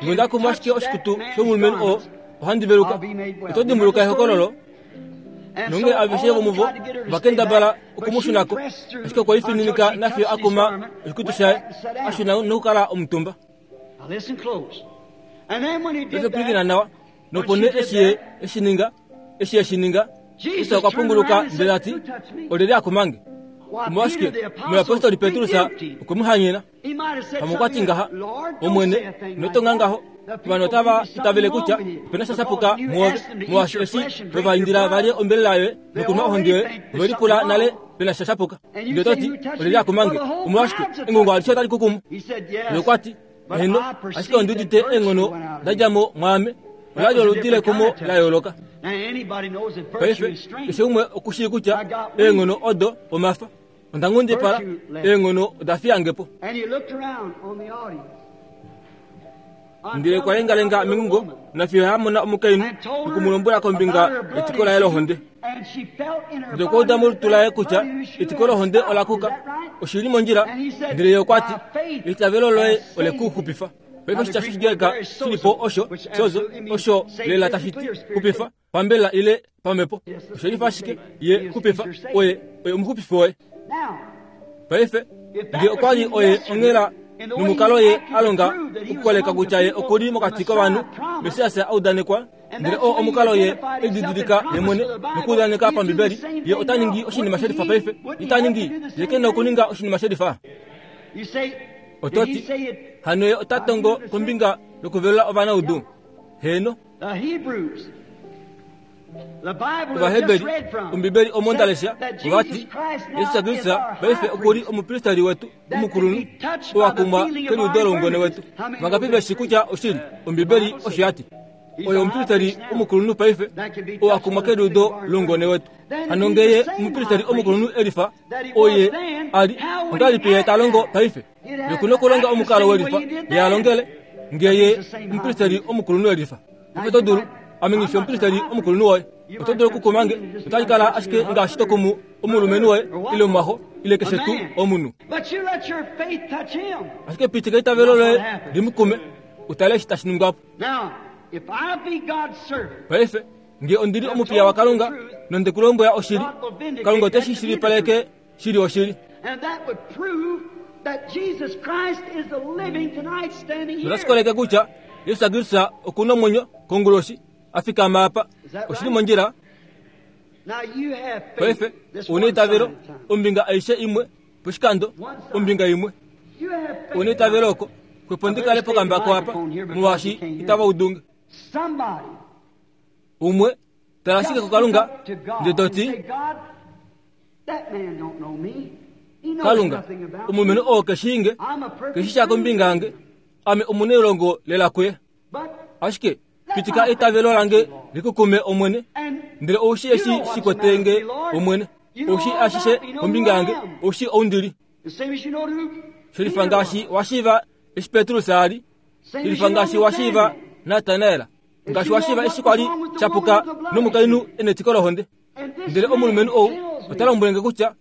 ngonda kumwa ashike oshikutu shomulumenhu oo, ohandi veluka. Oto dimbuluka ehokololo? Nonge aveshe vomuvo vakendabala okumushunako, ashike okwe lifininika nafiyo akuma oshikutu shaye, ashuna nokukala omutumba. Paife pwilikina nawa, nopo nee eshi ye eshininga, eshi eshininga, Jesus okwa punguluka ndele ati, olyelye akumange? Omolwashike omuyapostoli Petrus okwe mu hanyena. Pamwe okwa ti ngaha, Omwene, ino ngaho. Ovanhu otava itavele kutya opena sha shapuka muove, molwaashi eshi we va indila valye ombelela yoye nokunwa ohonde yoye, ove lipula nale pena sha shapuka. Ndele oto ti, olyelye akumange? Omolwashike engungo alishe otali kukumu. Ye okwa ti, heno, ashike ondi udite eenghono da dja mo mwaame, ola li oludi lekumo la yooloka. Paife, keshe umwe okushii kutya eenghono odo omafa. Onda nghundipala, eenghono oda fiyange po. Ndele okwa lengalenga mengungo, nafiyo ya mona omukainhu nokumulombwela kombinga yetiko laye lohonde. Ndele okwa uda molutu laye kutya etiko lohonde ola kuka, oshili mondjila. Ndele ye okwa ti, eitavelo loye ole ku xupifa. Paife oshitya shOshigreka shili po osho sozo, osho lela tashi ti xupifa pambela ile pamhepo. Osho lifa ashike ye xupifa, oye oye omuxupifi woye. Paife ngee okwa li oye onghela nomukalo ye a longa okukoleka kutya ye okuli mokati kovanhu, Messias a udanekwa, ndele oo omukalo ye elididilika ye mwene nokuudaneka pambibeli, ye ota ningi oshinima shelifa paife. Ita ningi, ye ke na okuninga oshinima shelifa. Oto ti, hano ye ota tongo kombinga yokuvelula ovanaudu. Heeno. Ovaheberi, Ombibeli omo nda lesha, ova ti, Jesus Kristus paife okuli omupristeri wetu omukulunhu, oo a kumwa keliudo loungone wetu. Vangapi veshi kutya oshili? Ombibeli osho ya ti. Oye omupristeri omukulunhu paife, oo a kumwa keliudo loungone wetu. Hano ngee ye omupristeri omukulunhu elifa, oye a li, ongahelipi ye ta longo paife? Ye okuna okulonga omukalo welifa ye a longele, ngee ye omupristeri omukulunhu elifa. Paife oto dulu, ame nghi fi omupristeri omukulunhu woye. Oto dulu okukumange, otashi kala ashike ngaashi to kumu omulumenhu woye, ile omumwaxo, ile keshe tuu omunhu. Ashike pitika eitavelo loye li mu kume, utale eshi tashi ningwa po. Paife, ngee ondi li omupiya waKalunga nonde ku lombwela oshili, Kalunga ote shi shilipaleke shili oshili. Notashi koleke kutya Jesus Kristus okuna omwenyo konguloshi a fikama apa. Oshili mondjila. Paife, ouna eitavelo, ombinga aishe imwe poshikando, ombinga imwe. Ouna eitavelo oko, xwepo ndi kale pokambako apa, molwaashi itava udunge. Umwe, tala ashike kuKalunga, ndele to ti, Kalunga, omulumenhu oo keshiinge, keshisha kombinga yange, ame omunailongo lela kuye. Ashike pitika eitavelo lange likukume Omwene, ndele oushi eshi shikwetenge Omwene, oushi ashishe kombinga yange, oushi oundili. Shelifa ngaashi wa shiiva eshi Petrus a li, shelifa ngaashi wa shiiva Natanael, ngaashi wa shiiva eshi kwa li shapuka nomukainhu e netiko lohonde. Ndele omulumenhu ou ota lombwele nge kutya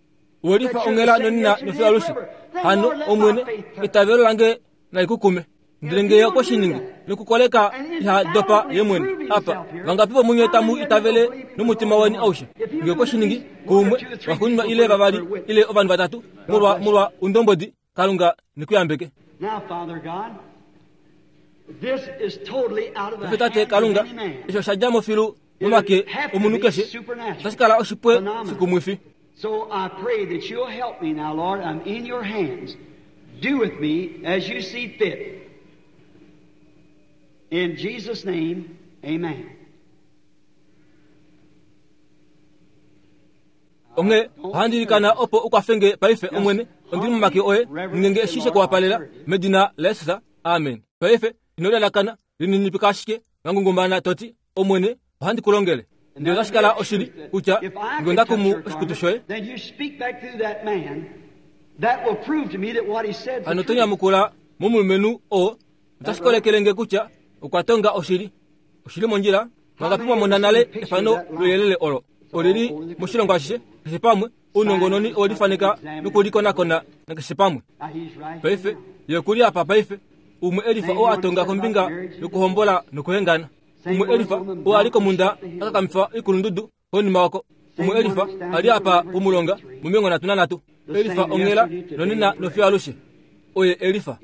owe lifa onghela nonena nofiyo alushe. Hano Omwene, eitavelo lange nali kukume. Ndele ngee okwe shi ningi nokukoleka iha dopa ye mwene apa, vangapi vomunye tamu itavele nomutima weni aushe? Ngee okwe shi ningi kuumwe, vaxuuninwa ile vavali ile ovanhu vatatu, molwa molwa undombodi, Kalunga nekuyambeke. Paife Tate Kalunga, eshi osha dja mo filu momake omunhu keshe, otashi kala oshipwe shikumwifi. So I pray that you'll help me now, Lord. I'm in your hands. Do with me as you see fit. In Jesus' name, amen. Onghee ohandi ilikana opo ukwafenge paife Omwene, ondili momake oye, ninge eshi shekuwapalela medina laJesus. Amen. Paife ino lalakana, lininipika ashike wangungumana toti, Omwene, ohandi ku longele. Ndele otashi kala oshili kutya nge onda kumu oshikutu shoye, hano to nyamukula momulumenhu oo, otashi kolekele nge kutya okwa tonga oshili. Oshili mondjila. Vangapi mwa mona nale efano louyelele olo? Olili moshilongo ashishe, keshe pamwe. Ounongononi owelifaneka nokulikonakona nakeshe pamwe. Paife ye okuli apa paife, umwe elifa oo a tonga kombinga yokuhombola nokuhengana. Umwe elifa oo a li komunda a kakamifa oikulundudu konima oko. Umwe elifa a li apa pomulonga momilongo nhatu nanhatu. Elifa onghela nonena nofiyo alushe. Oye elifa.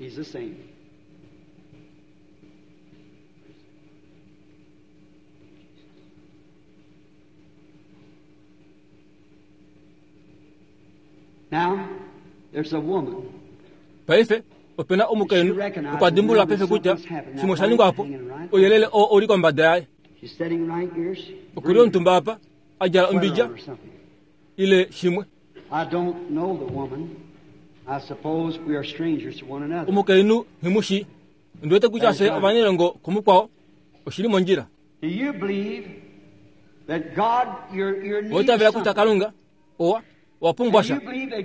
Now, there's a woman. Paife opena omukainhu okwa dimbulula paife kutya shimwe osha ningwa po, ouyelele oo uli kombada yaye. She's sitting right here. She's Okuli omutumba apa, a djala ombidja or something. ile shimwe. I don't know the woman. I suppose we are strangers to one another. Omukainhu nghimushi, ondi wete kutya fye ovanailongo kumukwao, oshili mondjila. Do you believe that God, your, your need Oitavela kutya something? Kalunga owa owa pumbwa sha.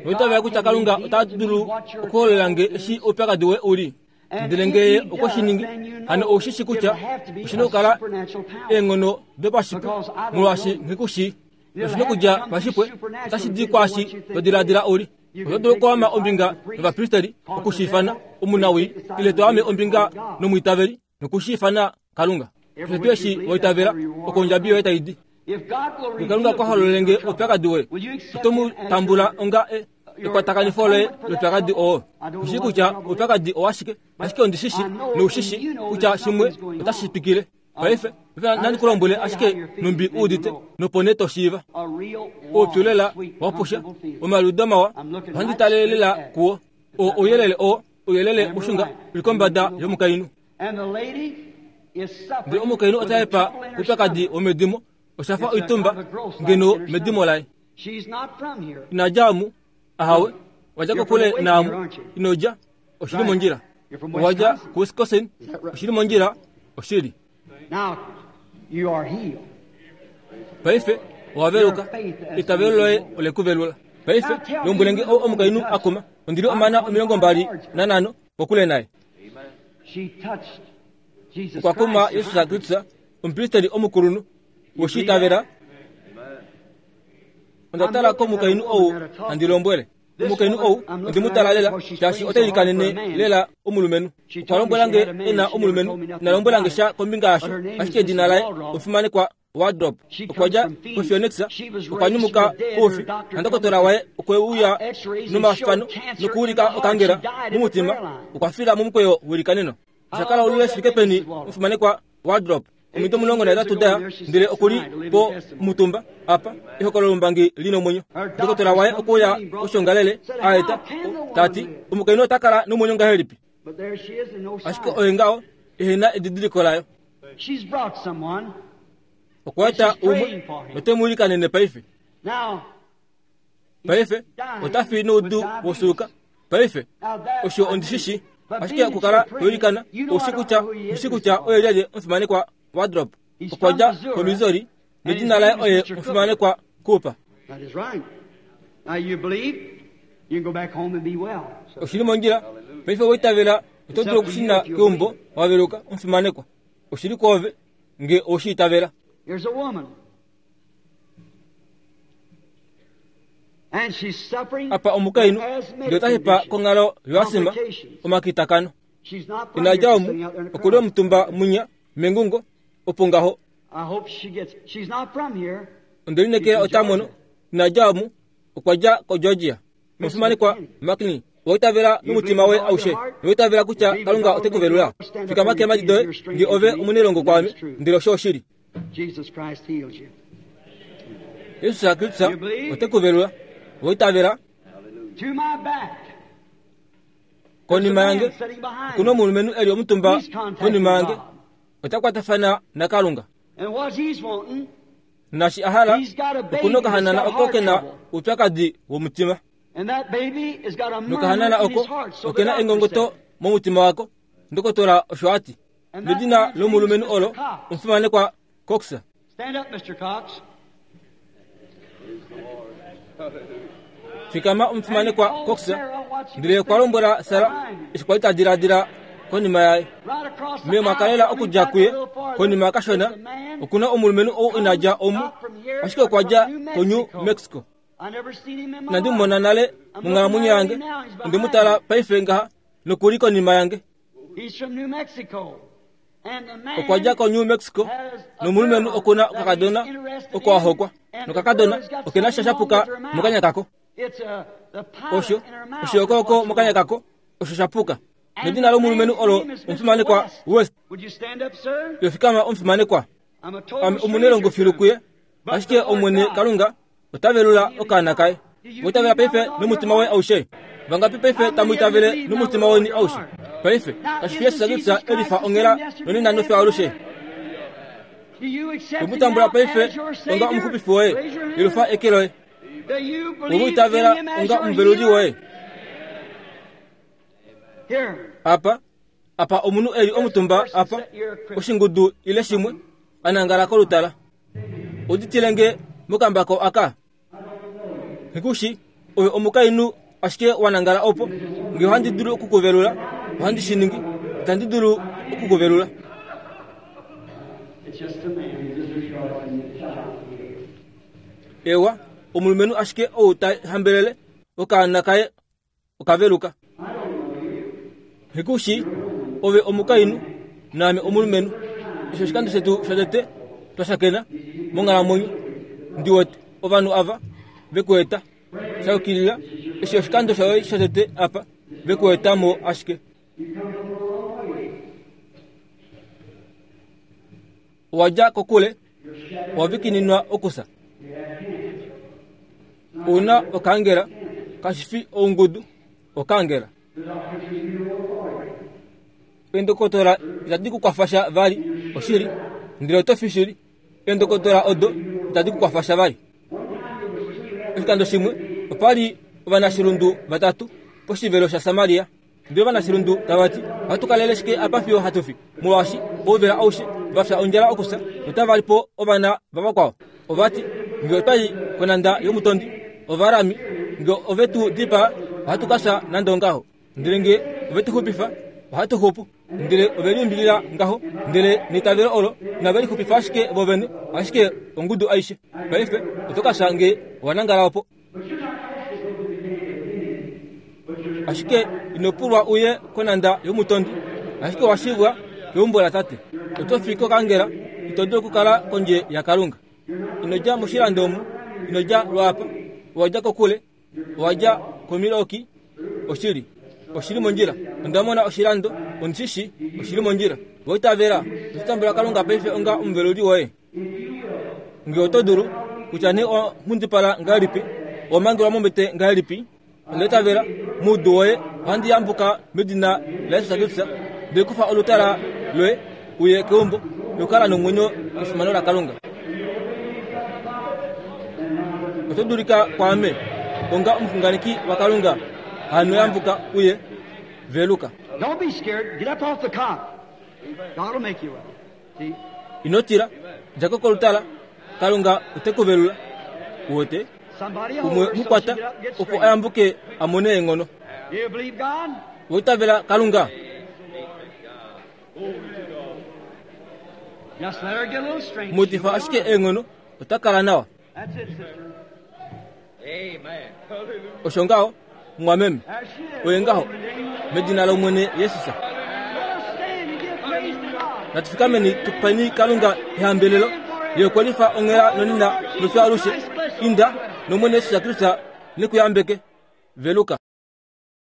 Oitavela kutya Kalunga ota dulu okuhololela nge eshi oupyakadi woye uli. Ndele ngee okwe shi ningi, hano ou shi shi kutya oshi na okukala eenghono dopashipwe, molwaashi nghikushii. Oshi na okudja pashipwe, otashi di kwaashi to diladila uli. Oto dulu okuama ombinga novapristeri okushiifana omunawii, ile to ame ombinga nomwiitaveli nokushiifana Kalunga. Keshe tuu eshi waitavela, oko ondjabi yoye tai di. If God will Nge Kalunga reveal okwa to hololele you nge your trouble, oupyakadi woye, will you accept oto mu him as tambula your- onga e- ekwatakanifo loye loupyakadi oo. Oshi kutya oupyakadi owashike, ashike ondi shi shi noushi kutya shimwe otashi twikile. Paife nandi ku lombwele ashike numbi u udite, nopo nee to shiiva. A real warm, Oupyu lela sweet, wa pusha, comfortable feeling. omaliudo mawa, ohandi tale lela kuwo. O ouyelele oo, ouyelele mushunga uli kombada yomukainhu. And the lady is suffering Ndele omukainhu with ota a hepa trouble in her oupyakadi stomach. womedimo, osha fa It's a oitumba kind of a growth like ngeno in her medimo laye. She's not from here. Ina dja omu, ahawe, wadja kokule naamu, ino dja, oshili mondjila. Owadja kuWisconsin, oshili mondjila, oshili. Now, you are healed. Paife owaveluka, eitavelo loye ole ku velula. Paife lombwele nge ou omukainhu a kuma, ondili omana omilongo mbali nanhano kokule naye. She touched Jesus Okwa kuma Christ. Yesus Kristus, omupristeri omukulunhu, woshiitavela. Onda tala komukainhu ou handi lombwele. Omukainhu ou ondi mu tala lela, shaashi ota ilikanene lela omulumenhu. Okwa lombwela nge e na omulumenhu, ina lombwela nge sha kombinga yasho, ashike edina laye omufimanekwa Wardrop. Okwa dja kuPhoenix, okwa nyumuka koufi, nandokotola waye okwe uya nomafano nokuulika okangela momutima, okwa fila momukweyo welikaneno. Osha kala olule shi fike peni omufimanekwa Wardrop, omido omulongo nahetatu daya, ndele okuli po mutumba apa, ehokololo lombangi li nomwenyo. Ndokotola waye okwe uya koshongalele, a eta, tati, omukainhu ota kala nomwenyo ngahelipi? But there she is and no Ashike sign. oye ngaho, ehena edidiliko layo. She's brought someone. Okwa eta umwe, note mu ilikanene paife. Now, Paife, ota fi noudu wosuluka. Paife, now that osho ondi shi shi, ashike okukala to ilikana, oushi kutya, oushi kutya oye lyelye omufimanekwa Wardrop. Okwa dja koMissouri, nedina laye oye omufimanekwa Cooper. That is right. Now you believe, you can go back home and be well. So, Oshili mondjila, paife owaitavela, oto dulu okushuna keumbo waveluka omufimanekwa. Oshili kwoove, nge oushiitavela. here's a woman. And she's suffering Apa omukainhu, with asthmatic ndele ota hepa condition. konghalo yoasima, Complications. omakitakano. She's not from Ina here, dja she's omu, sitting out there in the okuli crowd. omutumba munya, mengungo, opo ngaho. I hope she gets. She's not from here. Onde linekela ota mono, ina dja omu, okwa dja koGeorgia. Omufimanekwa McKinney, owaitavela nomutima woye aushe, nowaitavela kutya Kalunga ote ku velula. Fikama keemhadi doye, nge ove omunailongo kwaame, ndele osho oshili. Jesus Christ heals you. Yesus Kristus ote ku velula. Owaitavela To my back. konima yange, Sitting behind okuna me. omulumenhu eli omutumba He's contacting konima yange, God. ota kwatafana naKalunga. And what he's wanting Nashi a hala He's got a baby okuna okahanana that's got oko heart kena trouble. uupyakadi womutima And that baby has got a murmur nokahanana in oko his heart. So the okena doctor engongoto said. momutima wako ndokotola osho ati And that nedina man's name lomulumenhu is olo Mr. Cox. omufimanekwa Cox Stand up, Mr. Cox. fikama omufimanekwa Cox ndele okwa lombwela Sara eshi kwali ta diladila konima yaye Right across the me mwakalela aisle, okudja coming kuye back a little farther, konima kashona there's a man okuna omulumenhu ou ina dja omu not from here, ashike okwa dja but from New ko New Mexico. Mexico I never seen him in my nandi life. mumona nale monghalamwenyo yange onde mu tala paife ngaha nokuli konima yange He's from New Mexico. And the man okwa dja ko New Mexico has a nomulumenhu girl okuna that okakadona he's interested oko a in, hokwa and the nokakadona girl has got okena sha something shapuka wrong with her mouth. mokanya kako It's a, the pilot osho in her mouth. oshiyokooko is what's mokanya wrong. kako osho shapuka And nedina the lomulumenhu man's olo name is Mr. omufimanekwa West. West Would you stand up, sir? yofikama omufimanekwa I'm a total ame omunelongo stranger filu to kuye him. But ashike the Lord omwene God kalunga ota velula okaana kaye witavela paife nomutima woye aushe vangapi paife tamu itavele nomutima weni aushe paife kashifi yesu Kristu elifa ongela nonena nofya alushe Do you accept him wemutambula now paife as your onga Savior? omuxupifi woye Raise your hand. yelufa eke loye Do you believe in wemwitavela him as onga your omuveluli healer? woye Here. apa apa omunhu eli omutumba apa oshingudu ile shimwe anangala kolutala uditile mokambako aka hikushi oyo omukainhu ashike wanangala opo nge ohandi dulu okukuvelula ohandi shi ningi itandi dulu okukuvelula It's just a man just rejoicing the child. ewa omulumenhu ashike ou ta hambelele okaana kaye okaveluka hikushi ove omukainhu naame omulumenhu osho oshikando shetu shotete twashakena monghalamwenyo ndiwete ovanhu ava vekueta shayukilila eshi oshikando shoye shotete apa vekuetamo ashike owadja kokule owavikininwa okusa una okangela kashifi oungudu okangela eendokotola itadi kukwafasha vali oshili ndele oto fi shili eendokotola odo itadi kukwafasha vali oshikando shimwe opali ovanashilundu vatatu poshivelo shaSamaria ndele ovanashilundu tavati ohatu kalele shike apa fiyo hatu fi molwaashi ouvela aushe vafya ondjala okusa notava li po ovana vavakwao ovati nge otwai konanda yomutondi ovarami nge ove tu dipaa ohatu ka fya nande ongaho ndele nge ove tu xupifa ohatu xupu ndele ove liumbilila ngaho ndele neitavelo olo inave lixupifa ashike vovene ashike ongudu aishe paife oto ka fya nge owanangala opo ashike ino pulwa uye konanda yomutondi ashike owashivwa keumbo latate oto fi kokangela ito dulu okukala kondje yakalunga ino dja moshilando omu ino dja lwaapa owadja kokule owadja komiloki oshili oshili mondjila onda mona oshilando ondishishi oshili mondjila woitavela ototambula kalunga paife onga omuveluli woye nge oto dulu kutya nee owanghundipala ngahelipi owamangelwa mombete ngahelipi ondaitavela muudu woye ohandi yambuka medina laYesu Kristu ndele kufa olutala loye uye keumbo nokukala nomwenyo kefimano lakalunga oto dulika kwaame onga omuxunganeki wakalunga hano yambuka uye veluka Don't be scared. Get up off the cot. God will make you well. See? ino tila djako kolutala kalunga ote ku velula uwete Somebody hold umwe her so she mukwata get up and get opo straight. ayambuke amone eenghono Do you believe God? woitavela kalunga Just let her get a little strength. mutifa She'll be ashike all right. eenghono ota kala nawa That's it, sister. osho ngaho mwameme There she is. oye ngaho medina lomwene yesus Let us stand and give praise to God. natufikameni tupeni kalunga ehambelelo yekwelifa onghela nonina nofya alushe inda nomwene yesus kristu nekuyambeke veluka